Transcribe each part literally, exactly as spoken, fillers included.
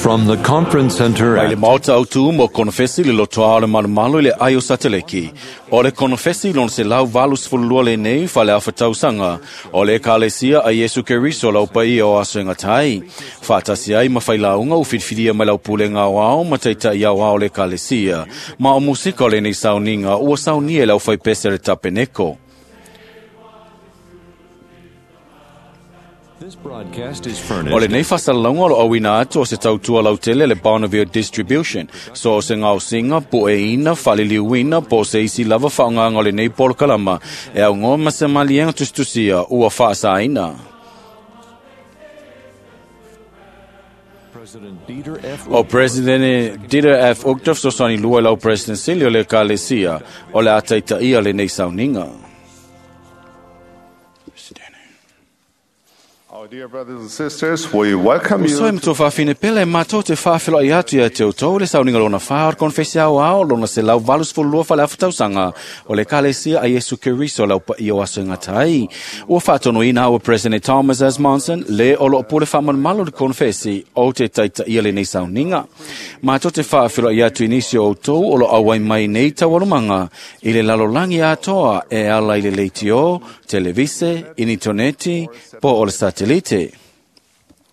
From the conference center Mai le at maota au tu mo konofesi le lotoa o le malumalo i le ai o sateleki. O le konofesi lona se lau valu sefululua lenei fale tausaga o le Ekalesia a Iesu Keriso lau paia o aso e gatai. Faatasi ai ma failauga ua filifilia mai lau pulega aoao ma taitai aoao o le Ekalesia. Ma o musika o lenei sauniga ua saunia e le aufaipese a le Tapeneko. This broadcast is O furnished lenei faasalalauga o lo auina atu o se tautua lautele le Bonneville Distribution. So o se gaosiga, pueina, faaliliuina, po o se isi lava faaaogaga o lenei polokalama e augoa ma se maliega tusitusia ua faasaina. President Dieter F. O President Dieter F. Uchtdorf fesoasoani lua i lau President sili o le Ekalesia o le a taitaia lenei sauniga. Our dear brothers and sisters, we welcome Soe you ma faafine pele matou te faafeloai atu ia te outou le sauniga lona fa o le konofesi aoao lona selau valu sefululua fale afa tausaga o le Ekalesia a Iesu Keriso lau paia o aso e gatai. Ua faatonuina ua President Thomas S. Monson le o loo pule faamalumalu le konofesi o te taitaia lenei sauniga. Matou te faafeloai atu i nisi o outou o lo auai mai nei taualumaga i le lalolagi atoa e ala i le leitio, televise, initoneti, po o le satelite.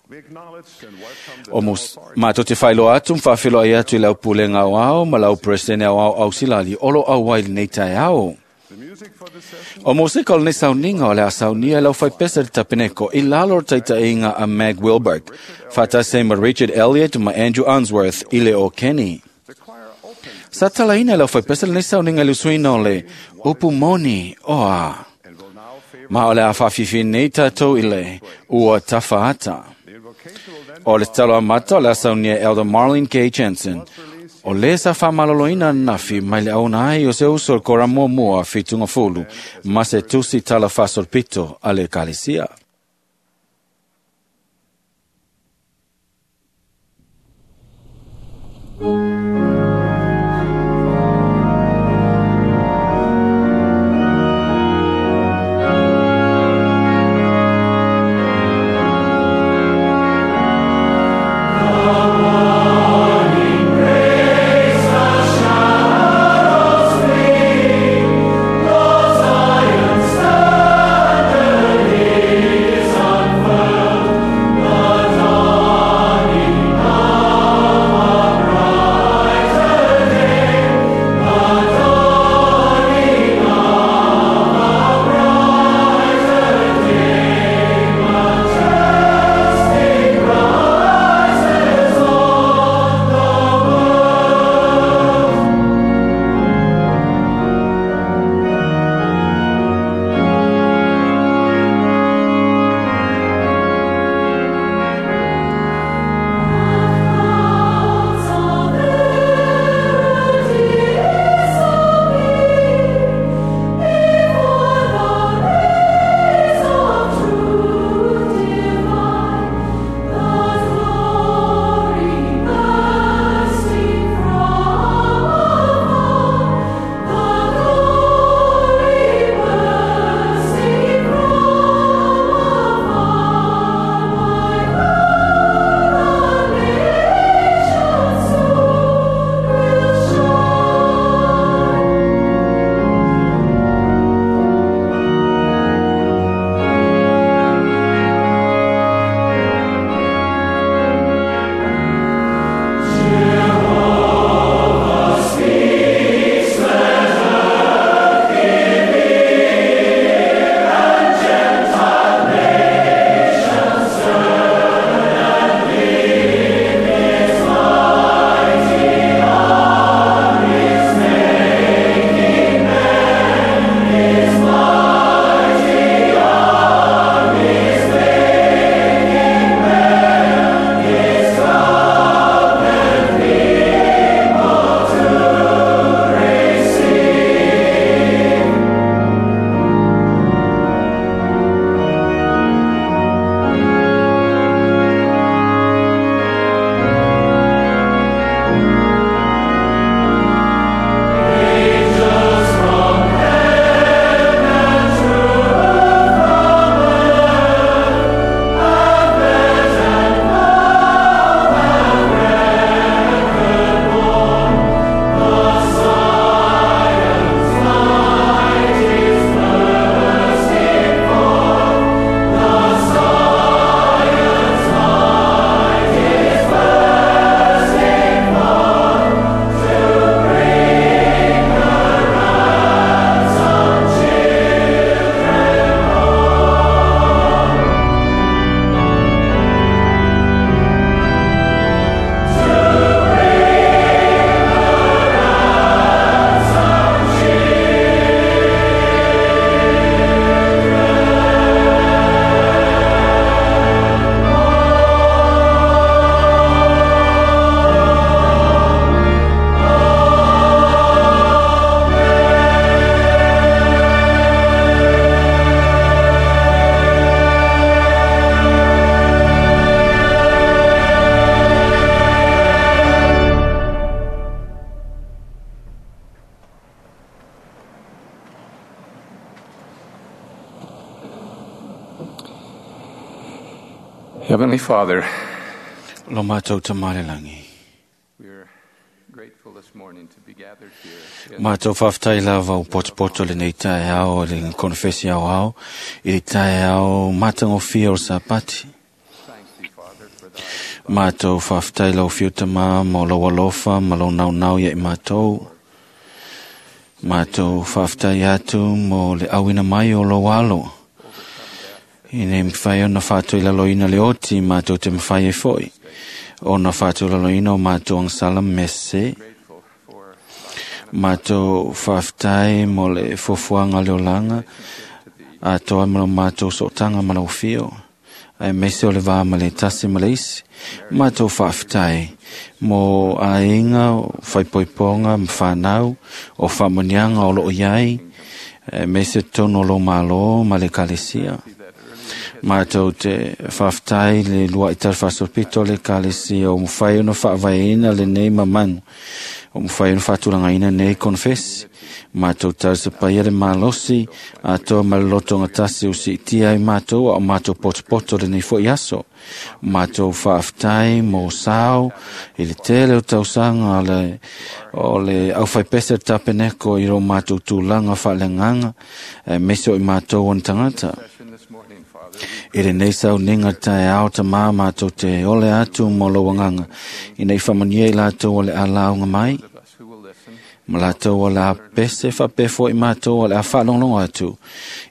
We acknowledge and welcome the O mos, matou te faailoa atu ma faafeloai atu i lau pulega aoao ma lau President aoao ausilali o lo auai lenei taeao. The music for this session O mosika o lenei sauniga o le a saunia e lau faipese le Tapeneko i lalo o le taitaiga a Meg Wilberg, faatasi ai ma Richard Elliott ma Andrew Unsworth i le o Kenny. the choir opens Sa talaina e lau faipese lenei sauniga i le usuina o le upu moni o a. and will now favor Ma o le a faafifi nei tatou i le ua tafaata. the invocation will then O le tatalo amata o le a saunia e Elder Marlene K. Jensen. O le sa faamaloloina nafi mai le auna ai o se uso o le kora muamua fitugafulu ma se tusi tala faasolopito a le Ekalesia. Unfurled, the dawning of a Heavenly Father, Lo mātou tamale langi. we are grateful this morning to be gathered here in Mātou whawhtai lava o potopoto le nei tae ao le konfesi ao ao i le tae ao matangofia o sapati. thank thee, Father, for thy Mātou whawhtai lau whiu tama mo lau alofa ma lau nau nau ia i mātou. Mātou whawhtai atu mo le awina mai o lau alo. I nei mwhai o na whātou i lalo ina le oti mātou te mwhai e foi. O na whātou lalo ina o mātou ang salam mese. grateful for Mātou whawhtai mo le fuafuaga le olaga atoa ma lo mātou sootaga ma lau fio ae mese o le vā ma le tasi ma le isi. Mātou whawhtai mo aiga o whaipoipoga ma whanau o whaamoniaga o loo iai ae mese tonu o lo malo ma le kalesia. Mātou te whawhtai le lua i talafasopito le kalesia o mwhai ona whaavaeina le nei mamanu o mwhai ona whaatulangaina nei konfesi. Mātou tausapaia le malosi atoa ma le loto ngatasi o siitia ai mātou a o mātou potopoto le nei foi aso. Mātou whaaftai mō sao i le tele o tausaga o le, o le auwhaipese tapeneko i ro mātou tūlanga whaalenganga e mese o i mātou on tangata. session this morning, Father. I le nei sau ninga tae ao ta mā mātou te ole atu mō lauanganga. I nei whamania i lātou o le alaunga mai, Those of us who will listen, ma lātou o le a pese whapefo i mātou o le a whaalonglongo atu.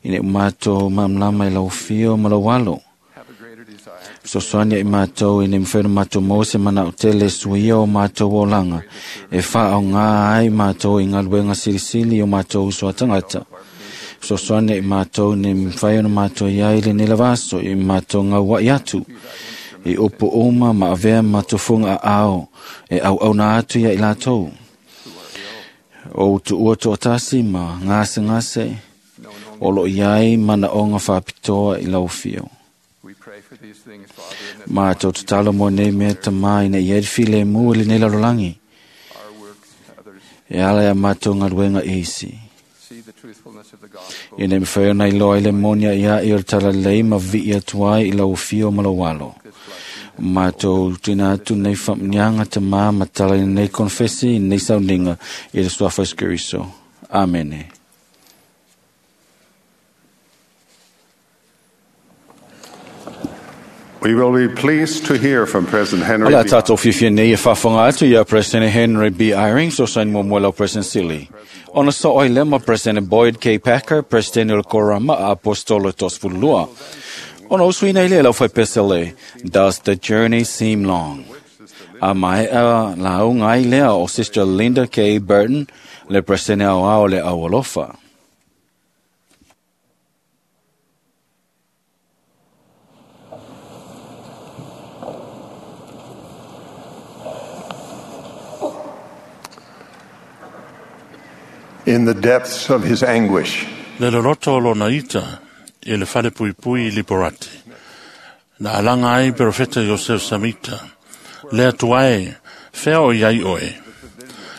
I nei mātou mamlama i lau fio ma lau alo. have a greater desire Sosoania i mātou i nei mwhero mātou mō se mana o tele suia o mātou o langa. E wha o ngā ai mātou i ngā luenga silisili o mātou uso a tangata. Sosoania i mātou nei mwhai ona mātou i ai le nela vaso i mātou ngā wai atu. I upu uma ma avea mātou funga a ao e au au nā atu ia i lātou. O utu ua toatasi ma ngase ngase o lo iai mana onga whapitoa i lau fio. We pray for these things, Father, in this Mātou tatalo mo nei mea tamā ina i edfi le mu le nei lalolagi. our works, others E ala ia mātou ngaluenga isi. see the truthfulness of the gospel. I nei mwhai ona i loa i le monia ia i o le talalei ma vi atu ai i lau fio ma lau alo. This blessing Mātou tūina atu nei whamnianga te mā matala i nei konfesi i nei sauninga i le suafa Kristo. Amene. We will be pleased to hear from President Henry Ala B. tātou whiwhia nei e whawhanga atu ia President Henry B. Eyring, so sain mo mwela o President Sili. Ona so oi lema President Boyd K. Packer, President o le Korama a Apostolo Tosfulua. Ona usuina i le lau whai pesele, Does the journey seem long? A mai a lau ngai lea o Sister Linda K. Burton, le President au ao le aualofa. In the depths of his anguish, Le loloto o lona ita i le fale puipui i Liporati. Na alanga ai profeta Joseph Samita. Le atu ai, fea o iai oe.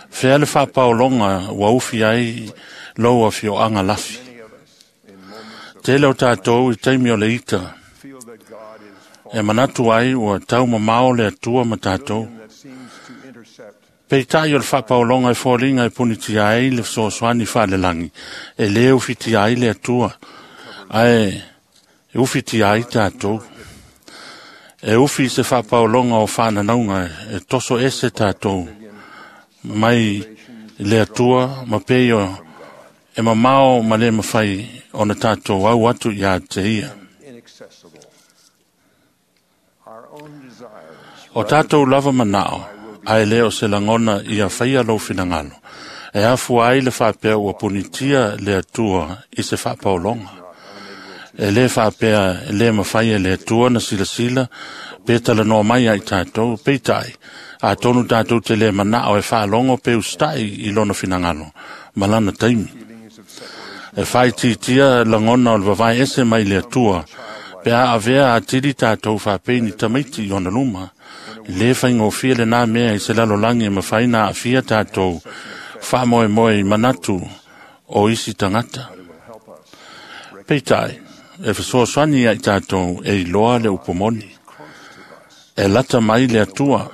Fea le whapaolonga ua ufi ai lou a fioanga lafi. Tele o tātou i taimi o le ita. feel that God is E manatu ai ua tau mamao le atua ma tātou. that seems to intercept Peitai o le whapaolonga e fōlinga e punitia ai le fesoasoani whaalelangi. E le ufitia ai le atua. Ae e ufitia ai tātou. E ufi se whapaolonga o whananaunga e toso ese tātou. Mai le atua ma pei o e mamao ma le mawhai o na tātou au atu i a te ia. inaccessible. Our own desires O tātou lava manao, ai le o se langona i a whaia lau finangalo. E afu ai le whapea ua punitia le atua i se whapaolonga. E le whapea e le mawhai e le atua na sila sila, pe tala noa mai ai tātou, peitai. A tonu tātou te le manao e whaalongo pe ustai i lona finangalo, malana taimi. E whai titia langona o le vavai ese mai le atua, pe a avea a tiri tātou whapei ni tamaiti i ona luma. Le whaingofia le nā mea i se lalolangi e mawhai nā awhia tātou whamoe moe i manatu o isi tangata. Peitai, e whasoaswani ai tātou e iloa le upomoni. E lata mai le Atua,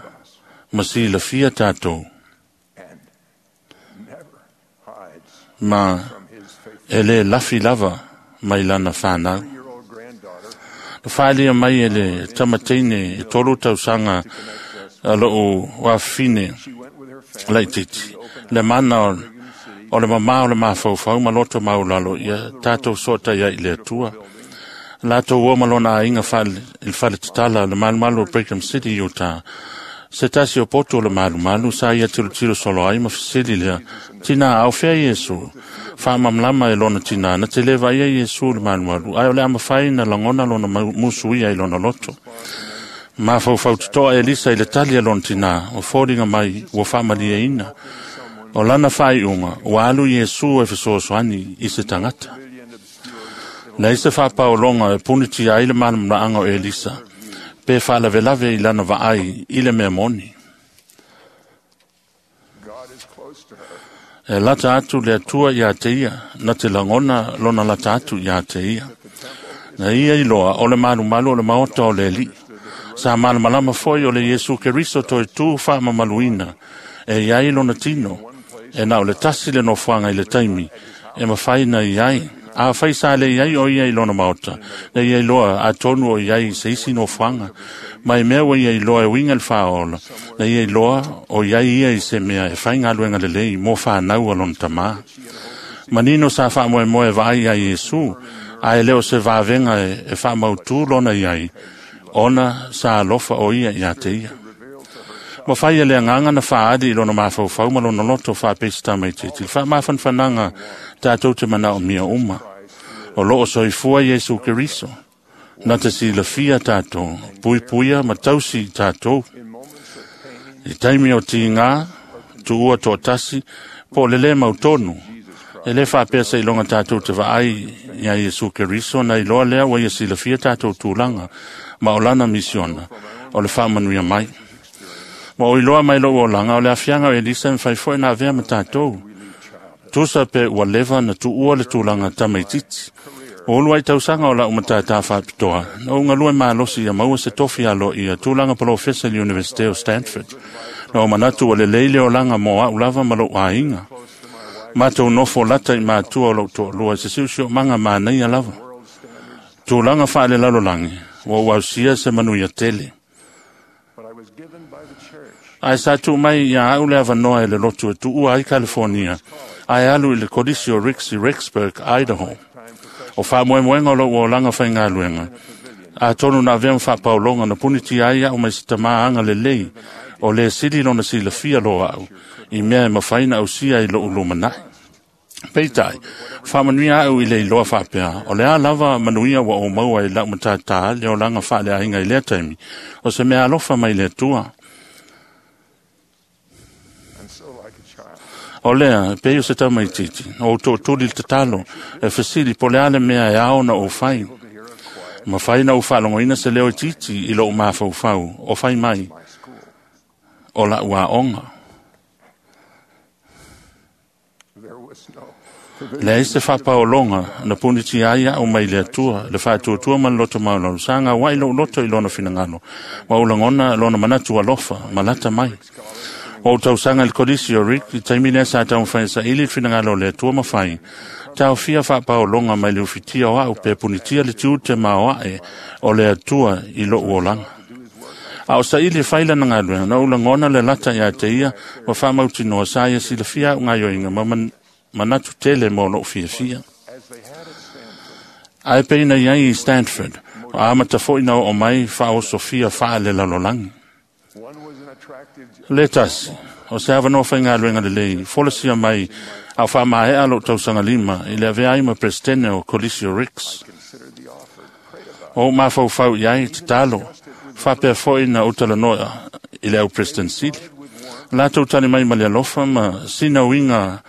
ma silafia tātou. Ma e le lafi lava mai lana whanau. Na whaelia mai e le tamateine e tolu tausaga a loo wafine laititi. Le mana o, o le mamā o le mafaufau ma loto maulalo ia tātou soota ia i le Atua. Latou o malona ainga whale, il whale tatala le malumalu o Brigham City, Utah. Se tasi o poto o le malumalu sa ia tilo tilo solo ai ma fisili lea. Tina au fea Iesu. Whaamamlama e lona tina. Na te leva ia Iesu le malumalu. Ai o le amawhai na langona lona musuia i lona loto. Mafaufau tutoa Elisa i le tali a lona tina. O fōringa mai ua whaamalia ina. O lana whaiunga, ua alu Iesu e fesoasoani i se tangata. Nei se whapaolonga e puniti ai le malamlaanga o Elisa. Pe whaalavelave i lana vaai i le mea moni. E lata atu le Atua ia te ia, na te langona lona lata atu ia te ia. Na ia iloa o le malumalu o le maota o le li. Sa malamalama foi o le Iesu Keriso toi tū whaamamaluina. E iai lona tino, e na o le tasi le nofuanga i le taimi, e mawhaina i ai. A whai sa le iai o ia i lona maota, na ia iloa a tonu o iai se isi nofuanga. Mai mea o ia iloa e winga le whaola, na ia iloa o iai ia i se mea e whai ngā le lei mō whanau a lona tamā. Manino sa whaamoe moe vai a Iesu, a e leo se vāvenga e, e whaamautu lona iai, ona sa alofa o ia ia te ia. Ma whai e le anganga na whaadi i lona mafaufau ma lona loto whaapesita mai te tili. Wha mawhanwhananga tātou te mana o mia uma. O loo soifua Iesu Keriso. Na te silafia tātou, puipuia ma tausi tātou. I taimi o tīngā, tuua tō tasi, po le le mautonu. E le whaapesa i longa tātou te vaai ia Iesu Keriso, na iloa lea ua ia silafia tātou tūlanga, ma o lana misiona, o le whaamanuia mai. Ma o iloa mai lou olanga, o le afianga o Elisa mwhai foi na avea ma tātou. Tusa pe ua leva na tuua le tūlanga tamaititi. O ulu ai tausanga o la umatata whapitoa. Na unga lue malosi ia maua se tofi alo ia tūlanga polofesa i Universite o Stanford. Na o manatu o le leile o langa mō au lava ma lou ainga. Mātou nofo lata i mātua o lou to'alua se siusio manga mānaia lava. Tūlanga whaale lalolangi, ua uausia se manuia tele. Ai sa tū mai ia au le avanoa e le lotu e tuua ai California, ai alu i le kolisi o Ricks i Rexburg, Idaho. O whaamoemoenga o lou olanga whaingaluenga. A tonu na avea mwhaapaolonga na puniti ai au mai se tamaanga le lei, o le sili lona silafia loa au, i mea e mawhaina au sia i lou lumanai. Peitai, whaamanuia au i le iloa whaapea, o le a lava manuia wa o maua i lau matata le olanga whaalea inga i lea taimi, o se mea alofa mai le Atua. O lea, pe o se tamaititi, o tōtuli le tatalo, e fesili po le ale mea e ao na o whai. Ma whai na o whaalongoina se leo i titi i lou mafaufau, o whai mai, o la ua onga. Le ai se whapaolonga, na puniti ai au mai le Atua, le whaatuatua ma le loto maulalo, sa ngā wai lou loto i lona finangalo, wa ulangona lona manatu alofa, malata mai. O tausanga le kolisi o Rick, i taimi lea sa taumawhai sa ili finangalo le Atua mawhai. Tau fia whapaolonga mai le ufitia o au pe punitia le tiute ma o ae o le Atua i lou olanga. A o sa ili whaila na ngaluenga, na ulangona le lata ia te ia, wa whamautinoa sa ia silafia au ngaioinga ma man, manatu tele mō lou fiafia. Ai peina iai i Stanford, o amata foi na o mai whaosofia whaale lalolangi. Le tasi, o se avanoa whaingaluenga le lei, folasia mai au whaamaea lou tausaga lima i le avea ai ma presidente o Colisio Ricks. O mafaufau iai tatalo, whapea foi na utalanoa i le au president sili. Latou tali mai ma le alofa ma sina uiga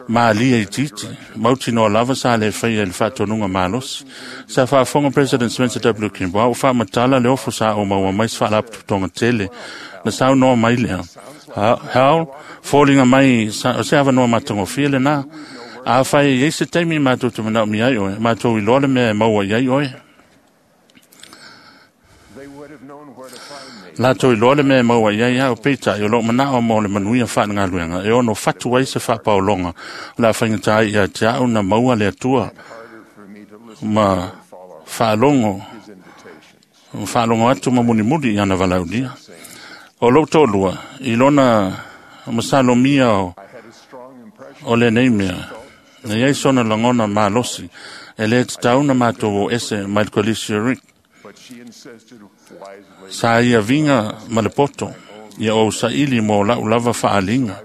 maalia i titi, mautinoa lava sa le whaia i le whaatonuga malosi. Sa whaafonga President Spencer W. Kimball, au whaamatala le ofo sa o maua mai se whaalapotopotoga tele, na saunoa mai lea. Hao, fōlinga mai sa, o se avanoa matagofie lenā. A whai i se taimi mātou te manao mi ai oe, mātou i loa le mea e maua i ai oe. Latou iloa le mea e maua i ai au peitai o loo manao mo le manuia faalegaluega e ono fatu ai se faapaologa o le a faigata ai ia te au na maua le Atua ma faalogo faalogo atu ma mulimuli i ana valaulia. O lou toalua i lona masalomia o, o lenei mea, na iai sona lagona malosi e lē tatau na matou o ese mai le Kolisi o Rick. Sa ia viga ma le poto ia ou saili mo lau lava faaliga.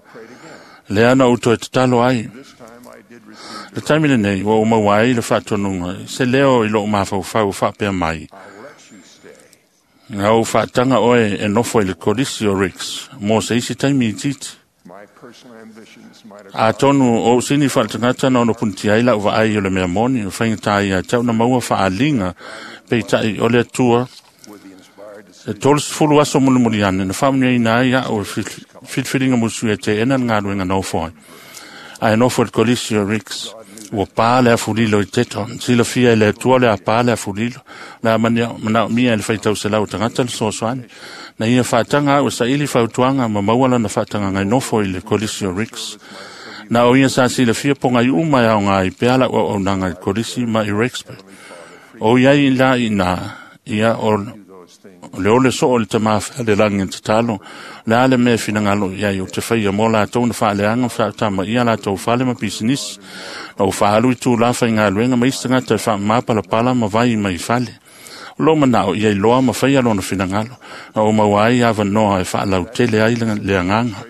Lea na ou toe tatalo ai. Le taimi lenei ua ou maua ai le faatonuga se leo i lou mafaufau faapea mai, na ou faataga oe e nofo i le Kolisi o Ricks mo se isi taimi itiiti. Atonu o ou sini faaletagata na ono punitia ai lau vaai o le mea moni o faigata ia te au na maua faaliga peitai o le Atua e tolusefulu aso mulimuli ane na faamanuiaina ai au e filifiliga musu e teena le galuega nofo ai. Ae nofo i le Kolisi o Ricks ua pā le afulilo i Teton. Silafia e le Atua le a pā le afulilo. Le a manaomia e le faitauselau o tagata le soasoani. Na ia faataga au e saili fautuaga ma maua lana faatagaga nofo i le Kolisi o Ricks. Na o ia sa silafia pogai uma e aoga ai pea lau auaunaga i le Kolisi ma i Rexburg. O iai la i ina, ia o le ole soo le tamā whalelagi tatalo, le a le mea finagalo iai o te whaia mō lātou na whaaleanga whaatama ia lātou whale ma pisinisi, na o whaalu i tū lafa i ngā luenga ma isi tagata e whaamāpalapala ma vai mai fale. O lou manao ia iloa ma whaia lona finagalo, na o maua ai avanoa e faalautele ai le agaga.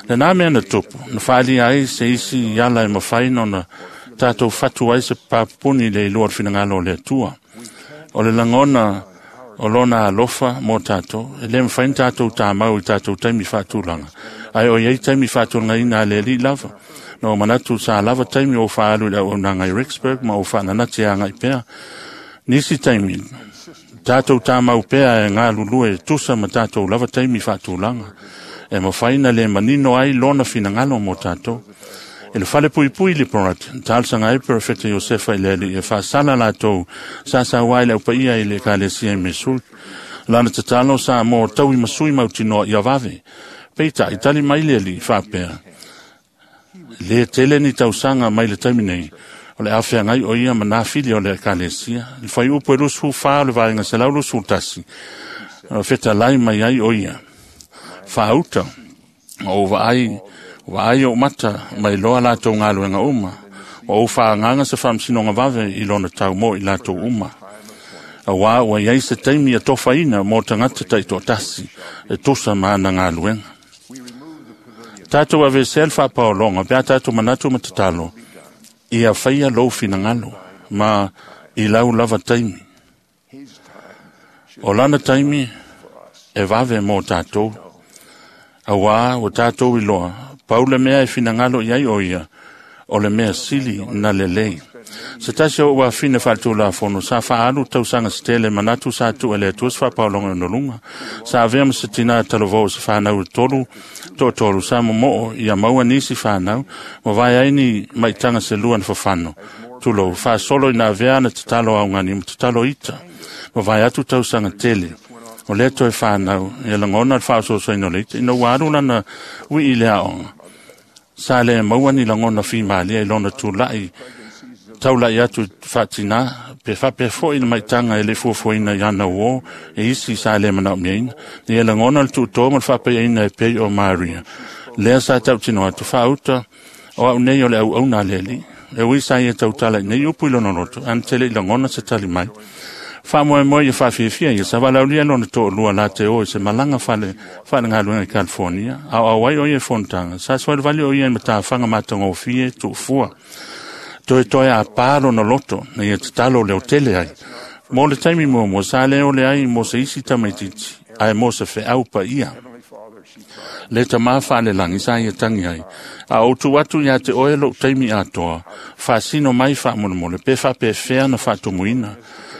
Le nā mea na tupu, na whaalia ai se isi ala e mawhai na tātou fatu ai se papupuni le iloa o le finagalo o le Atua. O le lagona o lona alofa mo tātou, e le mawhai tātou tāmau i tātou taimi whaatulanga. Ai o iai taimi whaatulanga ina le li lava. No manatu sa lava taimi o whaalu i au nanga i Rexburg ma o whaananate a ngai pea. Nisi taimi, tātou tāmau pea e ngā lulue tusa ma tātou lava taimi whaatulanga. E mawhai na le manino ai lona finangalo mo tātou. E le fale pui pui le porat, talsanga ai perfecta Josefa i le ali, e whaasala lātou, sa sa wai le upa ia i le kalesia i Mesul. Lana tatalo sa mō taui masui mautinoa i avave. Peita, i tali mai le ali, whaapea. Le tele ni tausanga mai le taimi nei, o le awhea ngai o ia ma nā fili o le kalesia. Le whai upu e lusu wha o le vaenga se lau lusu tasi. O wheta lai mai ai o ia. Whaauta, o vaai, Wa ai o mata mai loa lātou ngāluenga uma. Wa o whaanganga se whamsinonga vave i lona tau mo i lātou uma. A wā ua iai se taimi a tofaina mō tangata taitoatasi e tosa maana ngāluenga. Tātou avese le whaapaolonga, pea tātou manatu ma tatalo, ia whaia lou finangalo, ma i lau lava taimi. O lana taimi e vave mō tātou. A wā o tātou i loa, pau le mea e finangalo iai o ia, o le mea sili na lelei. Se tasi o ua fina whaatulafono, sa whaalu tausanga se tele manatu sa tu ele atua se whaapaolonga no lunga. Sa avea ma se tina talovou se whanau tolu, to tolu, sa momoo ia maua nisi whanau, ma vai ai ni maitanga se lua na whawhano. Tulo, whaasolo ina avea na tatalo au ngani, ma tatalo ita, ma vai atu tausanga tele. O lea toe whanau, ia langona le whaososoina o le ita, ina ua alu lana ui i le aonga. Sa le maua ni langona whimalia i lona tūlai, taulai atu whaatina, pe whape fo i le maitanga e le fuafuaina i ana uo, e isi sa le manao miaina. Ni e langona le tūtō ma le whapeaina e pei o Maria. Lea sa tautino atu whaauta, o au nei o le au au nā leli. E ui sa ia tautala i nei upu i lona loto, ana tele i langona se tali mai. Wha moe ia whawhiwhia ia, sa walaulia lona tō lua la te o i se malanga whale, whale ngā luenga i California, au au ai o ia fontanga, sa swale vali o ia i matawhanga matangofie tūfua. Toe toe a pā lona loto, na ia tatalo leo tele ai. Mō le taimi mua mua, sa leo le ai mō se isi tamaititi, ai mō se wheau pa ia. Le tamā whaalelangi sa ia tangi ai. A o tu atu ia te oe lou taimi atoa, whaasino mai whaamolemole, pe whape whea na whaatumuina.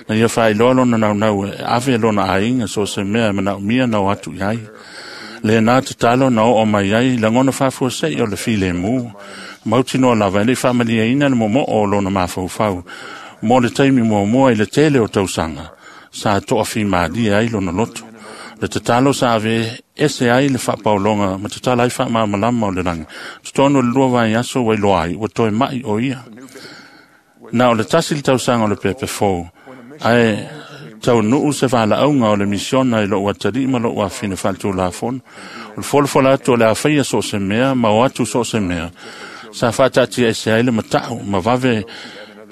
Na ia whailoa lona naunau e ave lona ainga so se mea e manao mia nao atu iai. Le nā tatalo na o o mai ai, langona whaafua sei o le file mū. Mautinoa lava e le whaamalia ina le momoo o lona mafaufau. Mō le taimi mua mua i le tele o tausanga, sa toa whimalia ai lona loto. Le tatalo sa ave ese ai le whaapaulonga ma tatala ai whaamamalama o le rangi. Tutono le lua vai aso wai loa ai, ua toe mai o ia. Na o le tasi le tausaga o le pepe fou, ae tau nuu se whalaunga o le misiona i lou atari ma lou afine whaatulafono. O le folafola atu o le awhaia so se mea, ma o atu so se mea. Sa whaatatia ese ai le matau, ma vave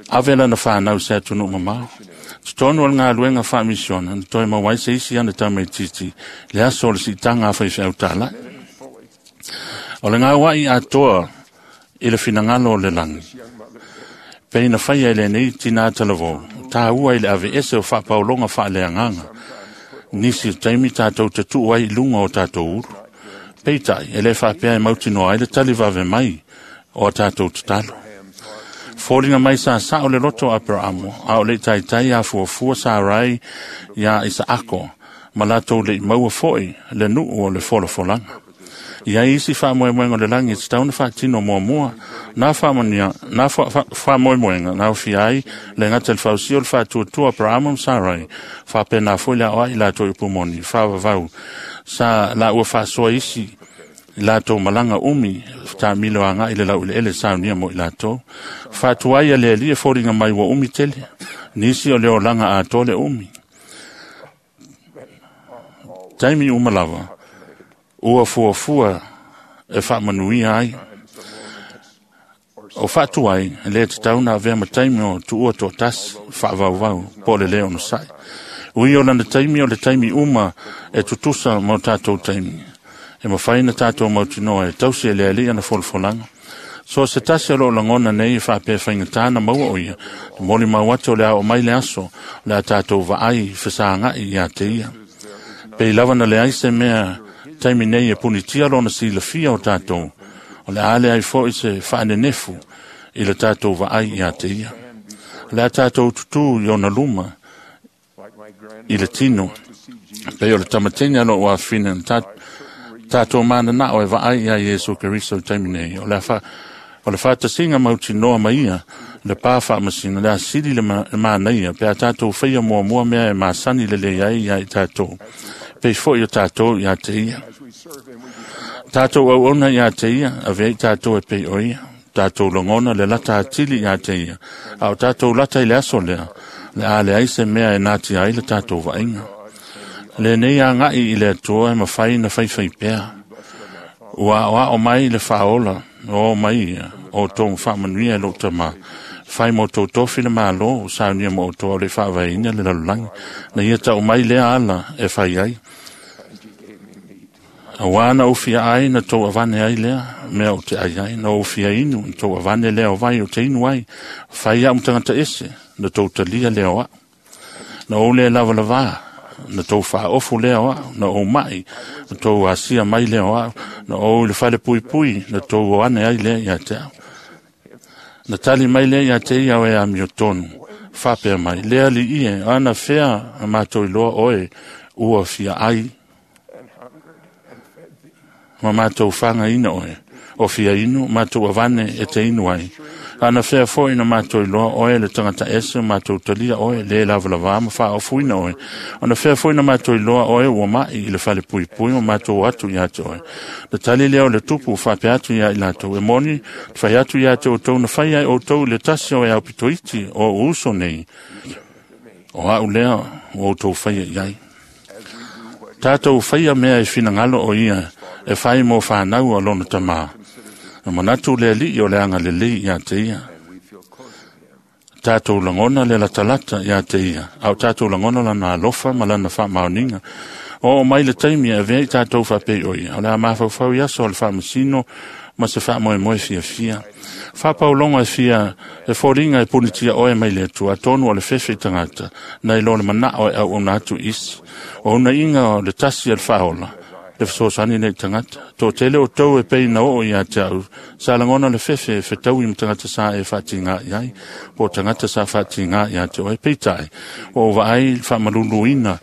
ave lana whanau se atu nuu mamao. Totonu o le ngā whaamisiona, na toe mawai se isi ana tamaititi, le aso o le sitanga awhai whiau tālai. O le ngā wai atoa i le whinangalo o le langi. Peina whaia i le nei tina atalavo, tā ua i le ave ese o whaapaulonga whaaleanganga. Nisi o taimi tātou te tuu ai lunga o tātou uru. Peitai, e le whaapea e mautinoa ai le taliwave mai o tātou tatalo. Fōlinga mai sa sa o le loto Aperamo, a o le taitai a fuafua sa rai ia Isaako, ma latou le maua foi le nuu o le folafolanga. Ia isi whaamoemoenga o le langi, te tauna whaatino mua mua, nā whaamania, nā whaamoemoenga, nā uwhia ai, le ngata le whausio le whaatuatua Aperamo ma Sarai, whaapena foi le aoa i latou ipumoni, whaavavau, sa la ua whaasoa isi, i latou malanga umi, tāmilo anga i le lau ile ele saunia mo i latou. Whaatuai a le alia fōringa mai ua umi tele, nisi o le olanga a tole umi. Taimi umalava, ua fuafua e whaamanuia ai. O whaatuai, le te tauna avea ma taimi o tuua tō tasi, whaavauvau, po le leo no sai. Ui o lana taimi o le taimi uma e tutusa mo tātou taimi. E mawhai na tātou mautinoa e tausi e le alia na folafolanga. So se tasi o lo langona nei e whaapea whaingatana maua o ia. Te moli mau atu o le ao mai le aso, le a tātou vaai whesaangai ia te ia. Pei lava na le ai se mea taimi nei e punitia lona silafia o tātou. O le ale ai fo i se whaanenefu i le tātou vaai ia te ia. Le a tātou tutu i ona luma i le tino. Pei o le tamatini alo o awhina tātou mana nā o e vaai ia Iesu Keriso taimi nei. O le wha, o le whaatasinga mautinoa mai ia, le pā whaamasina, le asili le mānaia, pe a tātou whaia mua mua mea e māsani le le ai ia i tātou. Pei fo i o tātou ia te ia. Tātou au ona ia te ia, a vei tātou e pei o ia. Tātou longona le lata atili ia te ia. A o tātou lata i le aso lea, le a le ai se mea e nāti ai le tātou vainga. Le nei a ngai i le atua e mawhai na whaiwhai pea. Ua oa o mai le whaola, o mai ia, o tōng whaamanuia e lota ma. Whai mo tō tōfi le mālo, o saunia mo o tō le whaavaina le lalulangi. Na ia tau mai lea ala e whai ai. A wāna uwhia ai na tō avane ai lea, mea o te ai ai, na uwhia inu, na tō avane lea o vai o te inu ai. Whai au mtangata ese, na tō talia lea o au. Na o lea lava lavā, na tō whaofu lea o au, na o mai, na tō asia mai lea o au, na o le whale pui pui, na tō o ane ai lea ia te au. Na tali mai lea ia te ia o e amio tonu, whapea mai, lea li ie, ana whea a mātou i loa oe, ua fia ai, ma mātou whanga ina oe, o fia inu, mātou avane e te inu ai. Ana whea fo ina mātou i loa oe le tangata ese, mātou talia oe, le lava lava ma whaofuina oe. Ana whea fo ina mātou i loa oe ua mai i le whale pui pui ma mātou atu i ate oe. Le tali leo le tupu whapea atu ia i lātou e moni, te whai atu ia te o tau na whai ai o tau le tasi o e au pitoiti o uso nei. O au lea o tau whaia i ai. Tātou whaia mea e whinangalo o ia e whai mō whānau o lona tamā. Na manatu le li o le anga le li ia te ia. Tātou langona le latalata ia te ia. Au tātou langona lana alofa ma lana whaamaoninga. O mai le taimi e vea i tātou whapei o ia. O le a mawhauwhau ia so le whaamasino ma se whaamoemoe fia fia. Whapaulonga e fia e fōringa e punitia oe mai le atua. Tonu o le whewhe i tangata. Nei lo le mana oe au ona atu isi. O una inga o le tasi e le whaola. Le whasosani nei tangata. Tō tele o tau e pei na o ia te au. Sa langona le whewhe e whetau i mtangata sa e whati ngā iai. Po tangata sa whati ngā ia te oe peitai. O vaai whamalulu ina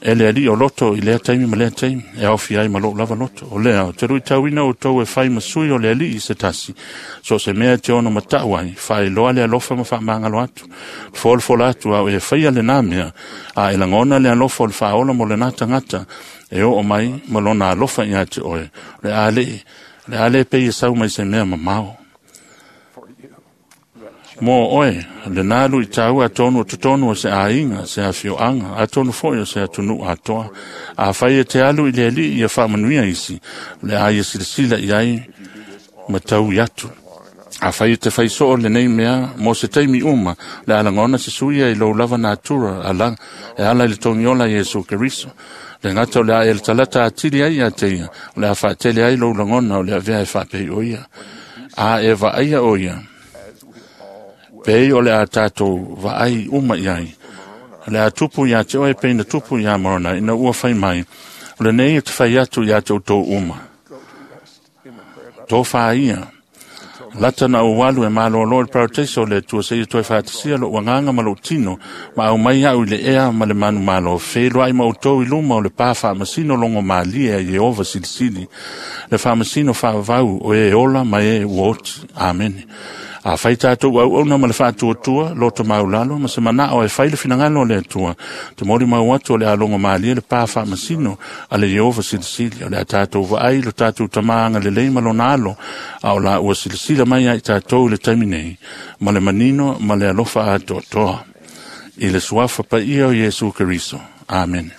E le ali o loto i lea taimi ma lea taimi, e aofia ai ma lou lava loto. O lea, o te luitauina outou e fai ma sui o le alii se tasi, so se mea e te ono matau ai, faailoa le alofa ma faamagalo atu, folafola atu au e faia lenā mea, a e lagona le alofa o le faaola mo lenā tagata, e oo mai ma lona alofa ia te oe, le a le, le a le pei e sau mai se mea mamao. Mo oe, le nā lui tāua atonu o totonu o se aiga, se afioaga, atonu foi o se atunuu atoa. A fai e te alu i le alii ia faamanuia isi, le a ia silasila i ai ma taui atu. A fai e te fai soo lenei mea, mo se taimi uma, le a lagona se suia i lou lava natura, ala, e ala i le togiola Iesu Keriso. Le gata o le a e le talata atili ai ia te ia, o le a faatele ai lou lagona o le avea e faapei o ia. A e vaaia o ia, pei o le a tātou vaai uma i ai. Le a tupu ia te oe pei na tupu ia Morona ina ua fai mai. O lenei e te fai atu ia te outou uma. Tō whaia. Lata na ualu e malolo i le parataiso o le Atua seia toe faatasia lou agaga ma lou tino, ma aumai au i le ea ma le manumalo, feiloai ma outou i luma o le pā faamasino logo malie a Ieova silisili, le faamasino faavavau o e ola ma e ua oti. Amene. A fai tātou auauna ma le faatuatua, loto maulalo, ma se manao e fai le finagalo o le Atua, te moli mau atu o le alogo malie le pā faamasino a le Ieova silisili, o le a tātou vaai lo tātou tamāga lelei ma lona alo, a o la ua silasila mai ai tātou i le taimi nei, ma le manino ma le alofa atoatoa. I le suafa paia o Iesu Keriso. Amen.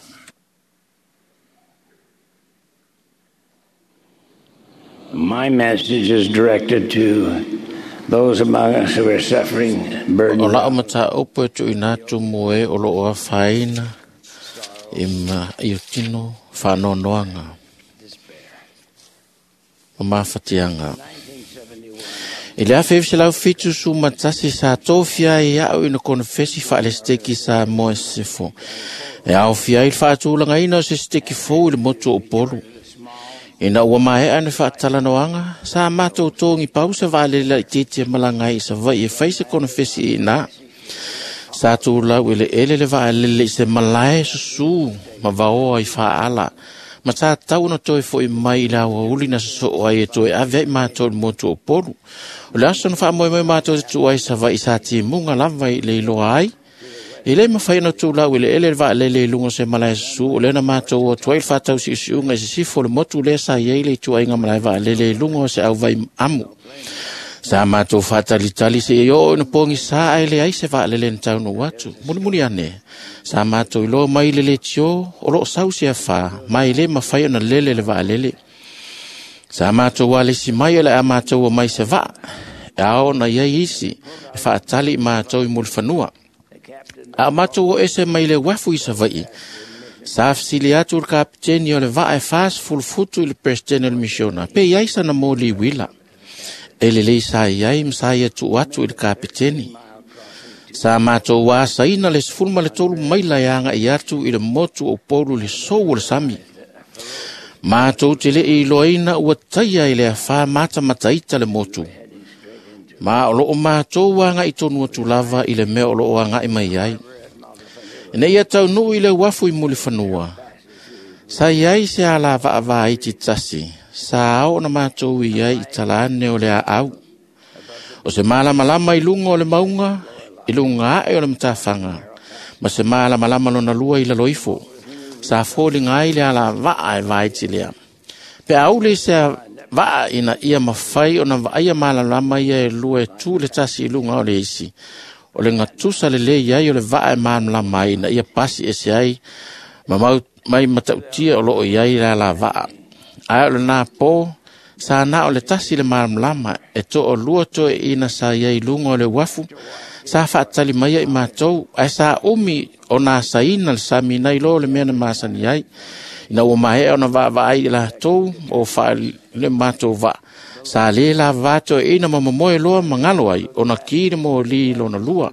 My message is directed to those among us who are suffering burden. O lao mataupu e tuuina atu mo e o loo afaina i ma i o tino faanoanoaga ma mafatiaga. I le afe iva selau fitu sumatasi sa tofia ai a'u ina konefesi faalesiteki sa moa e sefo. E aofia ai le faatulagaina o se siteki fou i le motu o Upolu. Ina ua maea na faatalanoaga, sa matou togi pau se vaalele laitiiti e malaga ai i Savaii e fai se konefesi i inā. Sa tulau eleele le vaalele i se malae susū ma vaoa i faaala, ma sa tatau ona toe fo'i mai i le aoauli na sosoo ai e toe ave ai matou i le motu o Upolu. O le aso na faamoemoe matou te tuu ai Savaii sa timuga lava i le iloa ai, e le mafai ona tulau eleele le vaalele i luga o se malae susū, o lea na matou o atu ai le faatausiusiuga i sisifo o le motu lea sa i ai le ituaiga malae vaalele i luga o se auvai amu. Sa matou faatalitali seia oo ina pogisā ae leai se vaalele na taunuu atu. Mulimuli ane, sa matou iloa mai le letio o loo sau se afā, ma e le mafai ona lele le vaalele. Sa matou alesi mai o le a matou omai se vaa, e ao ona i ai isi e faatali i matou i mulifanua. A o matou o ese mai le uafu i Savaii, sa fesili atu le kapiteni o le vaa e fasefulu futu i le peresetene o le misiona, pe i ai sana moli uila. E lelei sa i ai ma sa ia tuu atu i le kapiteni. Sa matou asaina le sefulu ma le tolu maila e aga'i atu i le motu o Upolu i le sou o le sami. Matou te le'i iloaina ua taia i le afā matamataita le motu. Ma o loo matou aga'i tonu atu lava i le mea o loo aga'i mai ai. Ina ia taunuu i le uafu i Mulifanua, sa i ai se alavaavaiti tasi, sa ao ona matou i ai i tala ane o le aau. O se malamalama i luga o le mauga, i luga ae o le matafaga, ma se malamalama lona lua i lalo ifo, sa foliga ai le alavaa e vaiti lea. Pe auli se vaa ina ia mafai ona vaaia malamalama ia e lua e tu le tasi i luga o le isi. O le gatusa lelei ai o le vaa e malamalama ai ina ia pasi ese ai ma mau mai matautia o loo i ai le alavaa. Ae o lenā pō, sa na o le tasi le malamalama e to'alua toeaiina sa i ai i luga o le uafu, sa faatali mai ai matou, ae sa umi ona asaina le sami nai lo le mea na masani ai. Ina ua maea ona vaavaai i latou o faale matou vaa, sa lē lavavā toeaiina ma momoe loa ma galo ai ona ki le moli lona lua.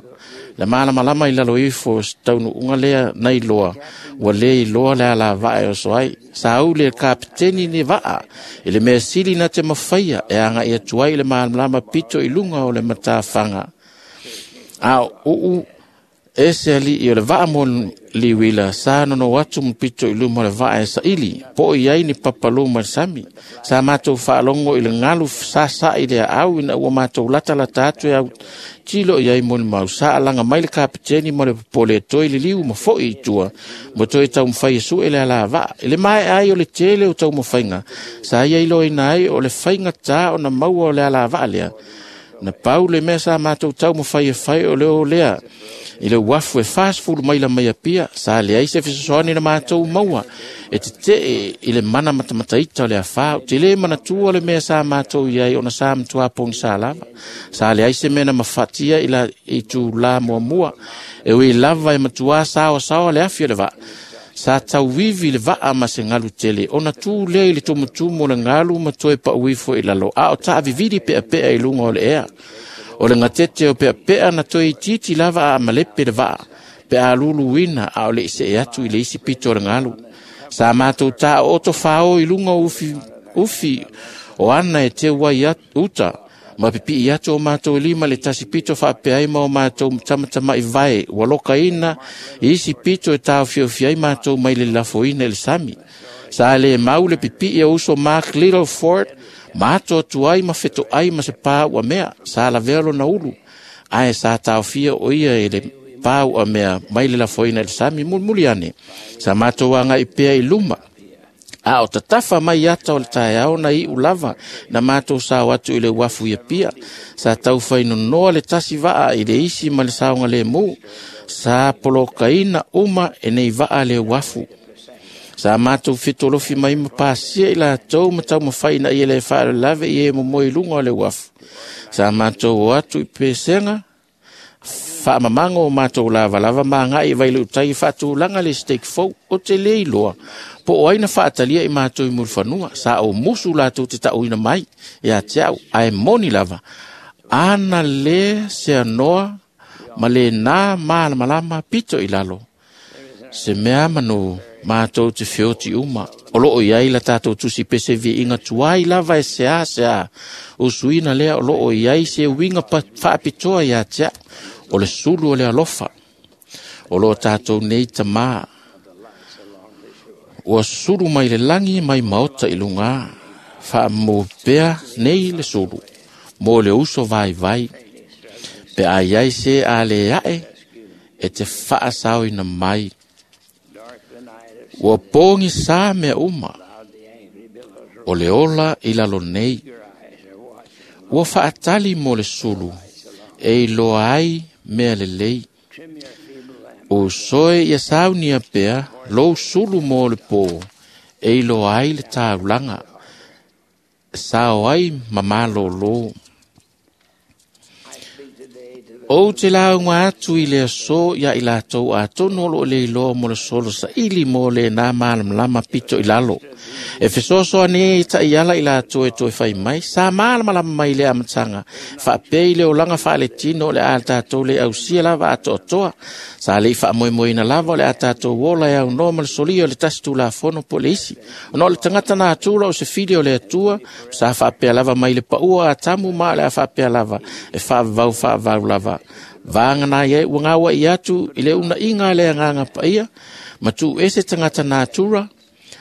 Le malamalama i lalo ifo o se taunuuga lea nai loa, ua lē iloa le alavaa e oso ai. Sa uli e le kapiteni le vaa i le mea sili na te mafaia e aga'i atu ai i le malamalama pito i luga o le matafaga. A o uu E se ali i o le vaa mo liwila sa nono atu mpito i luma o le vaa e saili po i ai ni papaluma le sami sa matou faalogo i le galu sasa'i le aau ina ua matou latalata atu e au tilo i ai molimau sa alaga mai le kapeteni ma le popole e toe liliu ma fo'i i tua ma toe taumafai e su'e le alavaa i le maea ai o le tele o taumafaiga sa ia iloaina ai o le faigatā ona maua o le alavaa lea na pau le mea sa matou taumafai e fai o le o lea i le uafu e fasefulu maila mai Apia sa leai se fesoasoani na matou maua e tetee i le mana matamataita o le afā. Ou te lē manatua le mea sa matou i ai ona sa matuā pogisa lava. Sa leai se mea na mafatia i la itulā muamua e ui lava e matuā saoasaoa le afi o le vaa. Sa tauivi le vaa ma se galu tele ona tu lea i le tumutumu o le galu ma toe pauifo i lalo a o taavivili peapea i luga o le ea. O le gatete o peapea na toe itiiti lava a malepe le vaa pe a luluina a o le i see atu i le isi pito o le galu. Sa matou taooto fāo i luga o ufi, ufi o ana e teu ai uta ma pipii atu o matou lima le tasi pito faapea ai ma o matou tamatama'i vae ua lokaina i isi pito e taofiofi ai matou mai le lafoina i le sami. Sa lē mau le pipii o uso Mark Littleford ma ato atu ai ma feto'ai ma se pā uamea sa lavea lona ulu ae sa taofia o ia e le pā uamea mai le lafoina i le sami. Mulimuli ane sa matou aga'i pea i luma a o tatafa mai ata o le taeao na iu lava na matou sao atu i le uafu i Apia. Sa taufainonoa le tasi vaa i le isi ma le saogalēmū. Sa polokaina uma e nei vaa le uafu. Sa matou fetolofi mai ma pasia i latou ma taumafai ina ia le faalavelave i e momoe i luga o le uafu. Sa matou o atu i pesega faamamago o matou lavalava ma agai i Vailuutai e faatulaga le stake fou. O te lē iloa po o ai na faatalia i matou i mulifanua. Sa ou musu latou te taʻuina mai ia te a'u ae moni lava ana lē seanoa ma lenā malamalama pito i lalo. Se mea manu matou te feoti uma o loo i ai la tatou tusi pese viiga tuai lava e seā seā usuina lea o loo i ai se uiga faapitoa ia te a'u o le sulu o le alofa o loo tatou nei tamā ua sulu mai le lagi mai maota i lugā faamomou pea nei le sulu mo le uso vaivai pe a iai se a lē aʻe e te faasaoina mai. Ua pogisā mea uma o le ola i lalo nei. Ua faatali mo le sulu e iloa ai mea lelei. Usoe ia saunia pea lou sulu mo le pō e iloa ai le taulaga sao ai ma malōlō. Ou te lauga atu i le aso ia i latou atonu o loo le iloa mo le solo saili mo lenā malamalama pito i lalo. E fesoasoani ai taʻiala i latou e toe fai mai sa malamalama mai le amataga faapea i le olaga faaletino o le a tatou le ausia lava atoatoa. Sa leʻi faamoemoeina lava o le a tatou ola e aunoa ma le solia o le tasi tulafono po o le isi. Ona o le tagata natura o se fili o le Atua sa faapea lava mai le paʻua a Atamu ma o le a faapea lava e faavavau faavavau lava. Vagana ai ua gauaʻi atu i le unaʻiga a le agaga paia ma tuu ese tagata natura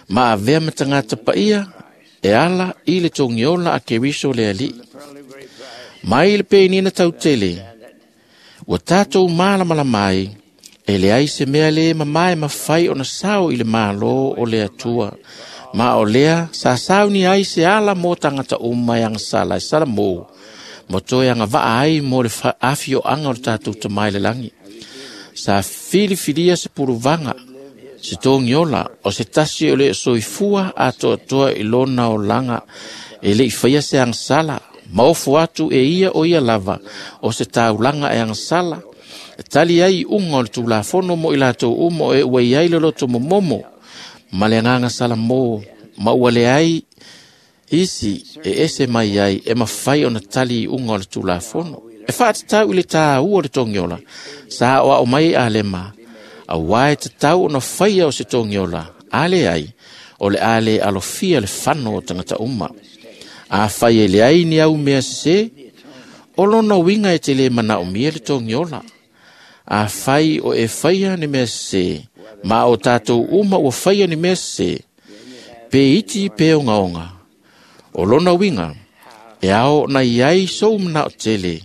ma avea ma tagata paia e ala i le togiola a Keriso le Alii. Mai le penina tautele ua tatou malamalama ai e leai se mea lē mamae mafai ona sao i le mālō o le Atua. Ma o lea sa sauni ai se ala mo tagata uma e agasala e salamō ma toe agavaa ai mo le afioaga o le tatou tamā i le lagi. Sa filifilia se puluvaga se togiola o se tasi o le soifua atoatoa i lona olaga e leʻi faia se agasala ma ofo atu e ia o ia lava o se taulaga e agasala e tali ai iʻuga o le tulafono mo i latou uma o e ua iai le loto momomo ma le agaga salamō ma ua leai isi e ese mai ai e mafai ona tali iʻuga o le tulafono. E faatatau i le tāua o le togiola sa aoao mai Alema auā e tatau ona faia o se togiola a leai o le a lē alofia le fano o tagata uma. Afai e leai ni au mea sesē o lona uiga e te lē manaomia le togiola. Afai o e faia ni mea sese, ma o tātou uma ua faia ni mea sese, pe iti pe ongaonga. O lona uiga, e ao ona iai sou manao tele,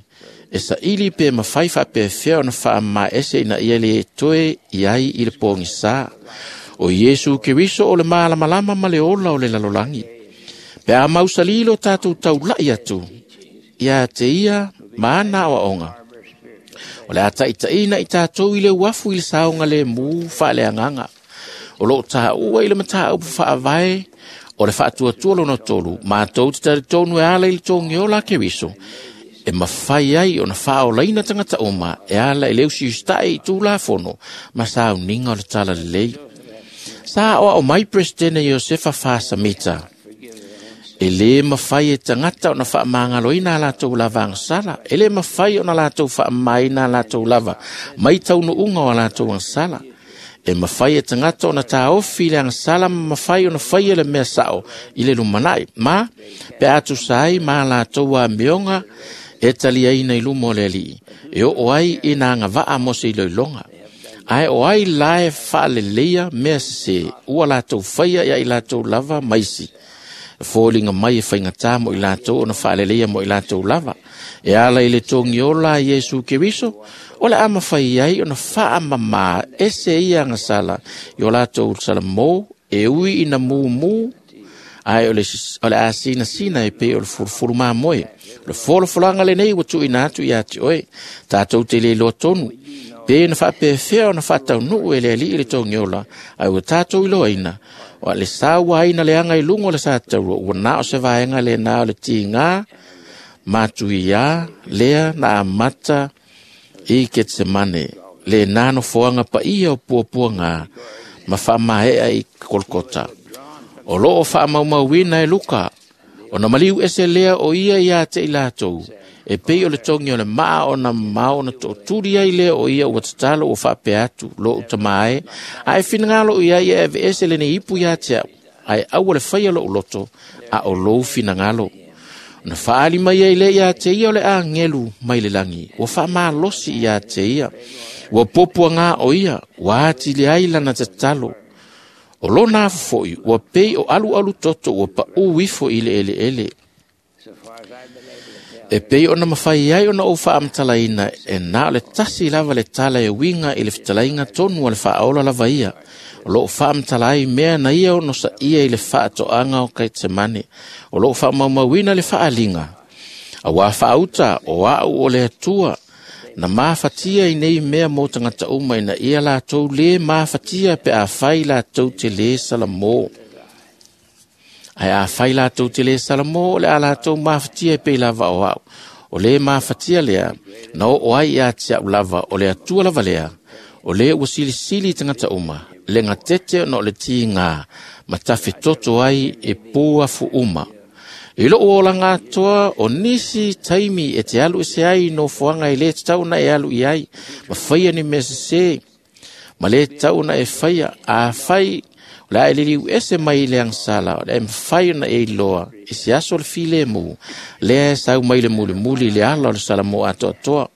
e saili pe mafai faapefea ona faamamaese ina ia le toe iai i le pogisa. O Iesu Keriso o le malamalama ma le ola o le lalolagi. Pe a mausali lo tātou taulai atu, ia te ia ma ana aoaoga. O le a taitaiina i tātou i le uafu i le saoga le mu faaleagaga. O loo tāua i le mataupu faavae o le faatuatua lona tolu, matou te talitonu e ala i le togiola a Keriso, e mafai ai ona faaolaina tagata uma e ala i le usiusitai i tulafono ma sauniga o le talalelei. Sa aoao mai Peresetene Iosefa Fasamita, e lē mafai e tagata ona faamagaloina a latou lava agasala, e lē mafai ona latou faamamaina a latou lava mai taunuuga o a latou agasala. E mafai e tagata ona taofi i le agasala ma mafai ona faia le mea sao i le lumanai, ma pe a tusa ai ma a latou amioga e taliaina i luma o le alii, e oo ai i na agavaa mo se iloiloga. Ae o ai la e faaleleia mea sesē ua latou faia ia i latou lava maisi. E foliga mai e faigata mo i latou ona faaleleia mo i latou lava. E ala i le togiola a Iesu Keriso, o le a mafai ai ona faamamā ese ia agasala i o latou salamō e ui ina mumu, ae o le, o le a sinasina e pei o le fulufulu mamoe. O le folafolaga lenei ua tuuina atu ia te oe, tātou te le iloa tonu, pe na faapefea ona faataunuu e le alii le togiola, ae ua tātou iloaina, o le saua aina le aga i luga o le sataua, ua na o se vaega lena o le tigā, matuiā lea na amata i Ketsemane, le nā nofoaga paia o puapuaga ma faamaea i Kolkota. O loo faamaumauina e Luka, ona maliu ese lea o ia ia te i latou, e pei o le togi o le maa ona mamao ona tootuli ai lea o ia ua tatalo ua faapea atu, lou tama e, ae finagalo iai e aveese lenei ipu ia te au, ae aua le faia lou loto, a o lou finagalo. Na faali mai ai lea ia te ia o le agelu mai le lagi, ua faamalosi ia te ia, ua puapuaga o ia, ua atili ai lana tatalo. O lona afu foi, ua pei o alualu toto ua paū ifo i le eleele. E pei ona mafai ai ona ou faamatalaina e na o le tasi lava le tala e uiga i le fetalaiga tonu o le faaola lava ia. O loo faamatala ai mea na ia ono saia i le faatoaga o Ketsemane. O loo faamaumauina le faaliga. Auā faauta o au o le Atua, na mafatia i nei mea mo tagata uma ina ia latou lē mafatia pe afai latou te lē salamō. Ae afai latou te lē salamō, o le a latou mafatia e pei lava o au. O lē mafatia lea, na oo ai ia te au lava, o le Atua lava lea, o lē ua silisili i tagata uma, le gatete ona o le tigā, ma tafetoto ai e pū afu uma. I lou olaga atoa o nisi taimi e te alu ese ai i nofoaga e lē tatau ona e alu i ai, ma faia ni mea sesē, ma lē tatau ona e faia. Afai o le a e liliu ese mai i le agasala, o le a e mafai ona e iloa i se aso o le filemu, lea e sau mai le mulimuli i le ala o le salamō atoatoa.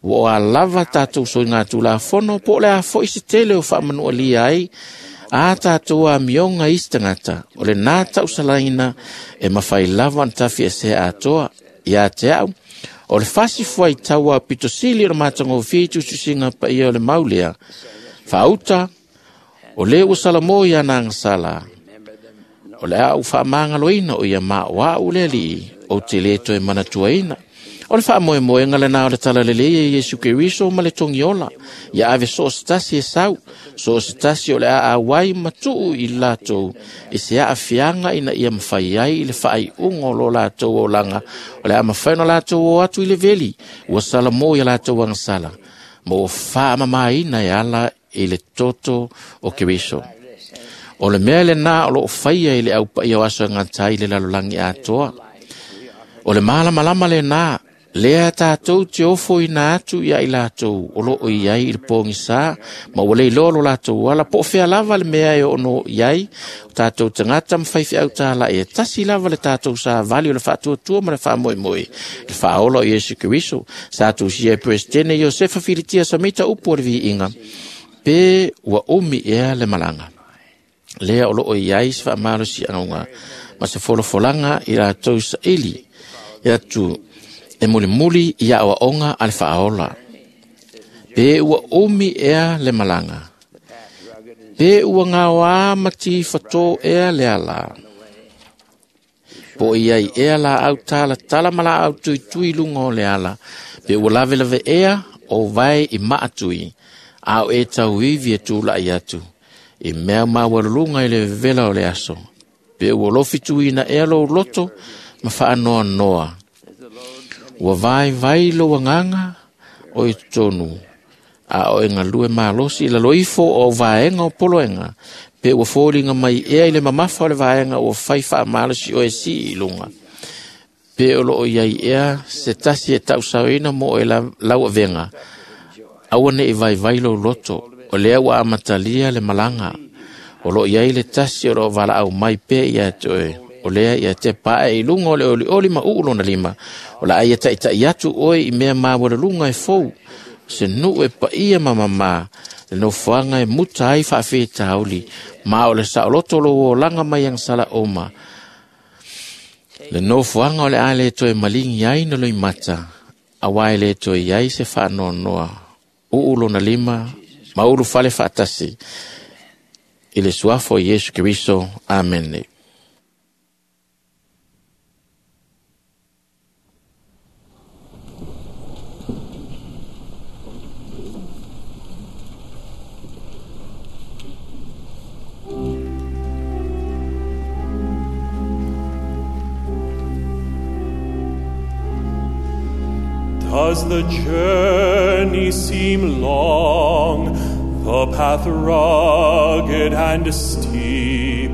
Ua o a lava tātou soiga tulafono, po o le a foi se tele o faamanualia ai a tātou amioga i isi tagata, o lenā tausalaina e mafai lava ona tafiesea atoa. Ia te au, o le fasi fuaitau a pitosili o le matagofie i tusitusiga paia o le mau lea, faauta, o lē ua salamō i ana agasala, o le a ou faamagaloina o ia ma o au le alii, ou te lē toe manatuaina. O le faamoemoega lenā o le talalelei e Iesu Keriso ma le togiola, ia ave so o se tasi e sau, so o se tasi o le a auai ma tuu i latou i se aafiaga ina ia mafai ai i le faaiuga o lo latou olaga, o le a mafai ona latou o atu i le veli, ua salamō ia latou agasala, ma ua faamamaina e ala i le toto o Keriso. O le mea lenā o loo faia i le aupaia o aso e gata ai le lalolagi atoa. O le malamalama lenā Lea tātou te ofo ina atu ia i lātou o loo i ai i le pōgisa ma ua leiloa lo lātou ala po o fea lava le mea e ono i ai o tātou tagata ma faifeau tāla'i e tasi lava le tātou savali o le faatuatua ma le faamoemoe le faaola o Iesu Keriso sa tusia e Peresetene Iosefa Filitia Samita upu o le viiga pe ua umi ea le malaga. Lea o loo i ai se faamalosiaga ma se folafolaga i latou saili i atu e mulimuli i aoaoga a le faaola. Pe ua umi ea le malaga. Pe ua gaoā ma tifatō ea le ala. Po i ai ea laau talatala ma laau tuitui luga o le ala. Pe ua lavelave ea o vae i maatui. A o e tauivi e tūla'i atu. I mea maualuluga i le vevela o le aso. Pe ua lofituina ea lou loto ma faanoanoa. Ua vai vai lo agaga o i totonu, a o e galue malosi i lalo ifo o vaega o poloega, pe ua foliga mai ea i le mamafa o le vaega ua fai faamalosi o e sii i luga. Pe o loo i ai ea se tasi e tausaoina mo e lau avega, aua ne i vaivai lou loto, o lea ua amatalia le malaga, o loo i ai le tasi o loo valaau mai pea ia te oe, o lea ia te pae i luga o le olioli ma uu lona lima, o la ai e taitai atu oe i mea maualuluga e fou, se nuu e paia ma mamā, le nofoaga e muta ai faafitauli, ma o le saoloto lou olaga mai agasala uma. Le nofoaga o le a le toe maligi ai na loimata, auā e le toe i ai se faanoanoa, uu lona lima, ma ulufale faatasi, i le suafa o Iesu Keriso. Amene. Does the journey seem long, the path rugged and steep?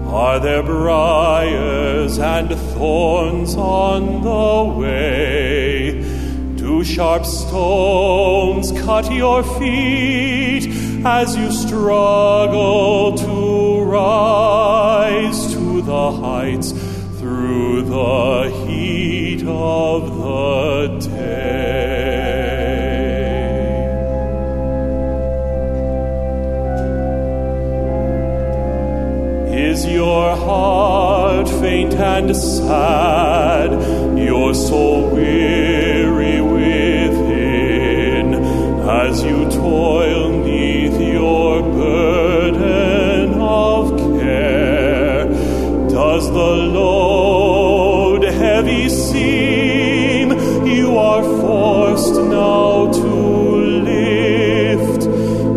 Are there briars and thorns on the way? Do sharp stones cut your feet as you struggle to rise to the heights through the heat of the day? Is your heart faint and sad, your soul weary within, as you toil neath your burden of care? Does the load heavy seem you are forced now to lift?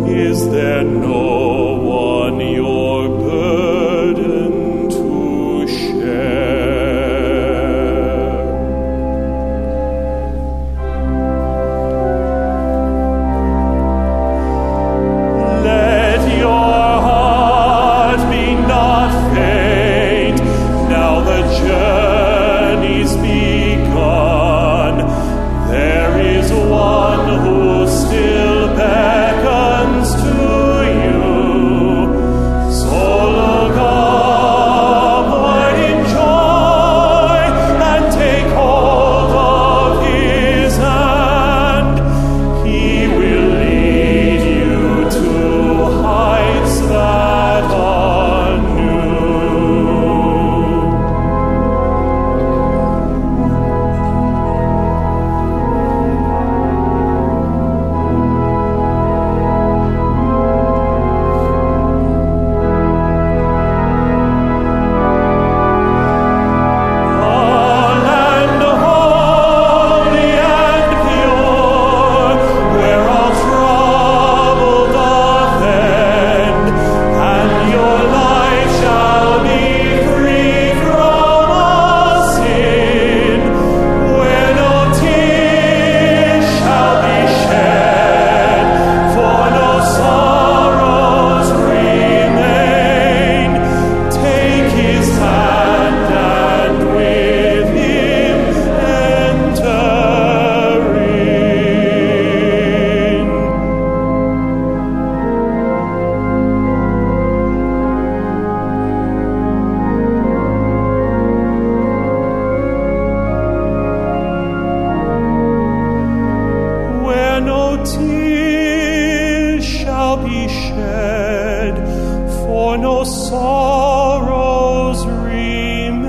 Is there no one your burden to share? Let your heart be not faint, now the shed, for no sorrows remain.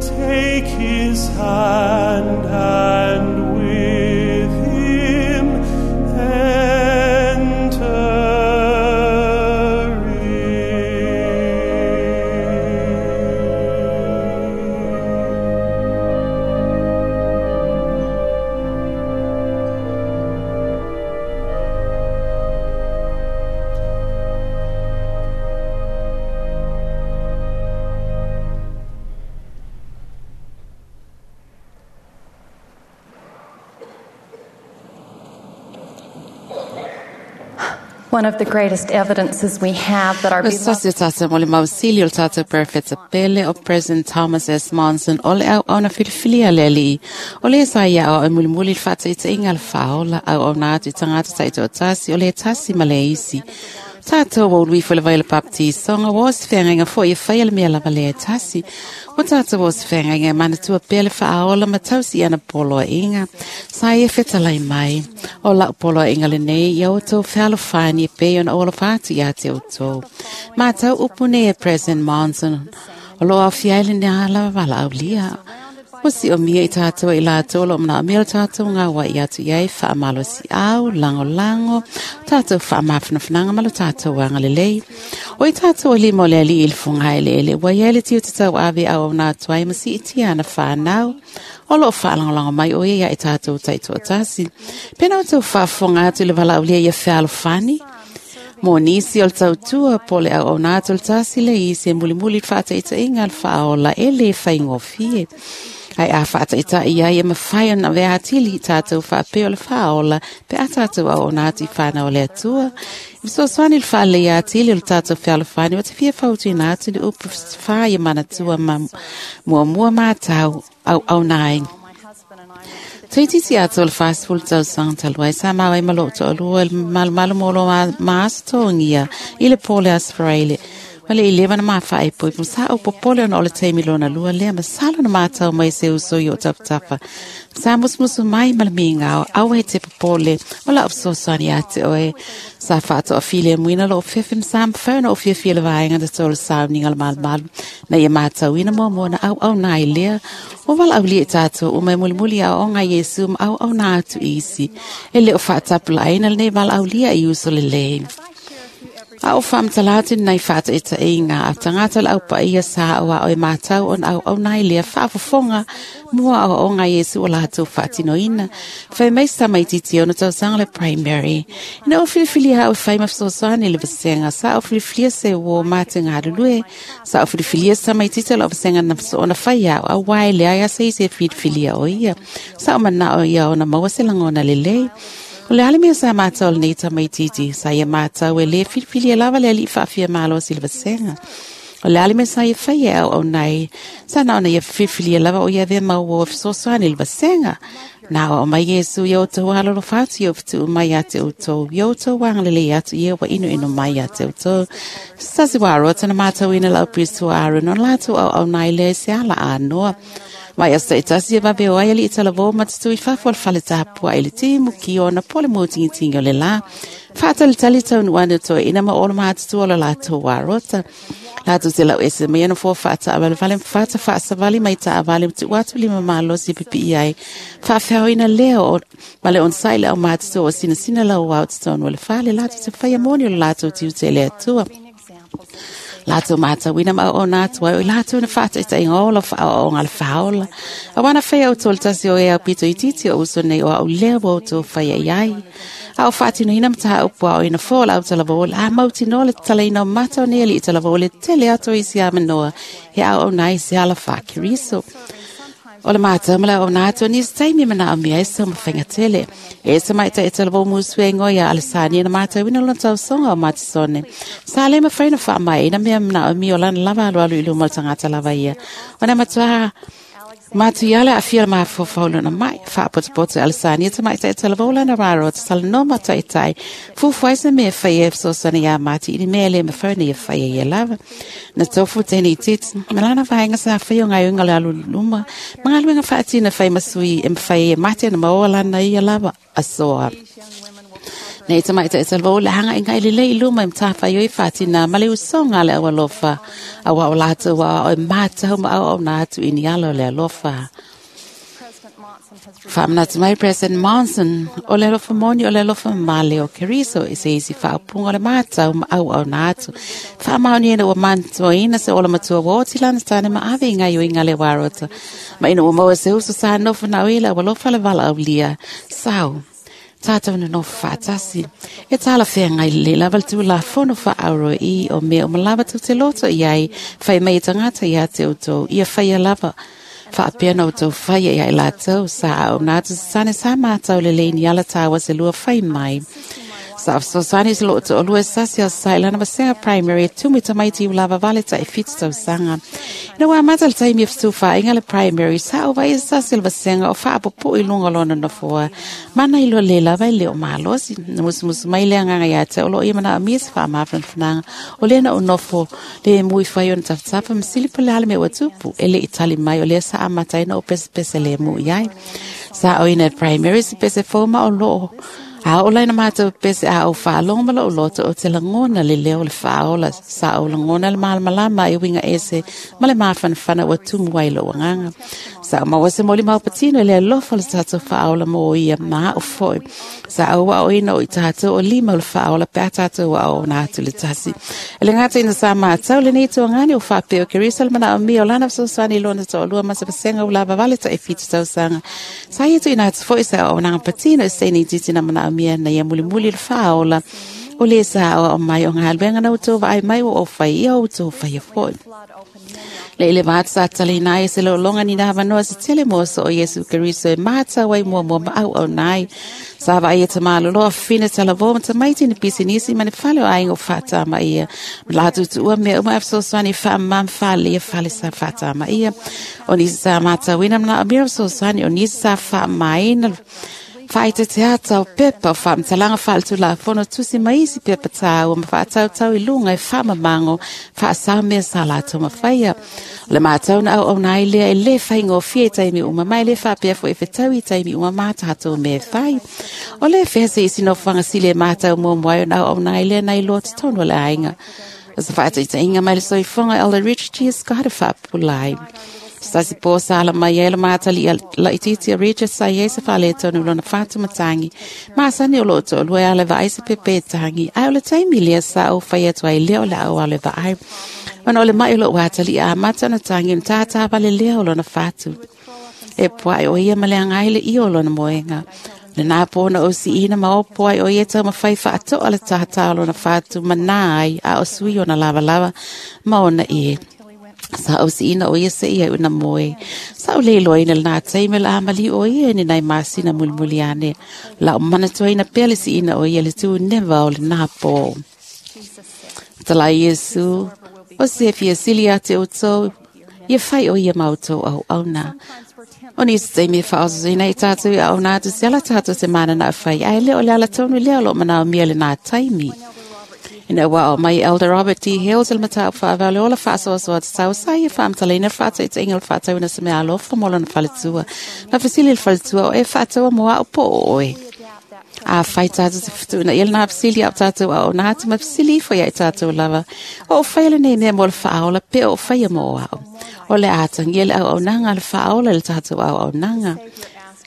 Take his hand and with him enter in. One of the greatest evidences we have that our beloved Sasi tata mo le mausili o le tata perfect pele o President Thomas S. Monson o le au ona filifilia le ali. O le sa ia o e mulimuli le whataita inga le whaola au au nā atu i tangata taito o tasi o le tasi ma le isi. Tātou o lui fo le vai le baptisonga o se whengainga fo i whai le mea lava le tasi. O tātou o se whengainga mana tua pele whaaola ma tausi ana poloa inga. Sa e whetalai mai. O lau poloa inga le nei ia o tau whealofani e pe ona ola whātu ia te o tau. Mā tau upune e President Monson. O loa fiaile ne ala wala aulia. O si o mia i tātou i lātou lo mna mea tātou ngā wa i atu iai whaamalo si au, lango lango, tātou whaamawhanawhananga malo tātou wanga lelei. O i tātou o lima o le ali i le funga ele ele, wa ia le tiu te tau ave au au nā tuai ma si i tia ana whanau. O lo whaalangolango mai o ia i tātou taito tasi. Pena o tau whaafonga atu le wala aulia ia whealofani. Mo nisi o le tautua po le au au nā atu le tasi le isi e mulimuli whaataita inga le whaola e le whaingofie. Ai a whaataita ia ia mawhai ona vea atili tātou whaapeo le whaola pe a tātou au ona atu i whanau le atua. I so swani le whaale ia atili o le tātou whealofani o te fia whautu ina atu le upu wha ia manatua ma mua mua mātau au au nai. Tuititi atu o le whaasifulu tausaga talu ai sa maua ai ma loo toalua le malumalu mo lo maasotogia i le pō le Asfaraile. Wale i lewa na mawhae pui mo sa o popole ona o le teimi lona lua lea ma salo na mātau mai se uso i o tapatafa. Sa musumusu mai ma le mingao au he te popole o la upsosani ate oe. Sa whaato a file muina lo o fefe msa mwhauna o fia fia le vaenga na tō le sauninga le malumalu. Na ia mātau ina mua mua na au au nā i lea. O wala au lia tātou o mai mulimuli a o ngā Yesu ma au au nā atu isi. E le o whaatapula aina le nei wala au lia i uso le lei. A o whamtalatu nei whata e ta inga a tangata le au pa ia sa o a o e mātau on au au nai lea whaafofonga mua o o ngā Yesu o lātou whaatino ina. Whai mai sa mai titi ona tau le primary. Ina o filifili ha o whai mawhsosani le vasenga sa o filifilia se o māte ngā rulue. Sa o filifilia sa mai titi o vasenga na ona whai au a wai le aia se isi e filifilia o ia. Sa o mana o ia ona maua se langona le lei. O le ale mea sa mātau le nei tamai titi, sa ia mātau e le filifili e lava le ali whaafia malo si le vasenga. O le ale mea sa ia whai au au nei, sa na ona ia filifili e lava o ia ve mau o fesoasoani le vasenga. Nā o mai Yesu ia o tau alolo whatu ia o whitu mai a te o tau, ia o tau wangalele atu ia wa inu inu mai a te o tau. Sasi waro tana mātau ina lau pristo aru no lātou au au nei le se ala anoa. Mai asa i tasi e wawe o ai ali i tala vō matatu i whafo al whale tāpua i le timu ki ona pole mō tingi tingi o le la. Whaatali tali tau nuane toi ina ma olo mātatu o le lātou warota. Lātou te lau ese mai ana fō whaata awale whale whaata whaasawali mai tā awale tu watu lima mālosi pipi i ai. Whaawheo ina leo o male on sai le au mātatu o sina sina lau wau tonu o le whale lātou te whaia moni o le lātou tiu te le atua. Lātou mātau ina ma o nā tua o lātou na whāta i tainga ola wha o ngā le whaola. A wana whai au tō le tasi o e au pito i titi o uso nei o au lea o tō whai ai ai. A o whātino ina mataha upua o ina fōla au tala vōla. A mauti no le tala ina o matau nei ali i tala vōle tele ato i si amanoa. He au au nai se ala whakiriso. O le mātau mala o nā tua nisi taimi mana o mea e sa mawhainga tele. E sa mai ta e tala vō musue ngoia a le sāni na mātau ina lona tau songa o mātisone. Sa le mawhaina wha mai ina mea mana o mi o lana lava alu alu i luma o le tangata lava ia. O na matua mātu iale a fia mā fōfauluna mai whaapotopoto a le sāni e ta mai ta e tala vō lana raro te tala no mata i tai. Fufuai sa mea whai e fsosana ia māti ini mea le mawhauna ia whai ia lava. Na tofu tēnei titi, malana whaenga sa whai o ngai unga le alu luma. Mga luenga whaatina whai masui e mwhai e mate na maoa lana ia lava. asoa. Nei tamaita e talvo le hanga inga ile le iluma im tafa yoi fatina male usonga le awalofa awa o lato wa o mata ma au na atu ini alo le alofa. Whaamnatu mai President Monson, o le alofa moni o le alofa male o Keriso i se isi whaapunga o le mātau ma au au nā atu. Whaamaoni ina ua mantuaina se ola matua woti lana tāne ma ave i ngai o inga le warota. Ma ina ua maua se uso sa nofo na uila ua lofa le vala au lia. Sau, tātou na nofo whaatasi. E tāla whea ngai le lava le tū la fono wha auro i o mea o malawa tau te loto i ai. Whai mai tangata i a te utou, ia whaia lava. Whaapea na utou whaia ia i lātou, sa au nā tu sane sa mātau le leini ala tāwa se lua whai mai. Sa afsosani se loto o lua sasi a sa ilana wasenga primary, tumi tamaiti ulava vale ta e fitu tau sanga. Ina wā mata le taimi e whainga le primary, sa o vai sasi le wasenga o whaapopo i lunga lona nofoa. Mana ilo le lava i leo malosi, na musumusu mai le anganga ia te olo ia mana amia se whaamawhanawhananga, o lena o nofo le mui whai o na tafatafa masili pole ale me watupu, ele itali mai o lea sa amataina o pese pese le mu iai. Sa o ina primary se pese foma o loo. A o laina mātou pese a o whaalonga malo o loto o te langona le leo le whaola sa o langona le malamalama e winga ese ma le māwhanawhana ua tumu ai lo wanganga. Sa o mawase moli maupatino le alofa le tātou whaola mo ia maa o foi. Sa o wa o ina o i tātou o lima o le whaola pe a tātou wa o nā atu le tasi. Ele ngata ina sa mātau le nei tuangani o whapeo kerisa le mana o mi o lana sosani lona to olua masa pasenga ulava vale ta e fitu tausanga. Sa ia tu ina atu foi sa o nanga patino e seini titi na mana o mia na ia muli muli le whaola o le sa o mai o ngā alwenga na utou vai mai o o whai ia o utou whai foi. Le ile vaat sa tali nai se lo longa ni na vanoa se tele mo so o Yesu Keriso e mātau ai mua mua ma au au nai. Sa vai e tamalo loa fina tala vo mata maiti ni pisinisi mane fale o aingo whata ma ia. La tu ua mea uma afsosani wha mam fale ia fale sa whata ma ia. O nisi sa mātau ina mana amira afsosani o nisi sa wha maina. Whaita te ata o pepa o whaamtalanga whaaltu la fono tusi maisi pepa tāu ma whaatautau i lunga e whaamamango whaasaumea sa lātou mawhaia. O le mātau na au au nā ilea e le whaingo fia i taimi uma mai le whapea fo e whetau i taimi uma mātātou me whai. O le whese isi no whangasile e mātau mua mwai o na au au nā ilea na iloa te tonu o le ainga. O sa whaata i inga mai le soifonga Elder Richard G. Scott e whaapulai. Stasi po sa ala mai e la mātali la ititi a Richard sa i se whale tonu lona whātu matangi. Māsani o loto o lue ale vaai se pepe tangi. Ai o le taimi lea sa o whai atu ai leo la au ale vaai. Ona o le mai o lo wātali a matana tangi mtātā vale lea o lona whātu. E poai o ia maleanga ai le i o lona moenga. Le nā pōna o si ina ma o poai o ia tau mawhai whaatoa le tātā o lona whātu manā ai a o sui ona lava lava ma ona e. Sa o si ina o ia se ia una moe. Sa o leilo ina nā teime la amali o ia ni nai masina mulimuli ane. La o manatua ina pele si ina o ia le tū newa o le nā pō. Tala Yesu, o se fia sili a te utou, ia whai o ia mautou au au nā. O nisi teime whaosoina i tātou i au nā tu se ala tātou te mana nā whai. Ai leo le ala tonu leo lo manao mia le nā taimi. Ina wa o mai Elder Robert D. Hales el matau whaavale ola whaasoasoa te tau sa ia whaamtalina whaata i te inga whaatau ina se mea alofa mo lona whaletua. Na whasili le whaletua o e whaataua mo au po oe. A whai tātou te whatu na ia nā whasili au tātou au nā atu ma whasili ifo ia i tātou lava. O o whaile nei mea mo le whaola pe o whaia mo au. O le ātangi le au au nanga le whaola le tātou au au nanga.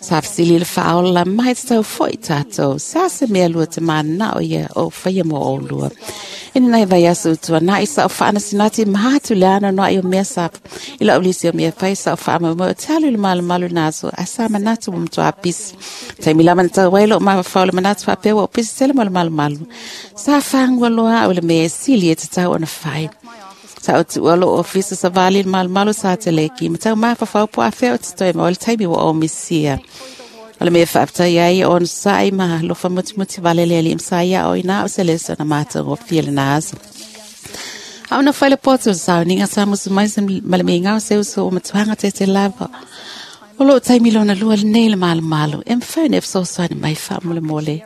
Sa whasili le whaola la mai te tau foi tātou. Sa se mea lua te mana o ia o whaia mo o lua. Ina nei vai asu utua nā isa o whaana sinati mahatu le ana noa i o mea sa i la ulisi o mea whai sa o whaama mo te alu le malu malu nāso a sa manatu mo mtoa pisi. Taimi lama na tau wailo o mawa whaole manatu whapea o pisi tele mo le malu malu. Sa whangua loa o le mea sili e te tau ona whai. Sa o tua lo ofisa sa vali le malu malu sa te leki. Ma tau mafa whaupo a whea o te toi ma o le taimi wa o misia. O le mea whaaptai ai o ona sa'i ma lofa mutimuti vale le ali msa ia o ina o se lesa na mātou o fia le nā asa. A ona whaile pōtu o sauninga sa musu mai se male me ngau se uso o matuanga te te lava. O loo taimi lona lua le nei le malu malu. E mwhau ne whsosoani mai wha mole mole.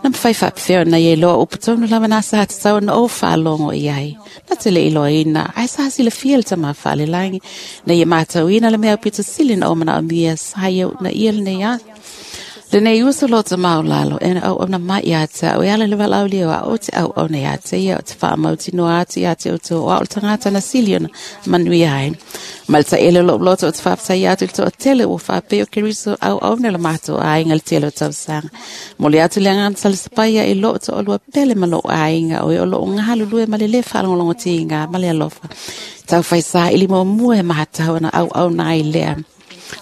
Na mwhai whapewheo na ye loa upatonu lava nā sa hata tau na o whaalongo i ai. Na te le iloa ina. Ai sa hasi le fia le tama whaale langi. Na ye mātau ina le mea upito sili na o mana o mia sa ia na ia le nei a. Le Lenei uso lo te maulalo, e na au au na mai ia te au, e ala le walau leo a o te au au na ia te ia o te whaamau tino atu ia te uto o au tangata na sili ona manuia ai. Ma le taele o lou loto o te faafetai atu i le toatele ua faapea o Keriso auauna le matou aiga i le tele o tausaga. Mo le atu le agaga salesapaia i loo toalua pele ma lou aiga o e o loo galulue ma le lē faalogologotiga ma le alofa. Taufaisā i limuamua e matatau ona auauna ai lea.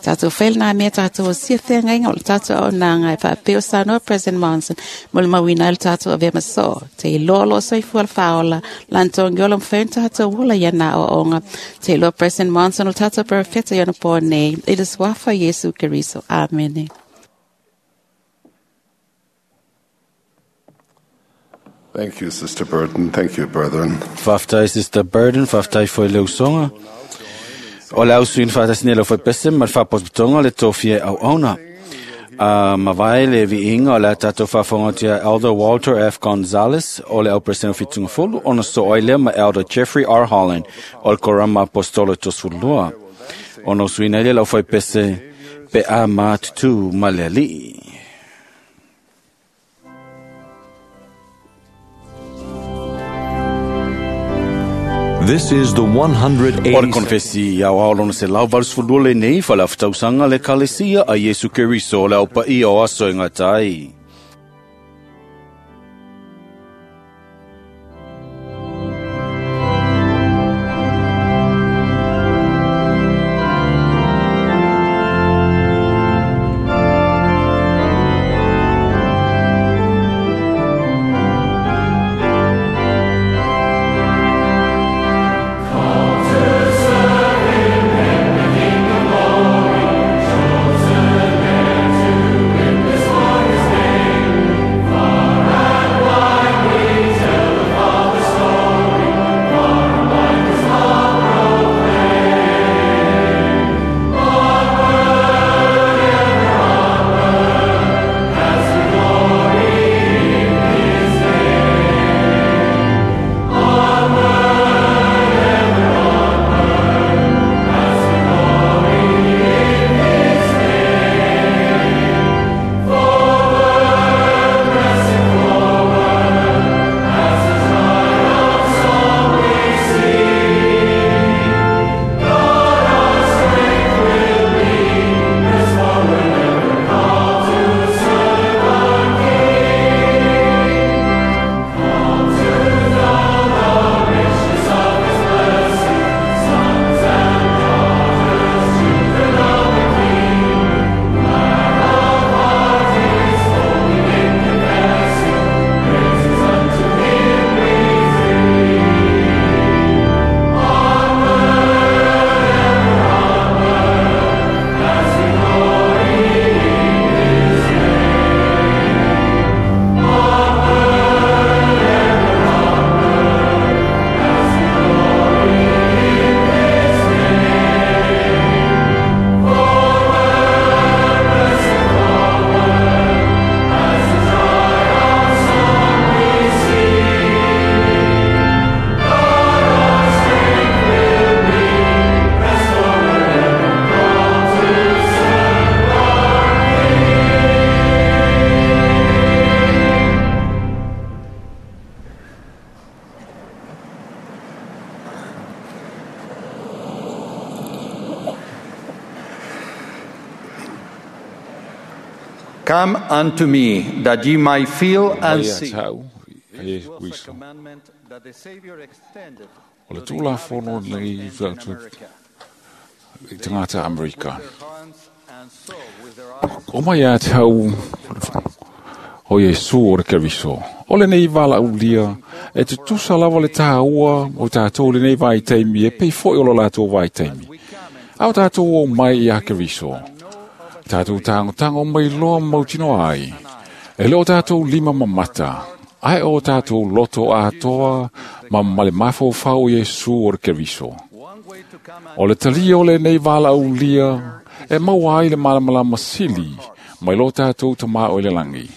Tātou whaile nā mea tātou o sia whengainga o le tātou au nā ngai whaapeo sanoa President Monson mo le mauina le tātou avea maso. Te iloa lo soifua le whaola, lantongi ola mwhaun tātou wola ia nā o onga. Te iloa President Monson o le tātou perefeta i ona pō nei. I le suafa Yesu Keriso. Amene. Thank you, Sister Burton. Thank you, brethren. Whaftai, Sister Burton. Whaftai foi le usonga. O le ausuin whaatasine le whaipese ma le whapototonga le tōfia au auna. Uh, mawai le viinga o le tātou whawhangatia Elder Walter F. Gonzalez o le au preseno whitunga fulu ona so oile ma Elder Jeffrey R. Holland o le korama apostolo tosulua. Ona usuina ile lau whaipese pe a mātutu ma le alii. This is the one hundred eighty. O le konfesi au ao lona se lau valusefulu lua lenei faalaftausaga le Ekalesia a Iesu Keriso o le au paia o aso e gata ai. Come unto me, that ye might feel and see. This was a commandment that the Savior extended o le tulafono nei i tagata Amerika. O mai ia te hau o Iesu o le Keriso. O lenei valaulia e tutusa lava le tāua o tātou lenei vaitaimi e pei foi o lo latou vaitaimi. A o tātou o mai ia Keriso. Tātou tangotango mai loa mautino ai. E le o tātou lima mamata. Ai o tātou loto atoa ma male mafaufau Iesu o le Keriso. O le talia o lenei valaulia e maua ai le malamalama sili mai lo tātou tamā o le langi.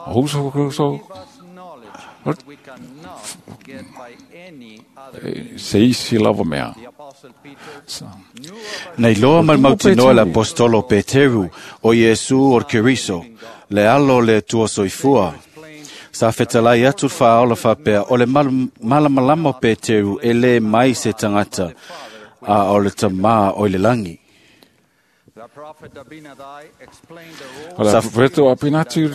O uso Keriso se isi lava mea. Nei loa mal mautinoa le apostolo Peteru o Iesu o Keriso, le alo le tua soifua. Sa fetalai atu whaola whapea o le malamalama o Peteru e le mai se tangata a o le tamā o le langi. O le profeta Abinati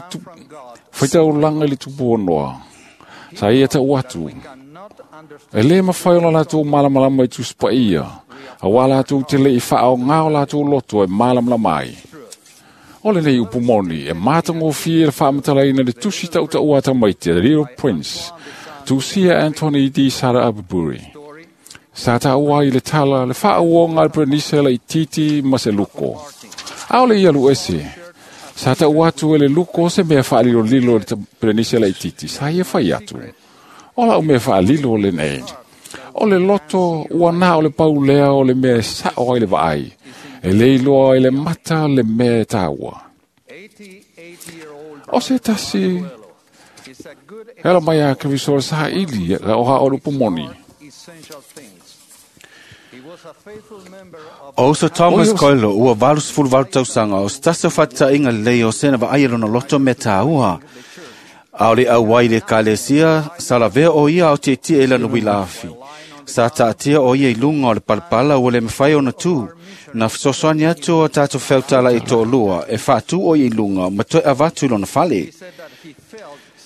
whaita o langa i le tupu o noa. Sa ia tau atu. E le mawhai o la lātou malamalama i tusipaia. A wā lātou te le i whaao ngā o lātou loto e malamalama ai. O le nei upu moni, e mātangofie le whaamatalaina le tusi tau ata mai te Little Prince, tusia Anthony D. Sara Abuburi. Sa tāua i le tala, le whaauonga le Prenise le ititi ma se luko. Ao le ia lu ese. Sa tau atu e le luko se mea whaalilo lilo le Prenise le ititi. Sa ia whai atu. O la o mea whaalilo le nei. O le loto, ua nā o le paulea o le mea sao ai le vaai. E leiloa i le mata le mea tāua. O se tasi, hela mai a Keriso le saha ili, o ha o le pumoni. O uso Thomas Coelho, ua valu sefulu valu tausaga, o se tasi o faataʻiga lelei o sena vaai e lona loto mea tāua. A o le auai le ekalesia, sa lavea o ia ao tietie e lana uila afi. Sa taatia o ia i luga o le palapala ua le mafai ona tū. Na fesoasoani atu o tatou feutala i toʻalua e faatū o ia i luga ma toe avatu i lona fale.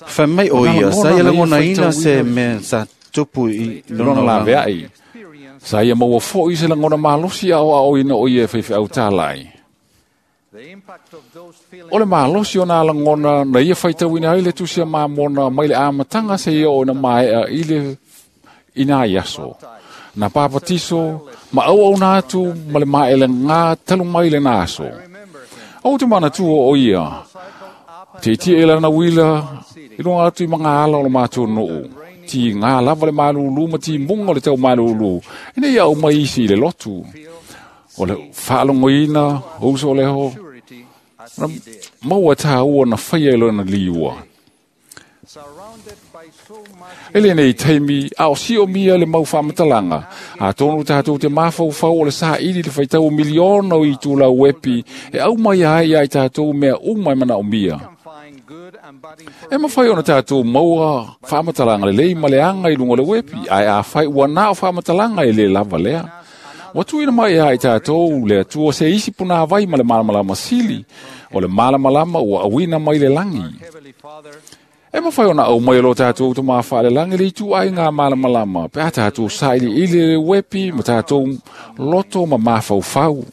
Fai mai o ia, sa ia lagonaina se mea sa tupu i lona laveai. Sa ia maua foʻi se lagona malosi ao aoina o ia e faifeau ai. O le malosi o nā lagona na ia faitauina ai le tusi a mamona mai le amataga se ia o na maea i le ina i aso. Na papatiso, ma au au nā atu ma le maele ngā talu mai le nā aso. Au te manatua o ia, te tia e lana wila, i lunga atu i mga ala o le mātou nuu. Ti ngā lava le malulu ma ti munga o le tau malulu. Ina ia au mai isi i le lotu. O le whaalongoina, o uso o leho. Na maua tāua na whaia i lona liua. E le nei taimi, a o si o mia le mau whaamatalanga. A tonu tātou te mawhauwhau o le saa ili le whaitau miliona o i tūlau wepi, e au mai ai ai tātou mea umai mana o mia. E mawhai ona tātou maua whaamatalanga le lei ma le anga i lunga le wepi, ai a whai ua nā o whaamatalanga e le lava lea. Watu ina mai ai tātou le atua se isi puna vai ma le malamalama sili, o le malamalama ua awina mai le langi. E mawhai ona au mai lo tātou te mawha le langi le itu ai ngā malamalama, pe a tātou saili ili le wepi ma tātou loto ma mawhauwhau.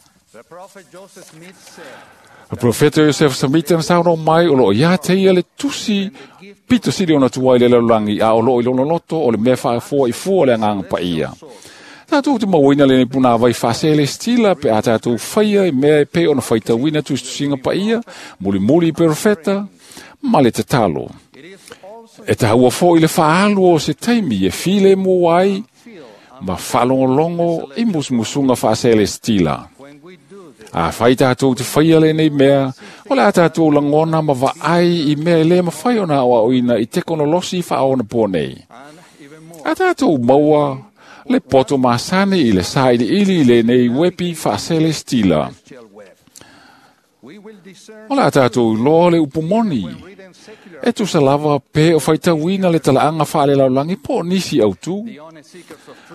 Le profeta Joseph Smith na sauno mai o loo ia te ia le tusi pito sili ona tuai le lalulangi a o loo i lona loto o le mea whaafua i fua le anganga pa ia. Tātou te mauina le puna vai whaasele stila pe a tātou whaia i mea e pe ona whaitauina tusitusinga pa ia, muli muli i profeta, ma le tatalo. E taua fo i le whaalu o se taimi e file mō ai, ma whalongolongo i musumusunga whaasele stila. A whai tātou te whaia le nei mea, o le a tātou langona ma vaai i mea e le mawhai ona o aoina i tekonolosi whaona pō nei. A tātou maua le poto masani i le saili ili i le nei wepi whaasele stila. O le a tātou loa le upumoni. E tusa lava pe o whaitauina le talaanga whaale laulangi po nisi au tū.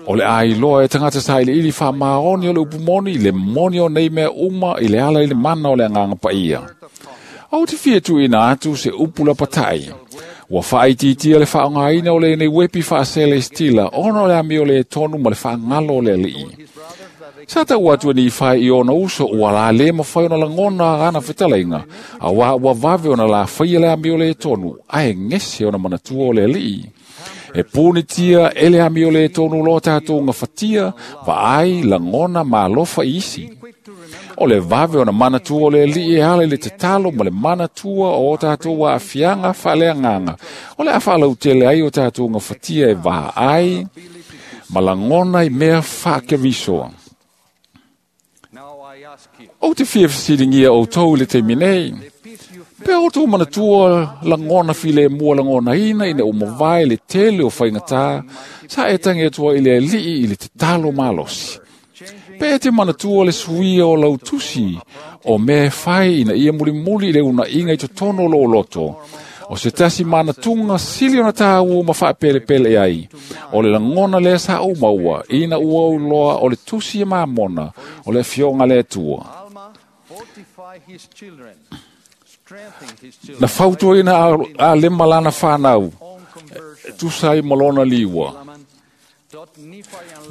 O le ai loa e tangata saili ili wha maoni o le upumoni le moni o nei mea uma i le ala i le mana o le anganga paia. Au te fia tu ina atu se upula patai. Ua whaititia le whaongaina o le nei wepi whaasele stila ono le ami o le tonu ma le whaangalo o le alii. Sa tau atu ni whai i ona uso ua la le mawhai ona langona ana whetalainga. A wā ua vave ona la whaia le ami o le tonu, ae ngese ona manatua o le alii. E pūnitia e le ami o le tonu lo tātou ngā whatia, vaai langona malofa isi. O le vave ona manatua o le alii e ala i le tatalo ma le manatua o tātou a awhianga whaleanganga. O le awhalau tele ai o tātou ngā whatia e vaai, ma langona i mea whakevisoa. O te fia whasiringia o tau le te minei, Pe o tō manatua langona file mua langona ina ina o mawai le tele o whaingata, sa e tangi atua i le alii i le te talo malosi. Pe e te manatua le suia o lautusi o mea whai ina ia muli muli i le una inga i totono lo loto. O se tasi manatunga sili ona tāu ma whaapele pele ai. O le langona lea sa o maua, ina ua uloa o le tusi e maamona, o le fionga le atua. Na fautua ina a, a lema lana whanau, tusa i malona liwa.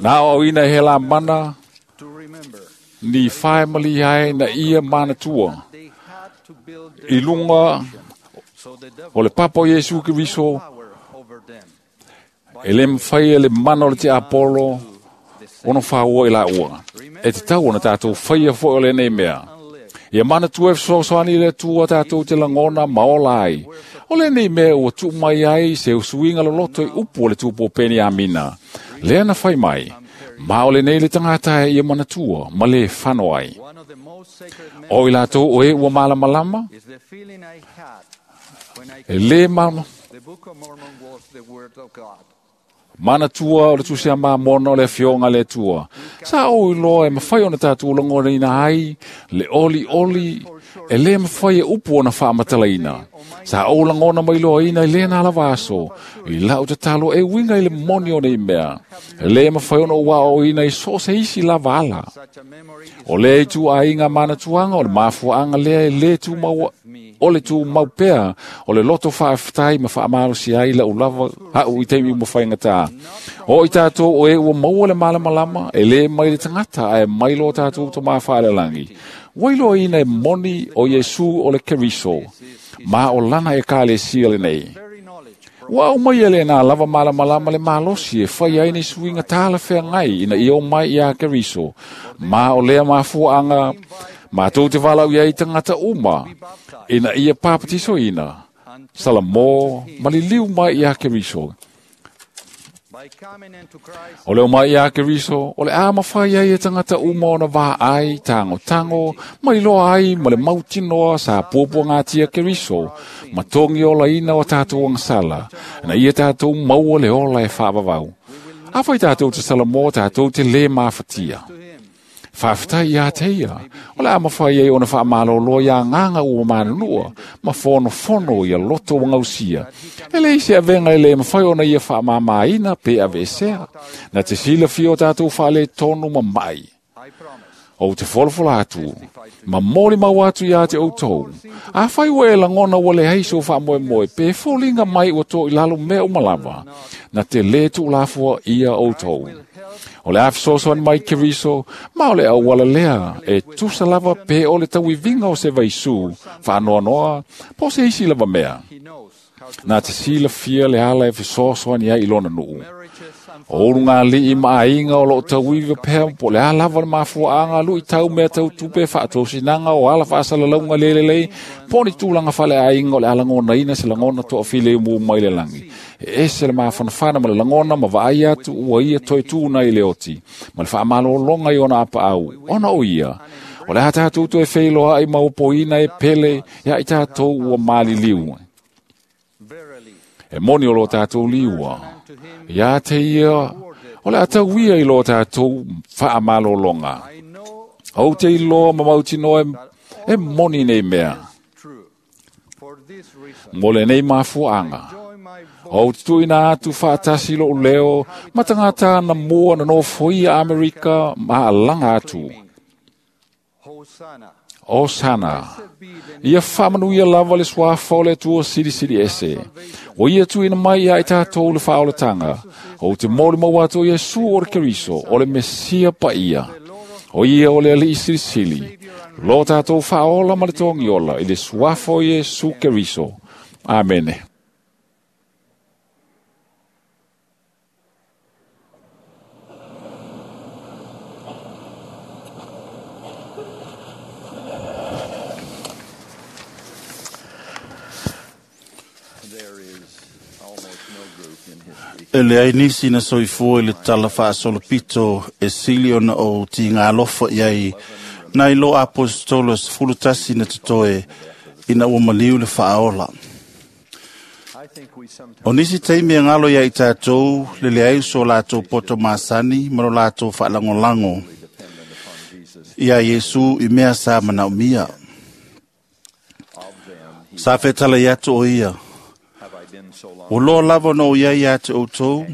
Na o ina he la mana, ni whae mali ai na ia manatua. I lunga o le papa o Iesu Keriso, e le mwhai e le mana o le te Apollo, ono whaua i la ua. E te tau ona tātou whaia fo o le nei mea. Ia mana tua e fesoasoani le tua tātou te langona maola ai. O le nei mea ua tuu mai ai se usuinga loloto i upu o le tūpo peni amina. Lea na whai mai, ma o le nei le tangata e ia manatua, ma le whano ai. O i lātou o e ua malamalama, e le mama. Manatua o le tusia mamona o le fionga le tua. Sa o iloa e mawhai ona tātou langona ina ai, le oli oli, e le mawhai e upu ona whaamatalaina. Sa o langona mai loa ina i le nā lavaso, i lau te talo e winga i le moni o nei mea. E le mawhai ona ua o ina i so se isi lava ala. O le itu a inga manatuanga o le mafuanga lea e le tu maua, o le tu maupea, o le loto whaaftai ma whaamalosi ai la ulava hau i teimi mo whaingata. O i tātou o e ua maua le malamalama, e le mai le tangata ae mai lo tātou to mawhaalelangi. Wailo ina e moni o Iesu o le Keriso, ma o lana e kale sia le nei. Ua au mai ele nā lava malamalama le malosi e whai ai nei suinga tāla whea ngai ina i o mai ia Keriso, ma o lea mafuanga, ma tō te walau ia i tangata uma, ina ia papatiso ina, Salamo, maliliu mai ia Keriso. O leo mai ia Keriso, o le a mawhai ai e tangata uma ona wā ai, tango tango, mai loa ai, ma le mautinoa sa pōpua ngā tia Keriso, ma tongi ola ina o tātou angsala, na ia tātou maua le ola e whaavavau. A whai tātou te Salamo, tātou te le mawhatia. Whawhitai ia te ia, o le a mawhai ai ona whaamalolo ia nganga ua manunua, ma whono whono ia loto wa ngausia. E le isi awenga e le mawhai ona ia whaamamaina pe awesea, na te sila fio tātou whaale tonu ma mai. O te wholafola atu, ma mori mau atu ia te outou. A whai ua e langona ua le heiso whaamoe moe, pe fōlinga mai ua tō i lalo mea umalava, na te le tūlafua ia outou. O le awhisosoan mai Keriso, ma o le auala lea, e tusa lava pe o le tauivinga o se vaisu, whaanoanoa, po se isi lava mea. Nā te sila fia le ala e whisosoan ia i lona nuu. O uru ngā lii maainga o loo tauiwa pea, po le alava le mafuaanga lui tau mea tau tupe whaatausinanga o ala whaasalalaunga lelelei, po ni tūlanga whale ainga o le alangona ina se langona toa file umu mai le langi. E ese le maawhanawhana ma le langona ma vaai atu ua ia toi tūna i le oti, ma le whaamalolonga i ona apa au, ona o ia. O le hata hatu e wheiloa ai maupoina e pele, ia i tātou ua maliliu. E moni o lo tātou liua. Ia te ia, o le atau ia i lo tātou whaamalolonga. O te iloa ma mautinoa e moni nei mea. Mo le nei mafuanga. O te tuina atu whaatasi lo leo, matangata na mua na nofo ia Amerika ma alanga atu. Osana. Ia whamanu ia lava le swafa o le tua siri siri ese. O ia tuina mai ia i tātou le whaolatanga. O te mori mau atu Iesu o le Keriso, o le Mesia pa ia. O ia o le alii siri sili. Lo tātou whaola ma le tongiola i le swafa o Iesu Keriso. Amene. E le ai nisi na soifua i le tala faasolopito e sili ona o tigalofa i ai nai lo apostolo sefulutasi na totoe Ina ua maliu le faaola. O nisi taimi e galo ia i tatou le leai so latou poto masani ma lo latou faalagolago ia Iesu i mea sa manaomia. Sa fetalai atu o ia, ua loa lava ona ou iai ia te outou,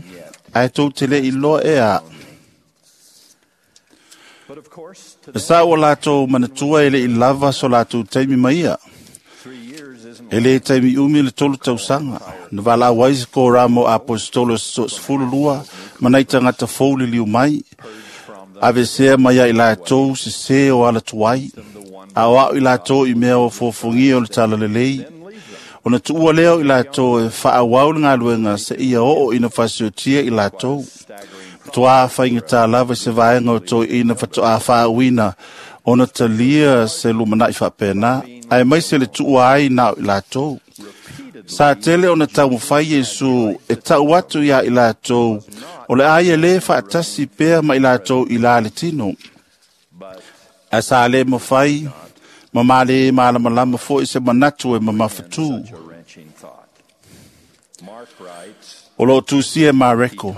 ae tou te le iloa ea a'u. E sa ua latou manatua e le i lava so latou taimi ma ia. E le taimi umi le tolu tausaga, na valaau ai se korama o aposetolo sefulu lua ma nai tagata fou liliu mai, avesea mai ai latou sesē o ala tuai, a o a'o i latou i mea o fofogia o le talalelei. Ona tuua lea o i latou e faaauau le galuega seia oo ina fasiotia i latou. Toa faigata lava i se vaega o toeaiina faatoa faauuina ona talia se lumanai faapena, ae maise le tuua ai na o i latou. Sa tele ona taumafai Iesu e tau atu ia i latou o le a ia lē faatasi pea ma i latou i la le tino. Ae sa lē mafai ma malē malamalama foi se manatu e mamafatū. O loo tusia e Mareko,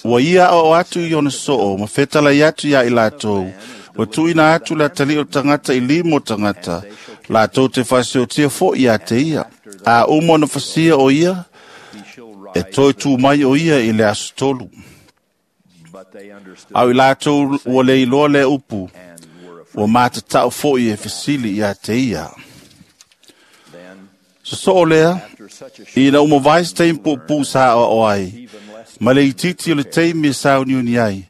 ua ia aoao atu i ona soo ma fetalai atu ia i latou, ua tuuina atu le atalii o le tagata i lima o tagata, latou te faasiotia foi ia te ia. A uma ona fasia o ia, e toe tū mai o ia i le aso tolu. A o i latou ua le iloa lea upu, ua matatau foi e fesili ia te ia. Sosoo lea, ina uma vae se taimi puupuu sa aoao ai, ma le itiiti o le taimi e sauniuni ai,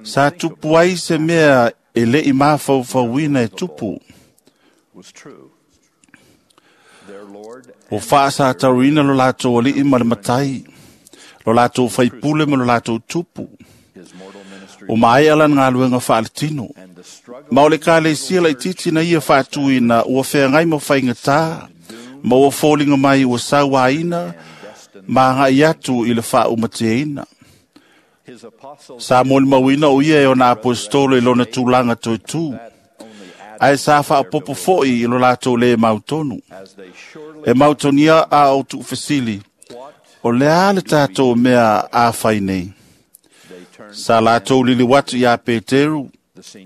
sa tupu ai se mea e le i mafaufauina e tupu. Ua faasatauina lo latou alii ma le matai, lo latou faipule ma lo latou tupu. O maea lana galuega faaletino. Ma o le ekalesia laitiiti na ia faatuina ua feagai ma faigatā, ma ua foliga mai ua sauaina ma agai atu i le faaumateina. Sa molimauina o ia e ona aposetolo i lona tulaga toetū, ae sa faaopoopo foi i lo latou lē mautonu. E mautonia a o tuufesili, o le a le tatou mea a fai nei? Sa latou liliu atu iā Peteru,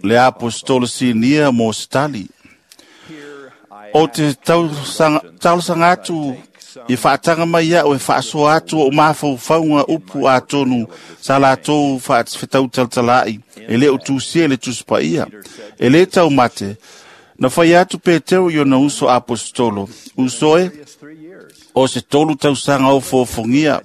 le aposetolo sinia mo se tali. O te talosaga atu i faataga mai ia'u e faasoa atu o'u mafaufauga upu atonu sa latou faafetautalatala'i e lē o tusia i le Tusi Paia. E lē taumate, na fai atu Peteru i ona uso aposetolo, uso e, o se tolu tausaga o fofogia,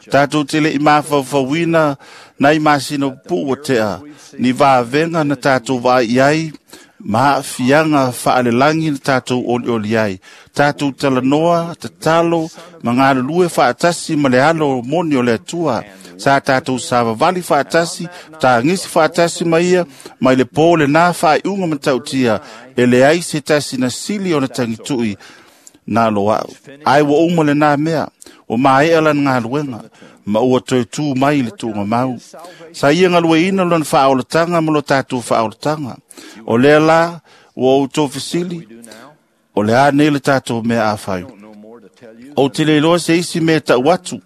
tatou te le'i mafaufauina nai masina pupuu ua tea, ni vavega na tatou vaai i ai, ma aafiaga faalelagi na tatou olioli ai, tatou talanoa, tatalo, ma galulue faatasi ma le alo moni o le Atua, sa tatou savavali faatasi, tagisi faatasi ma ia, mai le pō lenā faaiuga matautia, e leai se tasi na sili ona tagitu'i na lo a'u. Ae ua uma lenā mea, ua maea lana galuega, ma ua toe tū mai i le tuugamau. Sa ia galueina lona faaolataga ma lo tatou faaolataga. O lea la, ua outou fesili, o le a nei le tatou mea a fai? Ou te le iloa se isi mea tau atu,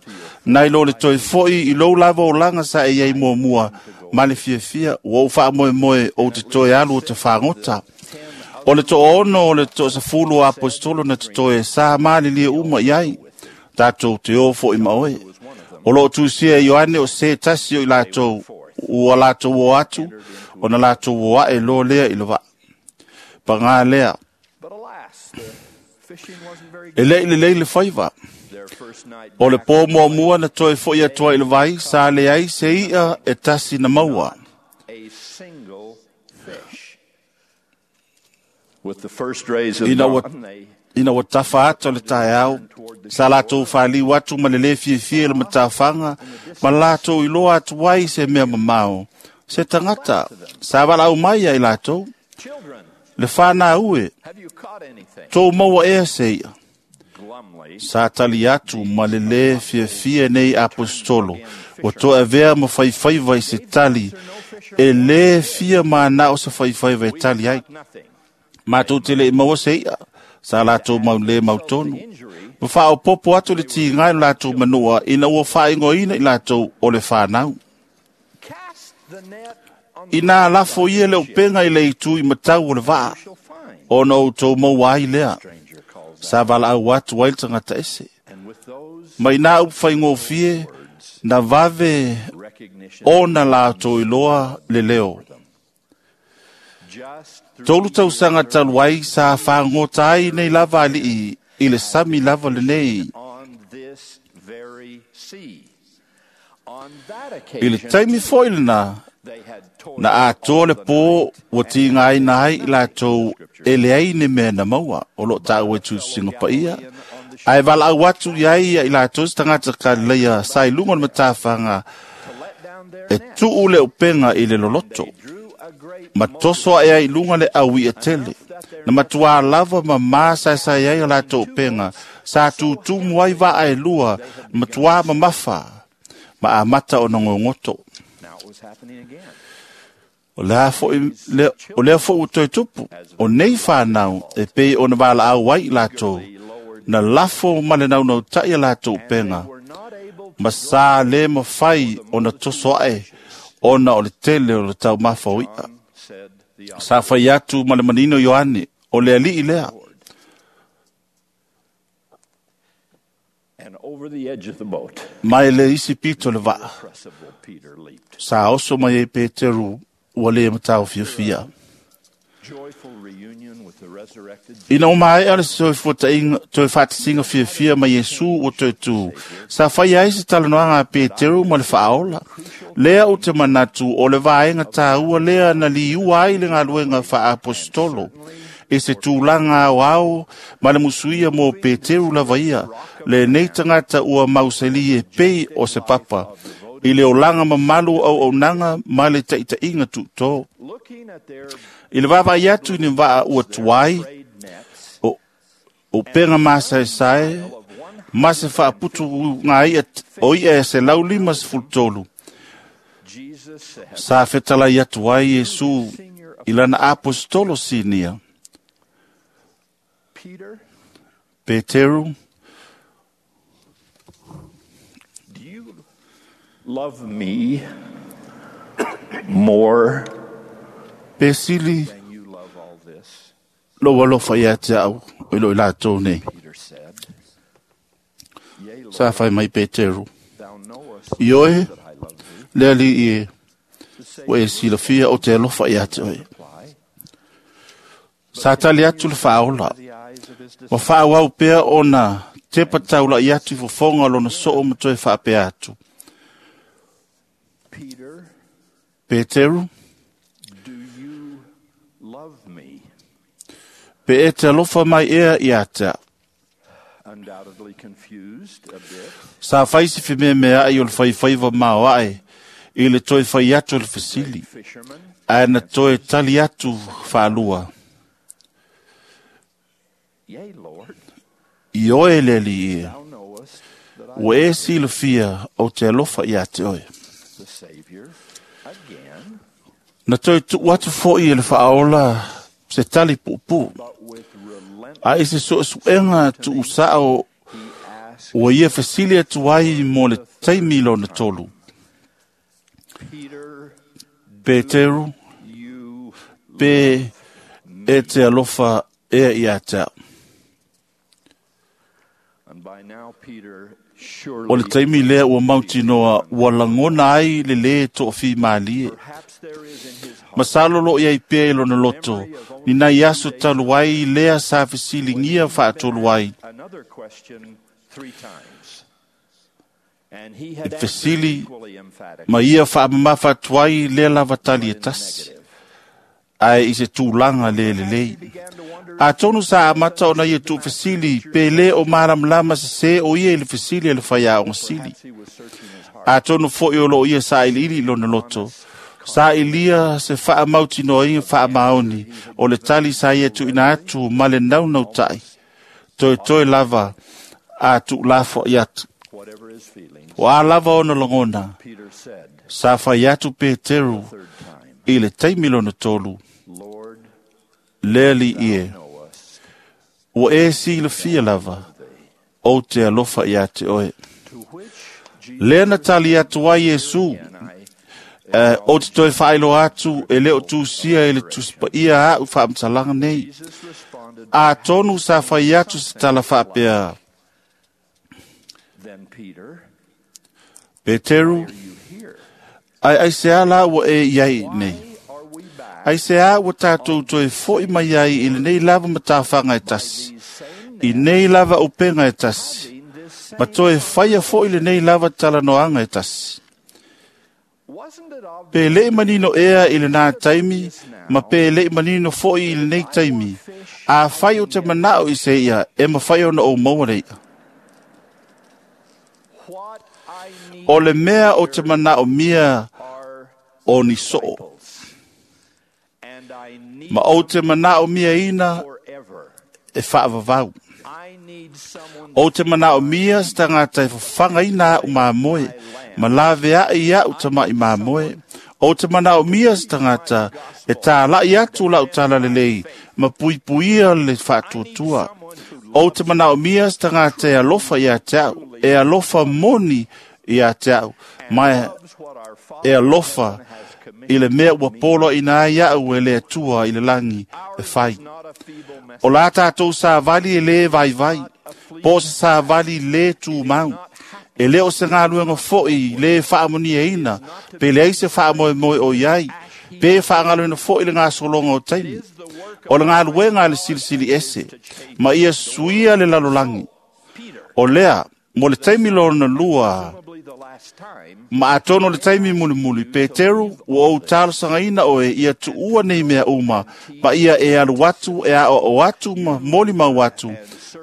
nai lo le toe foi i lou lava olaga sa e iai muamua, ma le fiafia, ua ou faamoemoe ou te toe alu o te fagota. O le toaono o le toasefulu o aposetolo na totoe sa malilie uma i ai, tatou te o foi ma oe. O loo tusia e Ioane o se tasi o i latou, ua latou o atu, ona latou o ae loa lea i le vaa. Pagā lea, e le i lelei le faiva. O le pō muamua na toe foi atu ai i le vai, sa leai se i'a e tasi na maua. Ina ua, ina ua tafa ata o le taeao, sa latou faliu atu ma le lē fiafia i le matafaga, ma latou iloa atu ai se mea mamao, se tagata, sa valaau mai ia i latou. Le whanau e, tō maua ea se ia. Sa tali atu ma le lē fiafia nei apostolo, ua toe avea ma faifaiva i se tali, e lē fia manao se faifaiva e tali ai. Matou te le i maua se ia, Sa latou mau le mautonu. Ma faaopopo atu le tiga i lo latou manua ina ua faaigoaina i latou o le fanau. Ina lafo ia le upega i le itu i matau o le vaa, ona outou maua ai lea. Sa valaau atu ai le tagata ese. Ma ina upu faigofie, na vave ona latou iloa le leo. Tolu tausaga talu ai sa fagota ai nei lava alii i le sami lava lenei. I le taimi foi lena, na atoa le pō ua tigaina ai i latou e leai ni mea na maua o loo taua i tusina paia. Ae valaau atu i ai ia i latou se tagata Kalileia sa i luga o le matafaga e tuu le upega i le loloto. Ma toso ae ai i luga le au ia tele. Na matua lava ma ma saesae ai a latou upega. Sa tutumu ai vaa e lua, matua mamafa, ma amata ona gogoto. O lea foi, le, o lea foi ua toe tupu, o nei whanau e pei ona valaau ai i latou, na lafo ma le naunautai a latou upega, ma sa le mafai ona toso ae, ona o le tele o le taumafa o i'a. Sa fai atu ma le manino Ioane, o le alii lea. Mai le isi pito le vaa, sa oso mai e Peteru ua le matau fiafia. Ina o maea le toe faatasiga fiafia ma Iesu ua toe tū, sa fai ai se talanoaga a Peteru ma le faaola. Lea ou te manatu o le vaega tāua lea na liua ai le galuega faaapostolo. E se tulaga aoao ma le musuia mo Peteru lava ia, lenei tagata ua mausali e pei o se papa, i le olaga mamalu o auaunaga ma le taitaiga tuutō. I le vaavaai atu i ni vaa ua tuai, o upega masaesae, ma se faaputu ngā ia, o ia e se laulima sefulu tolu. Sa fetalai atu ai Iesu i lana apostolo sinia. Peteru, love me more pe sili lou alofa ia te au i lo i latou nei. Sa fai mai Peteru, i oe, le alii e, ua e silafia o te alofa ia te oe. Sa tali atu le faaola, ma faaauau pea ona tepa taulai atu i fofoga lona soo ma toe faapea atu. Peteru, pe e te alofa mai ea ia te au. Sa fai si whimea ai o le whaiwhaiwa mao ae, i le toe whai atu o le fesili, ae na toe tali atu whaalua. I oe le alii ea, ua e silafia o te alofa ia te oe. Na toe tuu atu foi e le faaola se tali puupuu. A i se suesuega tuusao ua ia fesili atu ai mo le taimi lona tolu. Peteru, pe e te alofa ea ia te au. O le taimi lea ua mautinoa ua lagona ai le lē toʻafimalie. Masalo loo iai pea i lona loto, ni nai aso talu ai lea sa fesiligia faatolu ai. E fesili ma ia faamamafa atu ai lea lava tali e tasi, ae i se tulaga le lelei. Atonu sa amata ona ia tuufesili pe lē o malamalama sesē o ia i le fesili a le faiaoga sili. Atonu foi o loo ia sailiili i lona loto, sailia se faamautinoaiga faamaoni o le tali sa ia tuuina atu ma le naunautai. Toetoe lava a tuulafoai atu. O a lava ona lagona, sa fai atu Peteru i le taimi lona tolu, le alii e, Ua e silafia lava, ou te alofa ia te oe. Lea na tali atu ai Iesu, Uh, o te toe whailo atu e leo tūsia e le tusipaia au whaamtalaga nei. A tonu sa whai atu se tala whaapea. Peteru, ai ai se ala ua e iai nei. Ai se a ua tātou toe foi mai ai i le nei lava matawhanga e tasi. I nei lava upenga e tasi. Ma toe whaia foi le nei lava talanoanga e tasi. Pe lei manino ea i le nā taimi, ma pe lei manino foi i le nei taimi. A whai o te manao i se ia, e mawhai ona o maua leia. O le mea o te manao mia o ni soo. Ma o te manao mia ina e whaavavau. O te manao mia se tangata e whawhanga ina au māmoe, ma lawe a i au tamai māmoe. O te manao mia se tangata e tālai atu lau talalelei, ma puipuia le whaatuatua. O te manao mia se tangata e alofa ia te au, e alofa moni ia te au, mai e alofa i le mea ua polo ina ai au e le atua i le langi e whai. O la tātou sa vali e le vai vai, po se sa vali le tū mau. E leo se ngā luenga foi le whaamonia ina, pe leai se whaamoe moe o iai, pe whaangaluena foi le ngā solonga o taimi. O le ngā luenga le silisili ese, ma ia suia le lalolangi. O lea, mo le taimi lona lua, ma atono le taimi mulimuli, Peteru, ua ou talosangaina oe ia tuua nei mea uma, ma ia e alu atu, e a o atu, ma moli mau atu,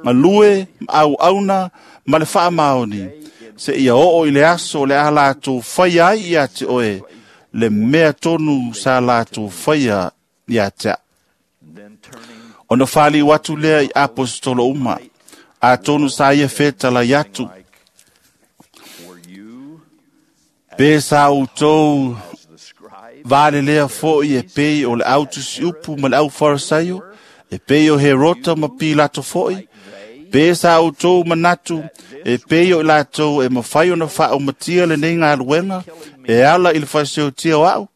ma lue, ma au auna, ma le whaamaoni, se ia oo i le aso le a lātou whai ai ia te oe, le mea tonu sa lātou whaia ia te a. Ona whali watu lea i apostolo uma, a tonu sa ia whetala iatu, pe sa utou vale lea foi e pei o le autusi upu ma le au farisaio, e pei o Herota ma Pilato foi, pe sa utou manatu e pei o i latou e mawhai ona whaaumatia le nei ngā luenga, e ala i le whaseotia o au.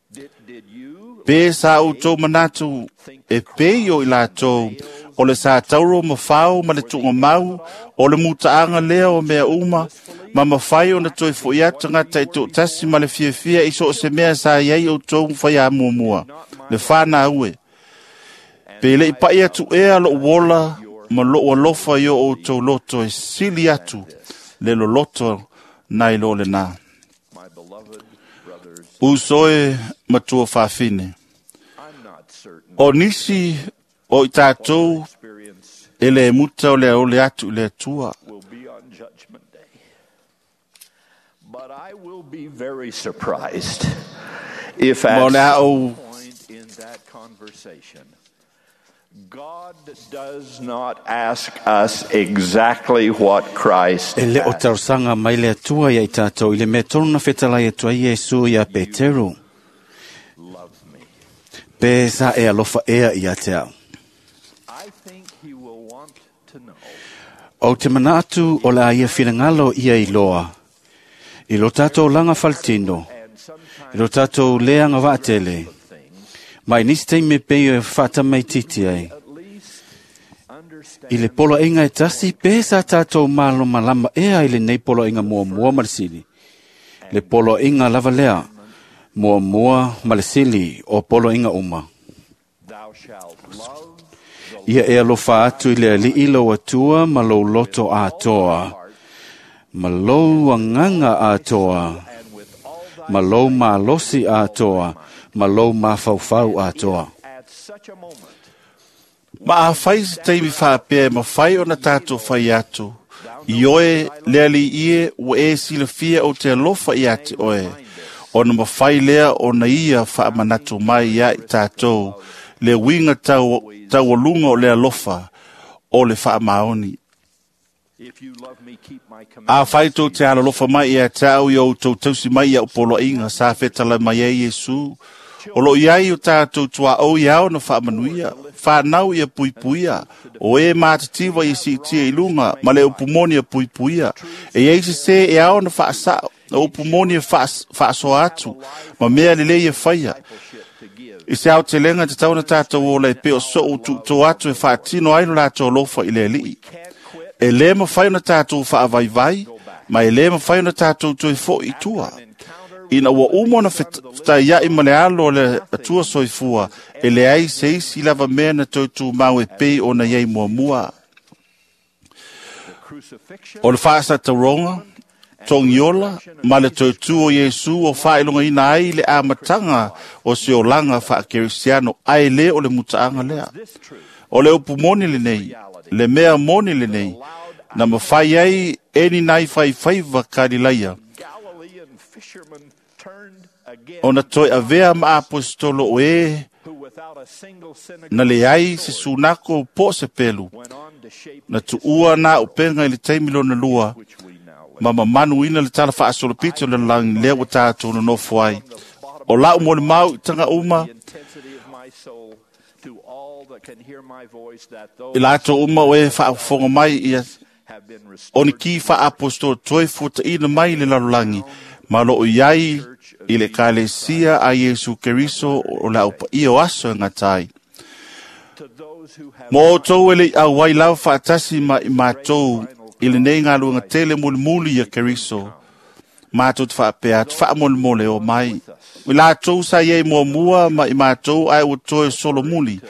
Pe sa utou manatu e pei o i latou o le sa tauro mawhao ma le tunga mau, o le mutaanga lea o mea uma, ma mawhai ona toi fo ia tangata i tō tasi ma le fiafia i so o se mea sa iai o tō mwhai a muamua, le whāna ue. Pe le i pai atu ea lo wola ma lo alofa i o tō loto e sili atu le loloto nai lo le nā. Usoe matua whawhine. O nisi o i tātou e le muta o le ole atu le atua. But I will be very surprised if Ma at o le some au point in that conversation, God does not ask us exactly what Christ E le o tausanga mai le atua ia i tātou i le mea tonu na whetalai atua Iesu ia Peteru. Pe sa e alofa ea ia te au. I think he will want to know O te mana atu o la ia whinangalo ia i loa. I lo tātou langa faltino. I lo tātou leanga vaatele. Mai nisi taimi pei e whaatamai titi ai. I le polo inga e tasi, pe sa tātou malo malama ea i le nei polo inga mua mua ma le sili. Le polo inga lava lea, mua mua ma le sili o polo inga uma. thou shalt love Ia e alofa atu i le alii lau atua ma lou loto atoa, ma lou anganga atoa, ma lou malosi atoa, ma lou mafaufau atoa. at such a moment. Ma a whai se taimi whaapea e mawhai ona tātou whai atu. I oe le ali ie ua e silafia o te alofa ia te oe. Ona mawhai lea ona ia whaamanatu mai ia i tātou. Le winga tau, taualunga o le alofa o le whaamaoni. If you love me, keep my A commandments. whai tō te alalofa mai ia te au i o tō tausi mai ia upolo inga sa whetala mai e Iesu. O loo iai o tatou tuaʻou ia ao na faamanuia, fanau ia puipuia, o e matativa ia siitia i luga, ma le upu moni ia puipuia. E iai sesē e ao na faasaʻo, o upu moni e faasoa atu, ma mea lelei e faia. I se aotelega tatau ona tatou ola e pei o soʻu tuutō atu e faatino ai lo latou alofa i le Alii. E lē mafai ona tatou faavaivai, ma e lē mafai ona tatou toe foʻi i tua. Ina ua uma ona fetaiaʻi ma le alo o le Atua soifua, e leai se isi lava mea na toe tumau e pei ona iai muamua. O le faasatauroga, togiola ma le toe o Iesu o faailogaina ai le amataga o se olaga faakerisiano, ae lē o le mutaaga lea. O le upu moni lenei, le mea moni lenei, na mafai ai e ni nai faifaiva Kalilaia ona toe avea ma aposetolo o e na leai se sunako po o se pelu, na tuua na upega i le taimi lona lua, ma mamanuina le tala faasolopito o le lalagi lea ua tatou nonofo ai. O lau molimau i taga uma, i latou uma o e faafofoga mai ia o ni ki faaapostolo toe fuataʻina mai le lalolagi, ma loo iai i le Ekalesia a Iesu Keriso o le aupaia o aso e gata ai. Mo outou e leʻi auai lava faatasi ma i matou i lenei galuega tele mulimuli ia Keriso, matou te faapea atu faamolemole o mai. I latou sa iai muamua ma i matou ae ua toe solomuli,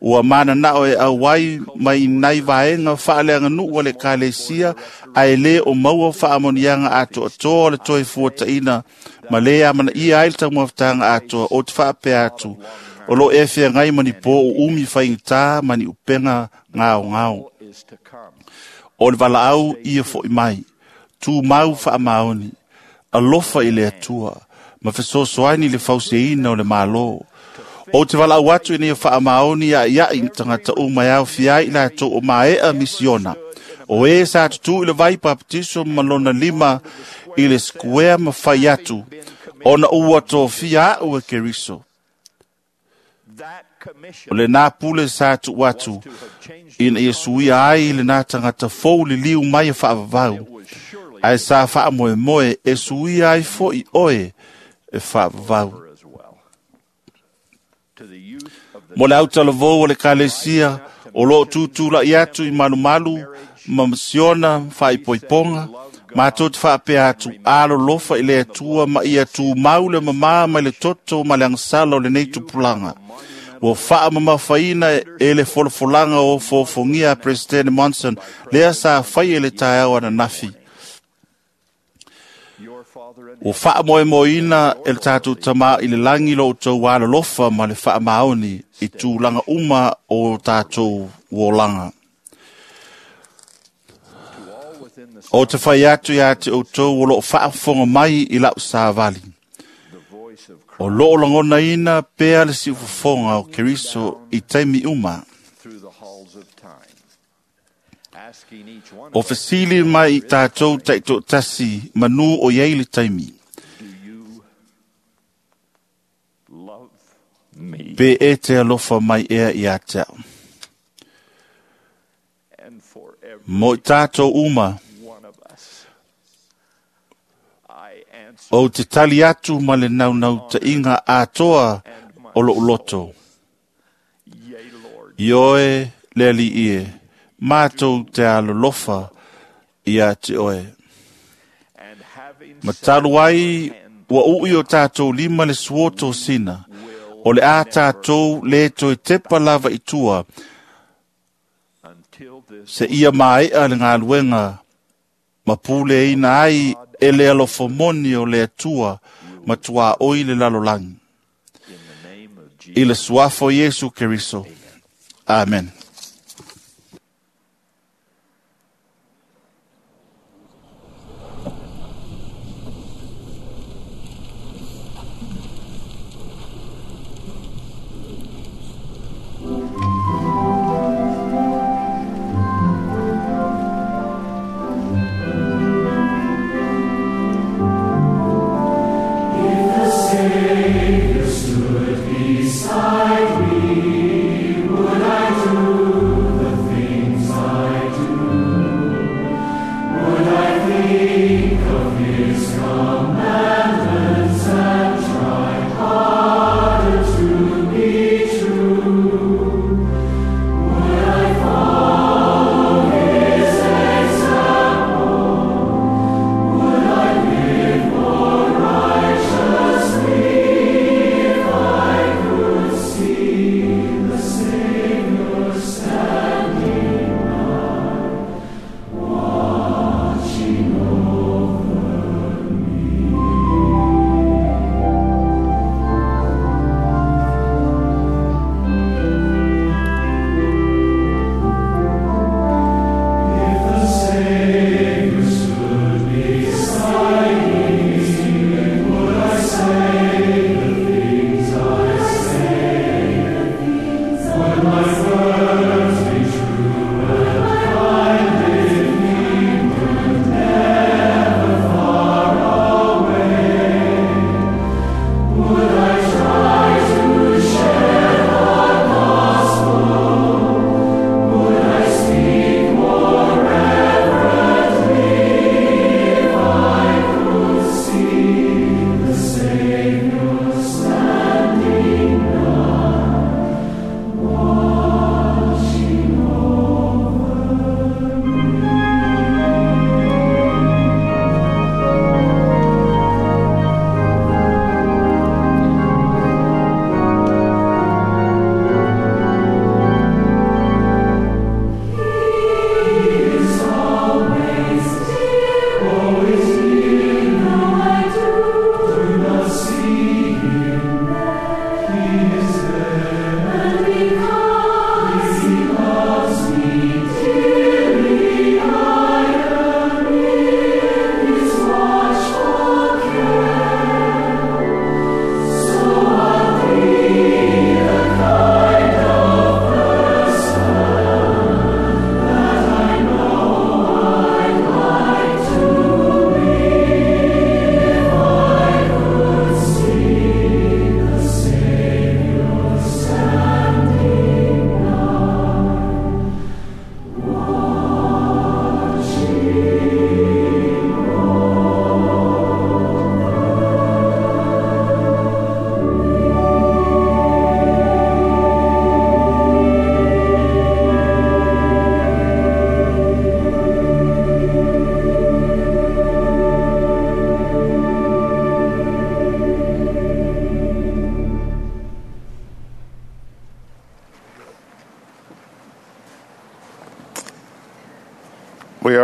ua mananao e auai mai nai vaega faaleaganuu a le Ekalesia, ae lē o maua faamanuiaga atoatoa o le toe fuataʻina ma lē amanaia ai le taumafataga atoa. O te faapea atu, o loo e feagai ma ni pō uumi faigata ma ni upega gaogao. O le valaau ia foʻi mai, tumau faamaoni, alofa i le Atua, ma fesoasoani le fausiaina o le Malo. O te valaau atu ina ia faamaoni iaʻiaʻi i tagata uma e aofia ai i latou o maeʻa misiona. O e sa tutū i le vai papatiso ma lona lima i le sikuea ma fai atu, ona ua tofia aʻu e Keriso. O lenā pule sa tuu atu, ina ia suia ai lenā tagata fou liliu mai e faavavau, ae sa faamoemoe e suia ai foʻi oe e faavavau. Mo le autalavou o le Ekalesia, o loo tutulaʻi atu i malumalu ma masiona faaipoipoga, matou te faapea atu alolofa i le Atua ma ia tumau le mamā mai le toto ma le agasala o lenei tupulaga. Ua faamamafaina e le folafolaga o fofogia a President Monson, lea sa fai e le taeao ananafi. Ua faamoemoeina e le tatou Tamā i le lagi lo outou alolofa ma le faamaoni i tulaga uma o tatou uolaga. O te fai atu iā te outou o loo faafofoga mai i lau savali. O loo lagonaina pea le siufofoga o Keriso i taimi uma. O fesili mai i tatou taitoatasi manu o iai le taimi. Pe e te alofa mai ea ia te au. Mo i tatou uma, o te tali atu ma le naunautaiga atoa o lou loto. Ioe le Alii e, matou te alolofa ia te oe. Ma talu ai ua ui o tatou lima le suoto sina, o le a tatou le toe tepa lava i tua, se ia maeʻa le galuega ma puleina ai e le alofamoni o le Atua ma tuaʻoi le lalolagi. I le suafa o Iesu Keriso. Amen. Savior stood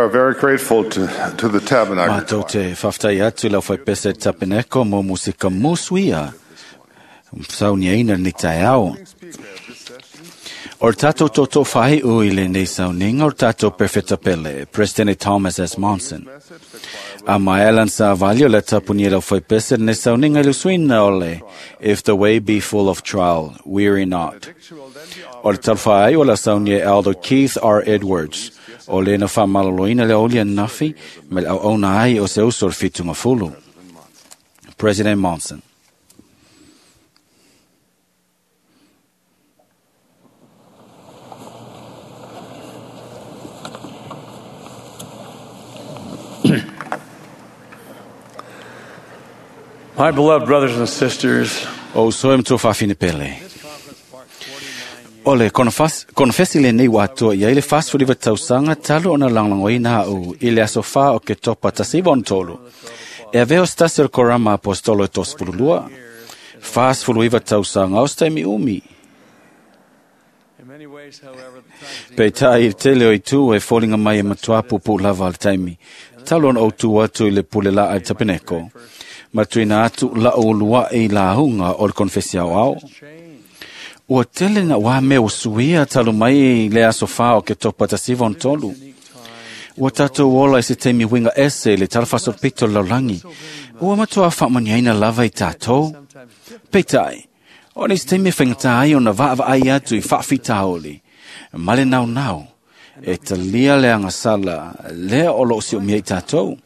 are very grateful to, to the Tabernacle. Mātou te whawhtai atu lau whai pese tapeneko mo musika musuia. Sauniaina ni tai ao. O tātou toto whai ui le nei sauninga o tātou perfecta pele, President Thomas S. Monson. A maelan sa valio le tapuni lau whai pese nei sauninga i lusuina ole, If the way be full of trial, weary not. O le talwha ai o la saunia Elder Keith R. Edwards, o le na whamaloloina le olia nafi, me le au auna ai o se uso o whitunga fulu. President Monson. My beloved brothers and sisters, O soe mto whawhine pele. O le konfesi le nei watoa ia i le whasfuriwa tausanga talu ona langlangoina au i le aso wha o ke topa tasiwa on tolu. E aveo stasi o korama apostolo e tosfululua. Whasfuluiwa tausanga o staimi umi. Pe tai i tele o i tū e fōlinga mai e matua pupu lava al taimi. Talu ona o tū atu i le pule la ai tapeneko. Matuina atu la o lua e la hunga o le konfesi au au. Ua tele na wā mea o suia talu mai i le aso wha o ke topa tasiva on tolu. Ua tātou ola i se teimi winga ese le talfaso pito laulangi. Ua matua whaamaniaina lava i tātou. Peitai, o ni se teimi whengata ai o na vaa ai atu i whaafitaoli. Male nau nau, e talia le angasala, lea o lo si o mea i tātou.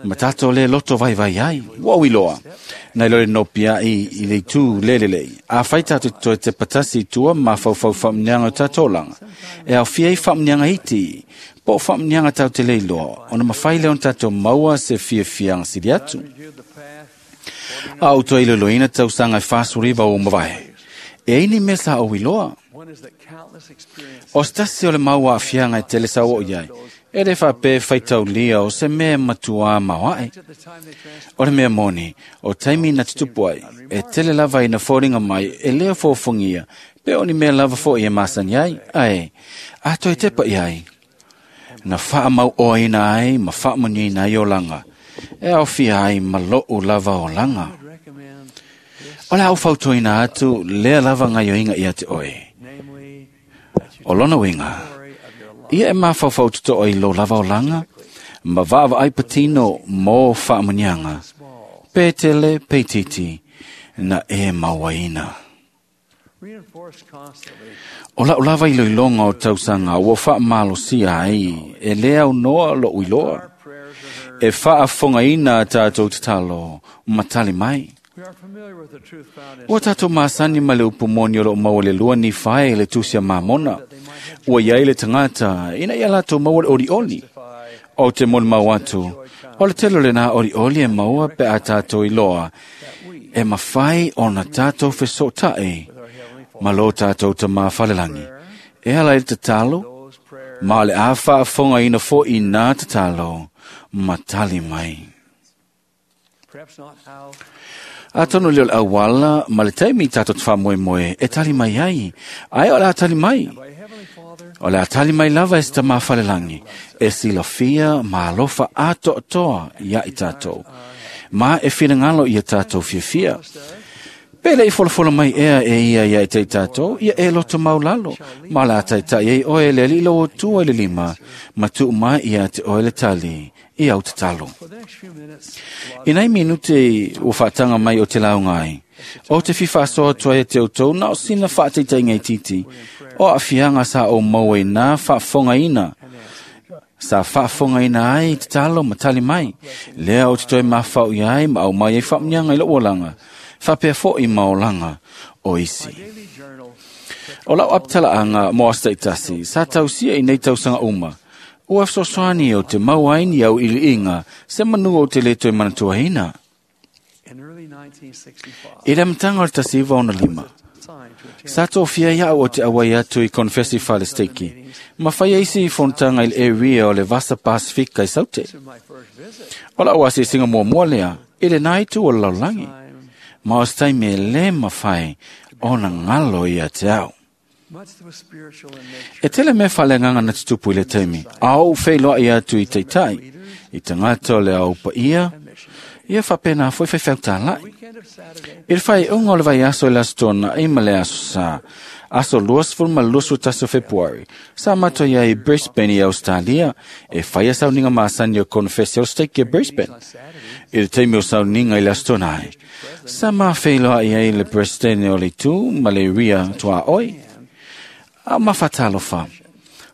Ma tātou le loto vai vai ai, ua uiloa. Nei lore no pia i, i le tū lele lei. A whai tātou toe te patasi i tua ma whau whaamnianga o tātou langa. E au fia i whaamnianga iti, po whaamnianga tau te leiloa, ona mawhai leon tātou maua se fia fianga siri atu. A au toi loloina tausanga e whasuriwa o mawae. E ini mea sa o iloa. O stasi o le maua a fianga e tele sa o iai. E le whape whaitaulia o se mea matua mawae. O le mea moni, o taimi na tutupu ai, e tele lava ina fōringa mai, e lea fōfungia, pe o ni mea lava fō i e masani ai, ai, a toi tepa i ai. Na wha mau o ina ai, ma wha mani ina ai o langa. E au fia ai ma loo lava o langa. O le au fautoina atu, lea lava ngai o inga ia te oe. O lona winga, ia e mawhawhau tuto i lo lava o langa, ma vaawa ai patino mō whaamunianga. Pē tele, pē titi, na e mauaina. O lau lava i loilonga o tausanga, ua whaamalosia ai, e lea au noa lo uiloa. E whaafongaina tātou tatalo, matali mai. Ua tātou māsani ma le upumoni o lo maua le lua ni whae le tusia mamona. Ua iai le tangata, ina ia latou maua le ori oli. O te moni mau atu, o le telo le nā ori oli e maua pe a tātou iloa. E mawhai o na tātou fesotae, ma lo tātou ta mawhalelangi. E ala i te tatalo, ma le a whaafonga ina fo i nā tatalo, matali mai. Atonu leo le awala, ma le taimi tātou te whamoemoe, e tali mai ai, ai o le a tali mai. O le a tali mai lava e se tamawhalelangi, e silafia ma alofa atoatoa ia i tātou. Ma e whirangalo ia tātou fiafia. Pele i folafola mai ea e ia ia i te tātou, ia e loto maulalo. Ma le a taitai ei oe le lilo o tua i le lima, ma tuu mai ia te oe le tali, i au tatalo. I nei minute o whaatanga mai o te launga ai, o te whiwhasoa tua e te autou na o sina whaateitai ngai titi, o a fianga sa o maua i nā whaafongaina, sa whaafongaina ai te talo matali mai, lea o te toi mawhau i ai ma au mai e whaamnianga i lo olanga, whapea fo i maolanga o isi. O lau aptala anga mo astaitasi, sa tausia i nei tausanga uma, ua sosoani o te mauaini au iliinga, se manu o te leto e manatuaina. I le mtanga o le tasiva ona lima, sa tōfia iau o te awai atu i konfesi whalesteki, ma whai eisi i fontanga i le area o le Vasa Pasifika i Saute. O lau ase singa mua mua lea, i le naitu o le laulangi. Ma o stai me le mawhai o na ngalo ia te au. E tele mea whaleanganga na tutupu i le taimi, a ou wheiloa i atu i teitai, i tangata o le au pa ia, ia whapena foi whaiwhau tālai. I le whai unga o le vai aso i le aso tōna i ma le aso sa, aso luasful ma luasu taso February, sa mato ia i Brisbane i Australia, e whaia sauninga maasani o konfesi o stake i Brisbane. I le taimi o sauninga i le aso tōna ai. Sa ma wheiloa i ai le Brisbane o le tū ma le ria tua oi. A mawhatalofa,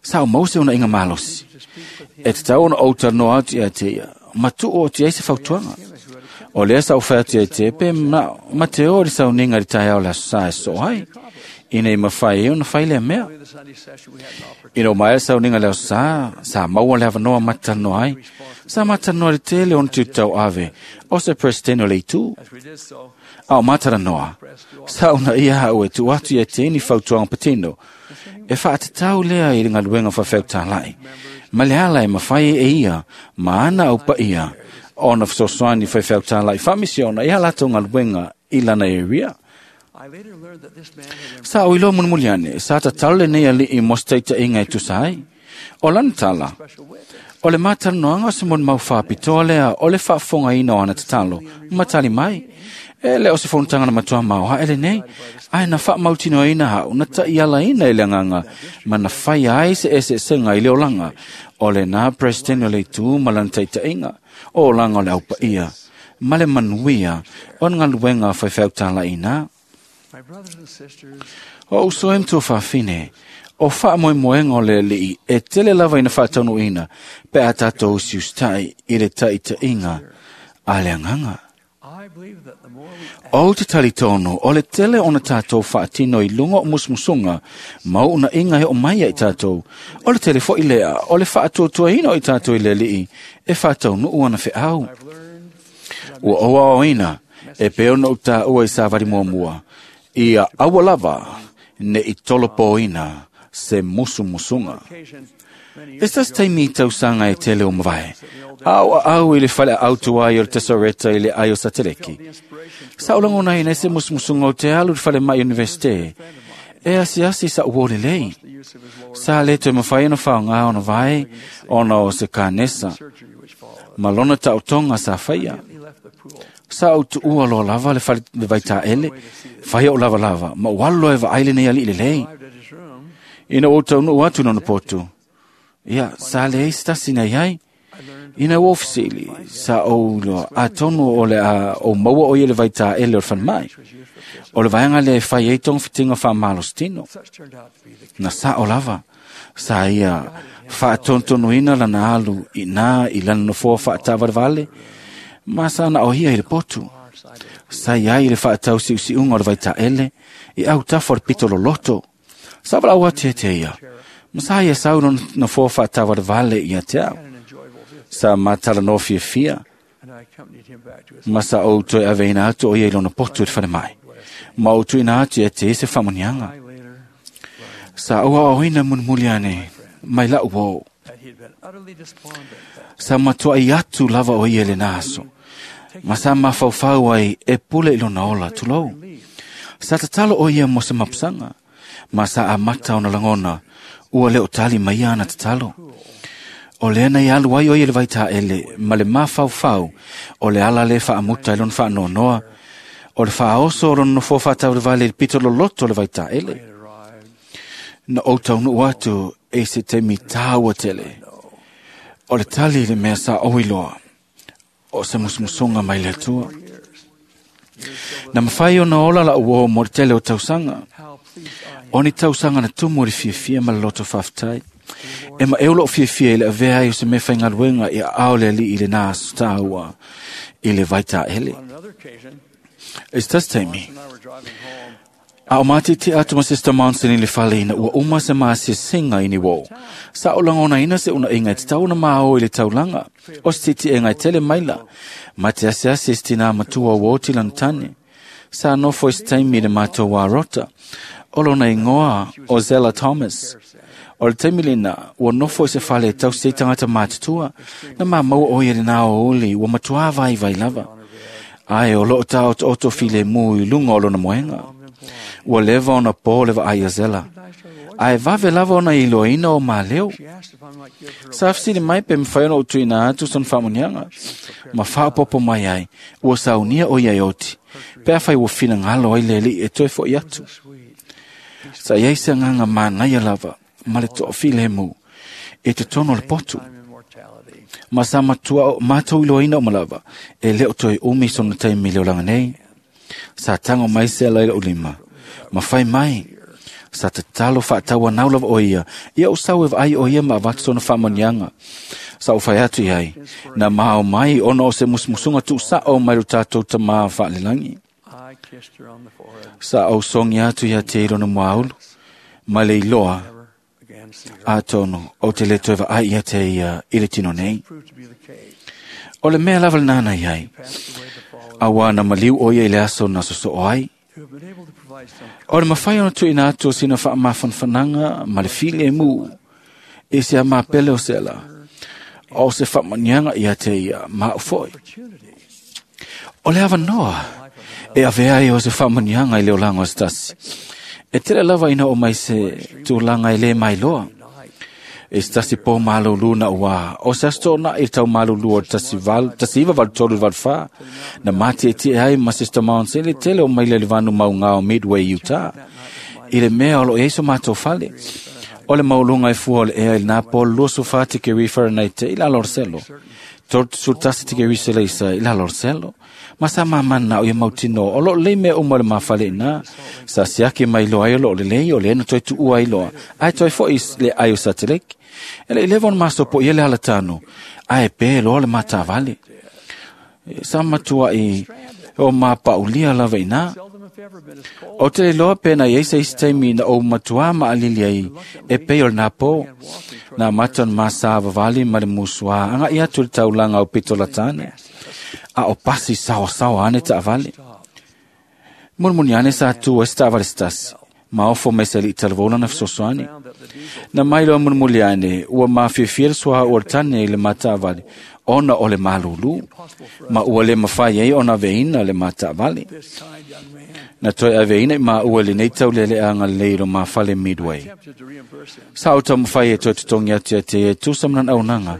sa o mause ona inga malosi. E te tau ona outa noa atu ia te ia, matu o te eise fautuanga. O lea sa o whea te te pe ma, ma te o le sauninga i tai au le aso sa e so ai. Ina i mawhai e ona whai lea mea. Ina o mai sauninga le aso sa, sa maua le awanoa matanoa ai. Sa matanoa le tele ona te tau ave, o se presidente o le itu. A o matara noa, sa ona ia hau e tu atu ia te ni fautuanga patino. E whaatatau lea i le ngaluenga whawheu tālai. Ma le ala e mawhai e ia, ma ana au pa ia, ona whasoswani whawheu tālai whamisiona i halato ngaluenga i lana e ria. Sa o ilo munmuliane, sa tatalo le nei ali i mosteita inga e tusa ai. O lana tala, o le mātanoanga o se mon mau whapitoa lea, o le whaafonga ina o ana tatalo, matali mai. E le o se fontanga na matua mau ha ele nei, ai na wha mautino ina hau, na ta iala ina i le nganga, ma na whai ai se ese senga i le olanga, o le nā presidente o le tū ma lana taita inga, o olanga o le aupa ia, ma le manuia, o nga luenga whaiwhau tāla ina. O uso em tō whawhine, o wha moe moenga o le lii, e tele lava ina whātanu ina, pe a tātou siustai i le taita inga, a le anganga. O te tali tōno, o le tele ona tātou whaatino i lunga o musmusunga, mau una inga he o mai i tātou, o le tele fo i lea, o le whaatuatua ina o i tātou i le lii, e whātau nuu ana wheau. Ua oa o ina, e peo no tā ua i sāwari mua mua, ia aua lava, ne i tolopo ina, se musumusunga. Estas taimi tausanga e tele o mavae. Au au i le whale autua i o le tesoreta i le ai o sateleki. Sa ulangona ina se musumusunga o te alu le whale mai universite. E asi asi sa uole lei. Sa le te mawhai ona whaonga ona vai, ona o se kānesa. Malona ta utonga sa whaia. Sa au tuua loa lava le whale le vaita ele, whaia o lava lava, ma ualo e vaaile nei ali i le lei. Ina o taunu atu nona potu. Ia, sa le eis tasi nei ai. Ina o ofisili, sa o loa, a tonu o le a, o maua o ia le vaita ele o le whanmai. O le vaenga le whai e tong whitinga wha malostino. Na sa o lava, sa ia whaatontonu ina lana alu i nā i lana nofoa whaatavarevale, ma sa na o hia i le potu. Sa ia i le whaatau siusiunga o le vaita ele, i au tafo le pito loloto. Sa wala ua te te ia. Ma sa ia sau no nofoa whaatavarevale i a te au. Sa matala no fia fia. Ma sa o toe ave ina atu o ia i lona potu e te whare mai. Ma o tuina atu e te ese whamonianga. Sa oa o ina munmuliane, mai lau o. Sa matua i atu lava o ia le nāso. Ma sa mawhauwhau ai e pule i lona ola tulou. Sa tatalo o ia mo se mapusanga. Ma sa amata ona langona, ua leo tali mai ana tatalo. O le ana i alu ai o ia le vaita ele, ma le mawhauwhau, o le ala le whaamuta i lona whaanonoa, o le whaoso o lona nofo whaatau le vale i pito loloto le vaita ele. Na o taunu atu e se te mitaua tele. O le tali le mea sa oiloa, o se musumusunga mai le atua. Na mawhai ona ola la uo mo le tele o tausanga. O ni tausanga na tumu o le fiafia ma le loto whawhitai. E ma eolo o fiafia i le avea ai o se mea whaingaluenga i a ao le ali i le nā stāua i le vaita ele. E tas taimi. A o mati te atu ma Sister Monson i le whale ina ua uma se maasi singa i ni wō. Sa o langona ina se una inga te tauna maao i le taulanga. O se titi e ngai tele maila. Ma te ase ase se tina matua wō ti lantane. Sa nofo i se taimi le mātou wā rota. O lona ingoa o Zella Thomas. O le taimi lena, ua nofo i se whale tau se tangata mātutua. Na mā maua o ia le nā o oli, ua matua vai vai lava. Ai o loo tā o oto file mu i lunga o lona moenga. Ua leva ona pō le vaai a Zela. Ae vave lava ona iloaina o maleu. Sa fesili mai pe mafai ona ou tuuina atu sona faamuniaga ma faaopoopo mai ai, ua saunia o ia e oti, pe afai ua finagalo ai le Alii e toe fo'i atu. Sa iai se agaga manaia lava ma le toafilemu i totonu o le potu. Ma sa matua matou iloaina uma lava, e le o toe umi sona taimi i le olaga nei. Sa tago mai Sela i lou lima, ma fai mai, sa tatalo faatauanau lava o ia, ia ou sau e vaai o ia ma avatu sona faamanuiaga. Sa ou fai atu i ai, na mao mai ona o se musumusuga tuusa'o mai lo tatou tamā faalelagi. Sa ou sogi atu ia te i lona muaulu, ma le iloa, atonu ou te le toe vaai ia te ia i le tino nei. O le mea lava lenā na iai, auā na maliu o ia i le aso na sosoo ai. O le mafai ona tuuina atu o sina faamafanafanaga ma le filemu i se amapele o Sela, o se faamanuiaga ia te ia ma au foi. O le avanoa e avea ai o se faamanuiaga i le olaga o se tasi. E tele lava ina o mai se tulaga e lē mailoa. E se tasi pō malūlū na uā, o se aso toonai i le tau malūlū o le tasi valu, tasi iva valu tolu valu fā, na matietie ai ma Sister Monson i le tele o maile i le vanu maugā o Midway, Utah. I le mea o lo o i ai so matou fale. O le mauluga e fua o le ea i lenā pō le luasefā tikeri Fahrenheit i lalo o le selo. Tolu tasi tikeri Seleisa i lalo o le selo. Ma sa mamana o ia mautino o loo lelei mea uma o le mafale iná. Sa siaki mai loa ai o loo lelei o le na toe tuua ai loa. Ae toe fo'i le ai o sateliki. E le i leva ona masopo ia le alatano. Ae pe loa le matavale. Sa matuai o mapaulia lava iná. O te le loa pe na iai se isi taimi na ou matuā maalili ai e pei o lenā pō. Na mata ona masā vavali ma le musuā aga'i atu i le taulaga o pito latane. A o pasi saoasaoa ane taavale. Mulimuli ane sa tu ai se taavale se tasi. Ma ofo mai se alii talavou lana fesoasoani. Na mai loa mulimuli ane, ua mafiafia le suauu o le tane i le mataavale, ona o le malūlū, ma ua le mafai ai ona aveina le mataavale. Na toe aveina i maua i lenei tauleleaga lelei i lo mafale Midway. Sa ou taumafai e toe totogi atu ia te ia e tusa ma lana auaunaga,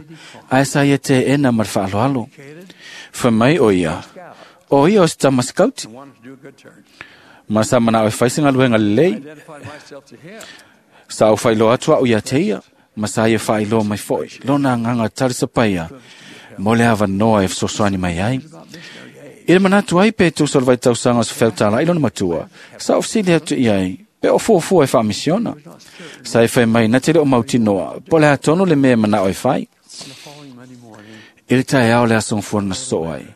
ae sa ia teena ma le faaaloalo. Fai mai o ia, o ia o se tama sikauti. Ma sa manao e fai se galuega lelei. Sa ou faailoa atu a'u ia te ia, ma sa ia faailoa mai fo'i lona agaga talisapaia mo le avanoa e fesoasoani mai ai. I le manatu ai pe tusa o le vaitausaga o se feutala'i lona matua, sa ou fesili atu i ai, pe o fuafua e faamisiona. Sa e fai mai na te le o mautinoa, po o le a tonu le mea e manao e fai. I le taeao le aso gafua na sosoo ai,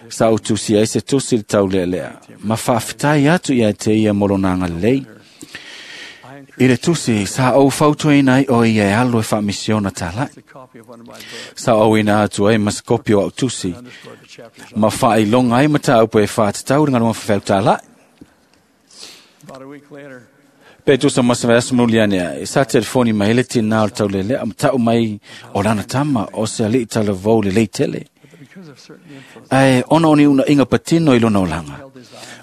sa ou tusi ai se tusi i le taulealea, ma faafetai atu ia te ia mo lona agalelei. I le tusi, sa ou fautuaina ai o ia e alu e faamisiona tala'i. Sa auina atu ai ma se kopi o au tusi, ma faailoga ai mataupu e faatatau i le galuega faafeutala'i. Pe tusa ma se vaiaso mulimuli ane ai, sa telefoni mai ai le tinā o le taulelea ma ta'u mai o lana tama o se alii talavou lelei tele. Ae ona o ni uunaiga patino i lona olaga.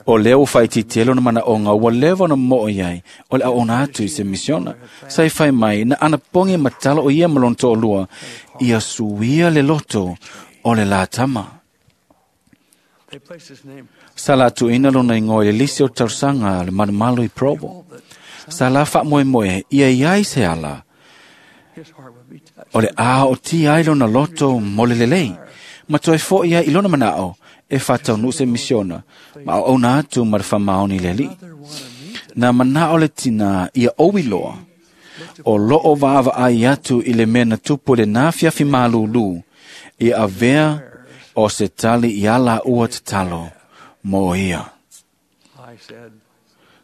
O lea ua faaitiitia ai lona manaʻoga ua leva ona mo'o i ai o le auauna atu i se misiona. Sa i fai mai na anapogi ma tatalo o ia ma lona toalua ia suia le loto o le la tama. Sa la tuuina lona igoa i le lisi o le talosaga a le malumalu i Provo. Sa la faamoemoe ia i ai se ala o le a otia ai lona loto mo le lelei, ma toe fo'i ai i lona mana'o e faataunuu se misiona ma auauna atu ma le faamaoni i le Alii. Na mana'o le tinā ia ou iloa, o loo vaavaai atu i le mea na tupu i lenā fiafi malūlū, ia avea o se tali iā lāua tatalo mo ia.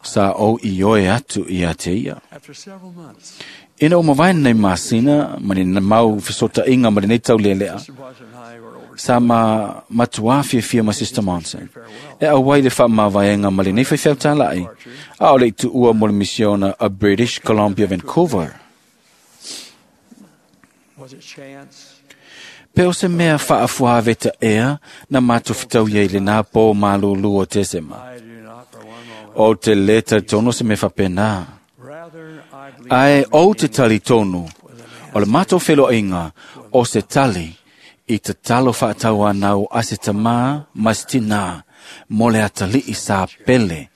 Sa ou ioe atu ia te ia. Ina ua mavae lenei masina ma ni mau fesootaiga ma lenei taulelea, sa ma matuā fiafia ma Sister Monson e auai le faamavaega ma lenei faifeau tala'i, a o le i tuua mo le misiona a British Columbia Vancouver. Pe o se mea faafuaveta ea na matou fetaui ai i lenā pō malūlū o Tesema. O te le talitonu se mea faapena. Ae ou te talitonu, o le matou feloaiga o se tali i tatalo faatauanau a se tamā ma se tinā mo le atalii sa pele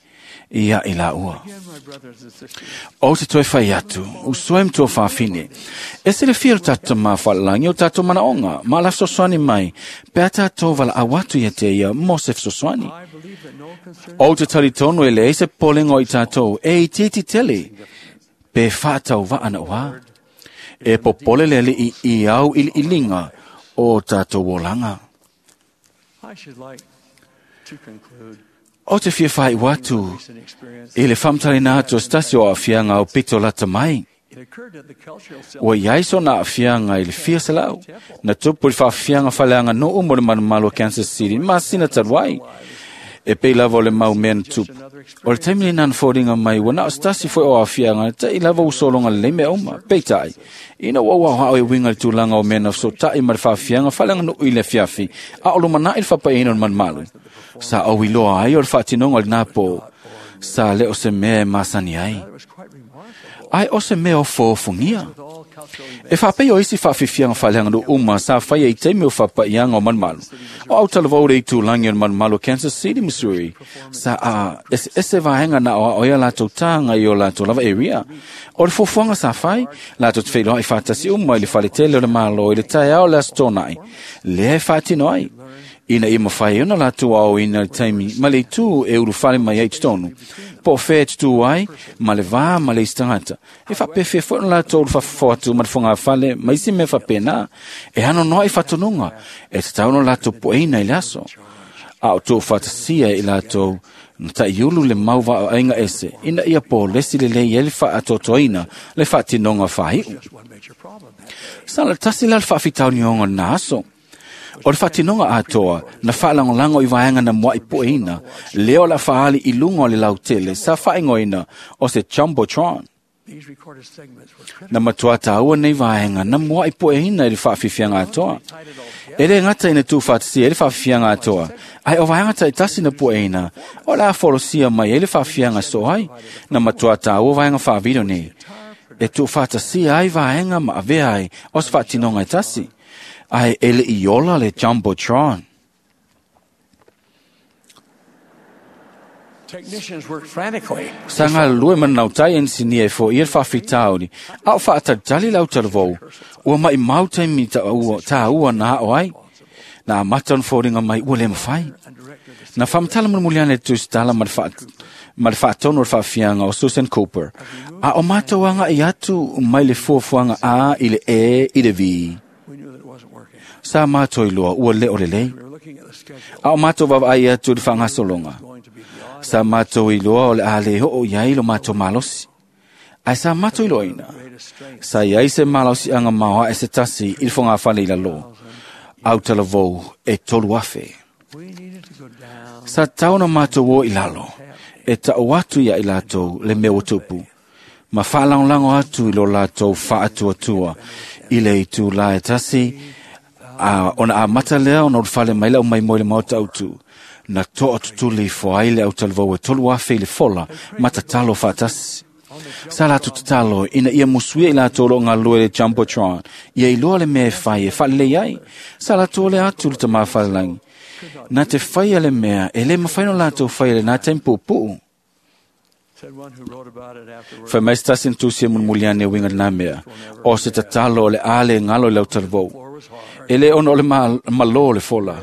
ia i laua. O te toe fai atu, usoe ma tuafafine, e se le fia o tatou tamā faalelagi o tatou manaoga, ma la fesoasoani mai, pe a tatou valaau atu ia te ia mo se fesoasoani. O te talitonu e leai se popolega o i tatou e itiiti tele, pe faatauvaa na uā. E popole le Alii i au iliiliga o tatou olaga. O te fia faaiu atu i le faamatalaina atu o se tasi o aafiaga au pito lata mai. Ua iai sona aafiaga i le fia selau, na tupu i le faafiaga faaleaganuu mo le malumalu o Kansas City masina talu ai. E pei lava o le mau mea na tupu. O le taimi lena na foliga mai ua na o se tasi foi o aafiaga taʻi lava ua sologa lelei mea uma. Peitai, ina ua ou aoao e uiga i le tulaga o mea na fesootai ma le faafiaga faaleaganuu i le afiafi, a o lumanai le faapaeina o le malumalu. Sa ou iloa ai o le faatinoga o lenā pō, sa le o se mea e masani ai. Ae o se mea o foofogia. E faapei o isi faafiafiaga faaleaganuu uma sa faia i taimi o faapaiaga o malumalu. O autalavou le itulagi o le malumalu o Kansas City, Missouri, sa a eseese vaega na aoao ai a latou taga i o latou lava area. O le fuafuaga sa fai, latou te feiloai faatasi uma i le faletele o le Malo i le taeao o le Aso Toonai, lea e faatino ai. Ina ia mafai ai ona latou aoina le taimi ma le itu e ulufale mai ai i totonu, po o fea e tutū ai ma le va ma le isi tagata. E faapefea foi ona latou ulufafafo atu ma le fogafale ma isi mea faapena, e anoanoai i faatonuga e tatau ona latou poeina i le aso. A o tuufaatasia i latou na taʻiulu le mau vaaiga ese, ina ia polesi lelei ai le faatoatoaina le faatinoga faaiu. Sa le tasi la le faafitaulioga o lena aso. O le faatinoga atoa na faalagolago i vaega na muaʻi pueina, lea o le a faaali i luga o le lautele sa faaigoaina o se Jumbotron. Na matuā tāua nei vaega na muaʻi pueina i le faafiafiaga atoa. E le gata ina tuufaatasia ai le faafiafiaga atoa, ae o vaega taitasi na pueina, o le a folosia mai ai le faafiaga soo ai, na matuā tāua vaega faavideo nei. E tuufaatasia ai vaega ma avea ai o se faatinoga e tasi. Ae e le i ola le Jumbotron. Sa galulue ma nanautai enisinia e foia le faafitauli, a o faatalitali le autalavou, ua maʻimau taimi tāua na aʻo ai. Na amata ona foliga mai ua le mafai. Na faamatala mulimuli ane le tusitala ma le faatonu o le faafiaga o Susan Cooper, a o matou agaʻi atu mai le fuafuaga A i le E i le V. Sa matou iloa ua le o lelei. A o matou vaavaai atu i le faagasologa. Sa matou iloa o le a le oo i ai lo matou malosi. Ae sa matou iloaina, sa iai se malosiaga maoae se tasi i le fogafale i lalo, autalavou e tolu afe. Sa tatau ona matou o i lalo, e taʻu atu ia i latou le mea ua tupu, ma faalagolago atu i lo latou faatuatua i le itulā e tasi, a ona amata lea ona ulufale mai le aumaimoe i le maota autu. Na toa tutuli ifo ai le autalavou e tolu afe i le fola ma tatalo faatasi. Sa latou tatalo ina ia musuia i latou o loo galulue i le Jumbotron, ia iloa le mea e fai e faalelei ai. Sa latou ole atu le tamā falelagi. Na te faia le mea e le mafai ona latou faia i lenā taimi puupuu. Fai mai se tasi na tusia mulimuli ane e uiga lenā mea, o se tatalo o le a le galo i le autalavou. E le ona o le malō le fola,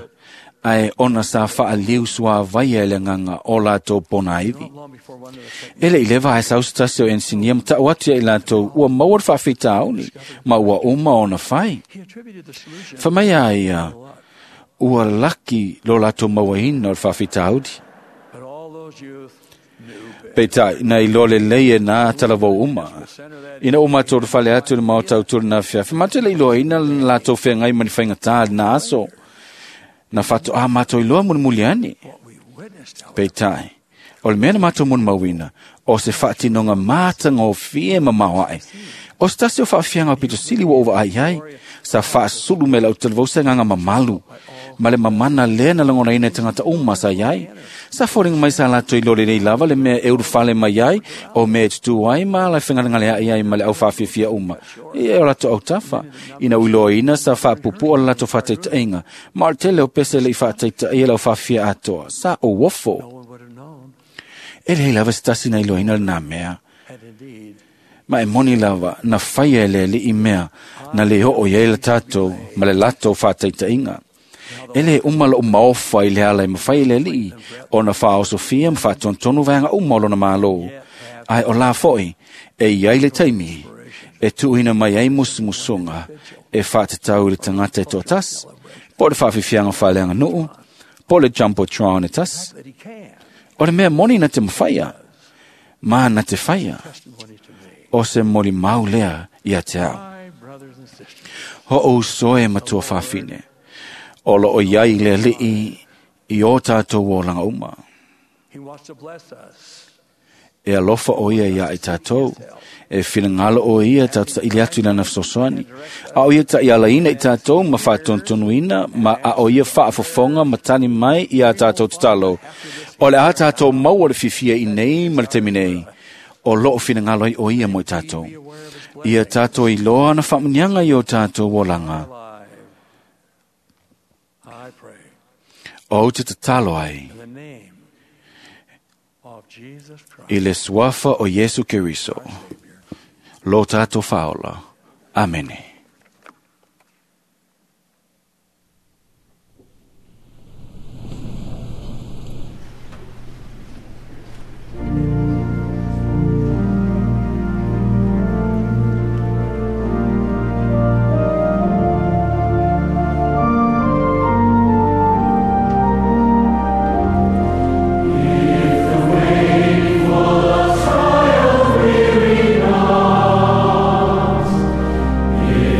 ae ona sa faaliu suāvaia e le agaga o latou ponaivi. E le i leva ae sau se tasi o enisinia ma taʻu atu ia i latou ua maua le faafitauli ma ua uma ona fai. Fai mai a ia, ua laki lo latou mauaina o le faafitauli. Peitai, na iloa lelei e nā talavou uma. Ina ua matou ulufale atu i le maota autu o lenā afiafi, matou te le iloaina le latou feagai ma ni faigatā i lenā aso. Na faatoā matou iloa mulimuli ane. Peitai, o le mea na matou molimauina, o se faatinoga matagofie ma maoaʻe. O se tasi o faafiaga o pitosili ua ou vaai ai, sa faasulu mai lau talavou se agaga mamalu, Ma le mamana lea na lagonaina e tagata uma sa iai. Sa foliga mai sa latou iloa lelei lava le mea e ulufale mai ai, o mea e tutū ai ma ala e fegalegaleaʻi ai ma le aufafiafia uma. Ia e o latou autafa. Ina ua iloaina sa faapuupuu le latou faataitaʻiga, ma o le tele o pese le i faataitaʻia le aufaafia atoa, sa ou ofo. E leai lava se tasi na iloaina lenā mea. Ma e moni lava, na faia e le Alii mea na lē oo i ai le tatou ma le latou faataitaʻiga. E lē uma loʻu maofa i le ala e mafai e le Alii ona faaosofia ma faatonutonu vaega uma o lona mālō. Ae o lā foʻi e iai le taimi e tuuina mai ai musumusuga e faatatau i le tagata e toatasi, po o le faafiafiaga faaleaganuu, po o le jumbotron e tasi. O le mea moni na te mafaia, ma na te faia, o se molimau lea ia te au. Hoʻouso e matua fafine, o loo iai le Alii i o tātou olaga uma. E alofa o ia ia i tātou, e finagalo o ia tātou taʻili atu i lana fesoasoani. A o ia taʻialaina i tātou ma faatonutonuina, ma a o ia faafofoga ma tali mai ia tātou tatalo. O le a tātou maua le fiafia i nei ma le taimi nei, o loo finagalo ai o ia mo i tātou. Ia tātou iloa ana faamuniaga i o tātou olaga. O te tatalo ai i le suafa o Iesu Keriso, lo tātou faaola. Amene. If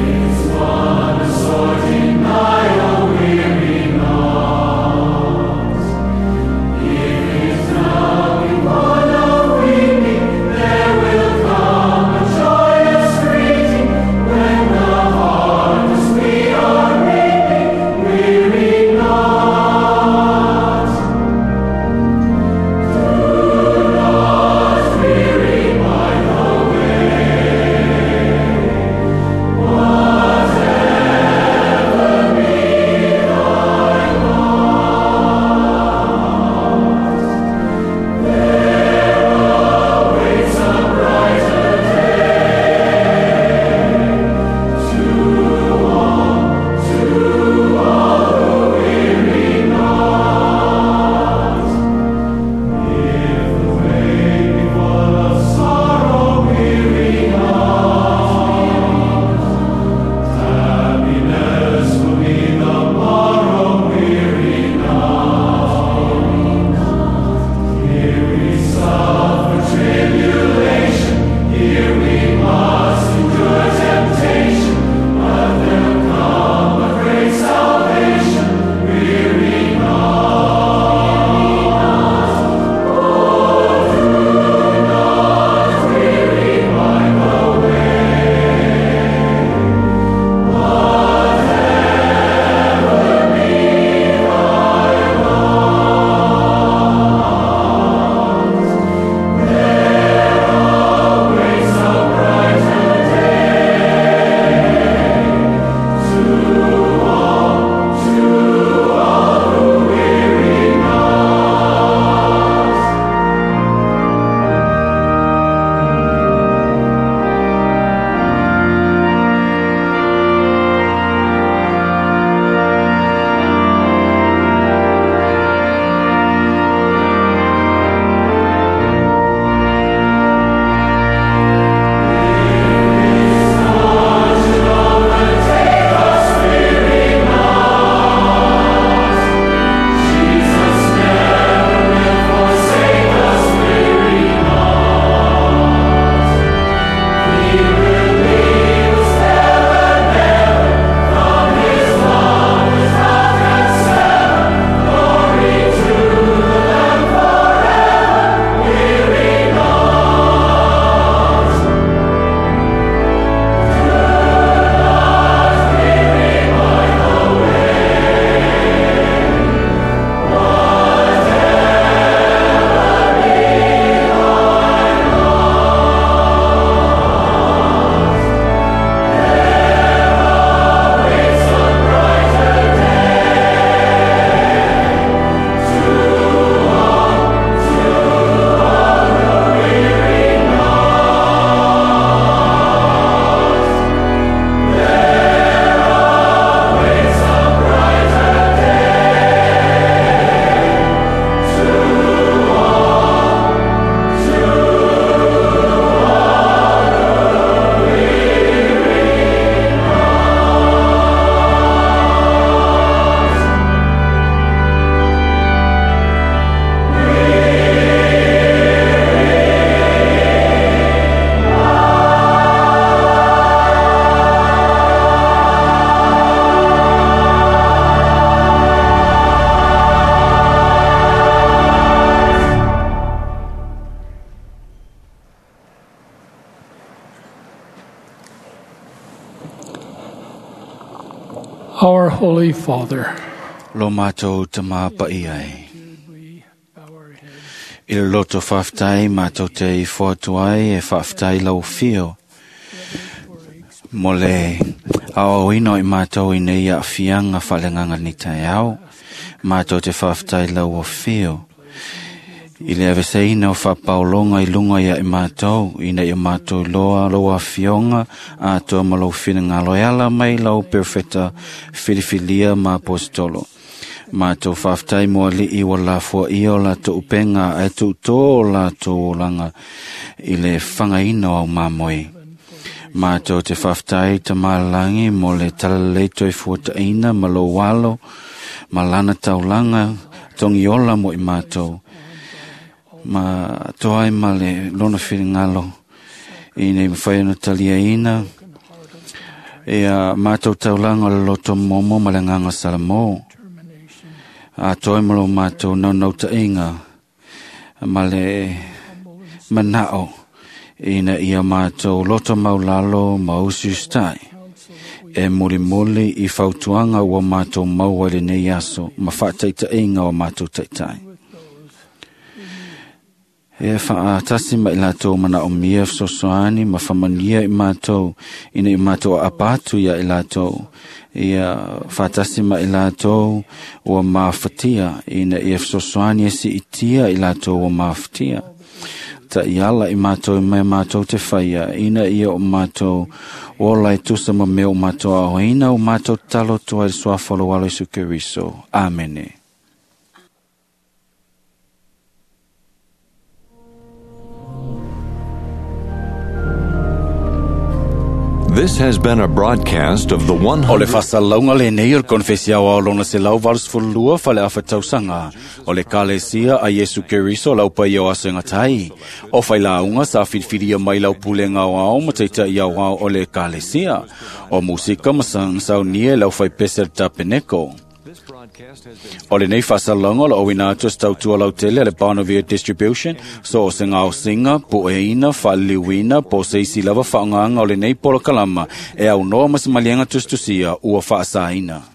Our Holy Father, Lo mātou tama paia ai. I le loto whaftai mātou te i whoatu ai e whaftai lau whio. Mo le ao ino i mātou i nei a whianga whalenganga ni tai ao, mātou te whaftai lau o whio. I le aveseina o whapaolonga i lunga ia i mātou, ina i o mātou loa loa whionga, a toa ma lau whina ngā loeala mai lau perfeta whiriwhilia ma apostolo. Mātou whaftai mo ali i wa la fua i o la tō upenga ai tū tō la tō olanga i le whangaina au māmoi. Mātou te whaftai ta malangi mo le talalei toi fuataina ma lo walo ma lana taulanga tongi ola mo i mātou. Ma toai ma le lona whiringalo i nei mwhai ana talia ina e a mātou taulanga o le loto momo ma le nganga salamo. A toi malo mātou nau nau ta inga ma le manao ina ia mātou loto maulalo ma usi ustai e muli muli i fautuanga ua mātou maua i lenei aso ma whaataitainga o mātou taitai. E whaatasi mai lātou mana o mia sosoani ma whamania i mātou ina i mātou a apatu ia i lātou. Ia whaatasi mai lātou ua māwhatia ina ia sosoani e si itia i lātou ua māwhatia. Ta iala i mātou i mai mātou te whaia ina ia o mātou o lai tusa ma mea o mātou ahoina o mātou talo toa i suafalo walo Isu Keriso. Amene. This has been a broadcast of the O le whasalauga lenei o le konfesi ao ao lona se lau valusefululua faleafa tausaga o le Ekalesia a Iesu Keriso lau paia o aso e gatai. O failauga sa filifilia mai lau pulega aoao ma taitaʻi aoao o le Ekalesia. O musika ma saunia e lau faipese le tapeneko. O lenei faasalauga o loo uina atu e se tautua lautele a le Bonavia Distribution so o se gaosiga pueina faaliliuina po o se isi lava faaaogaga o lenei polokalama e aunoa ma se maliega tusitusia ua faasaina.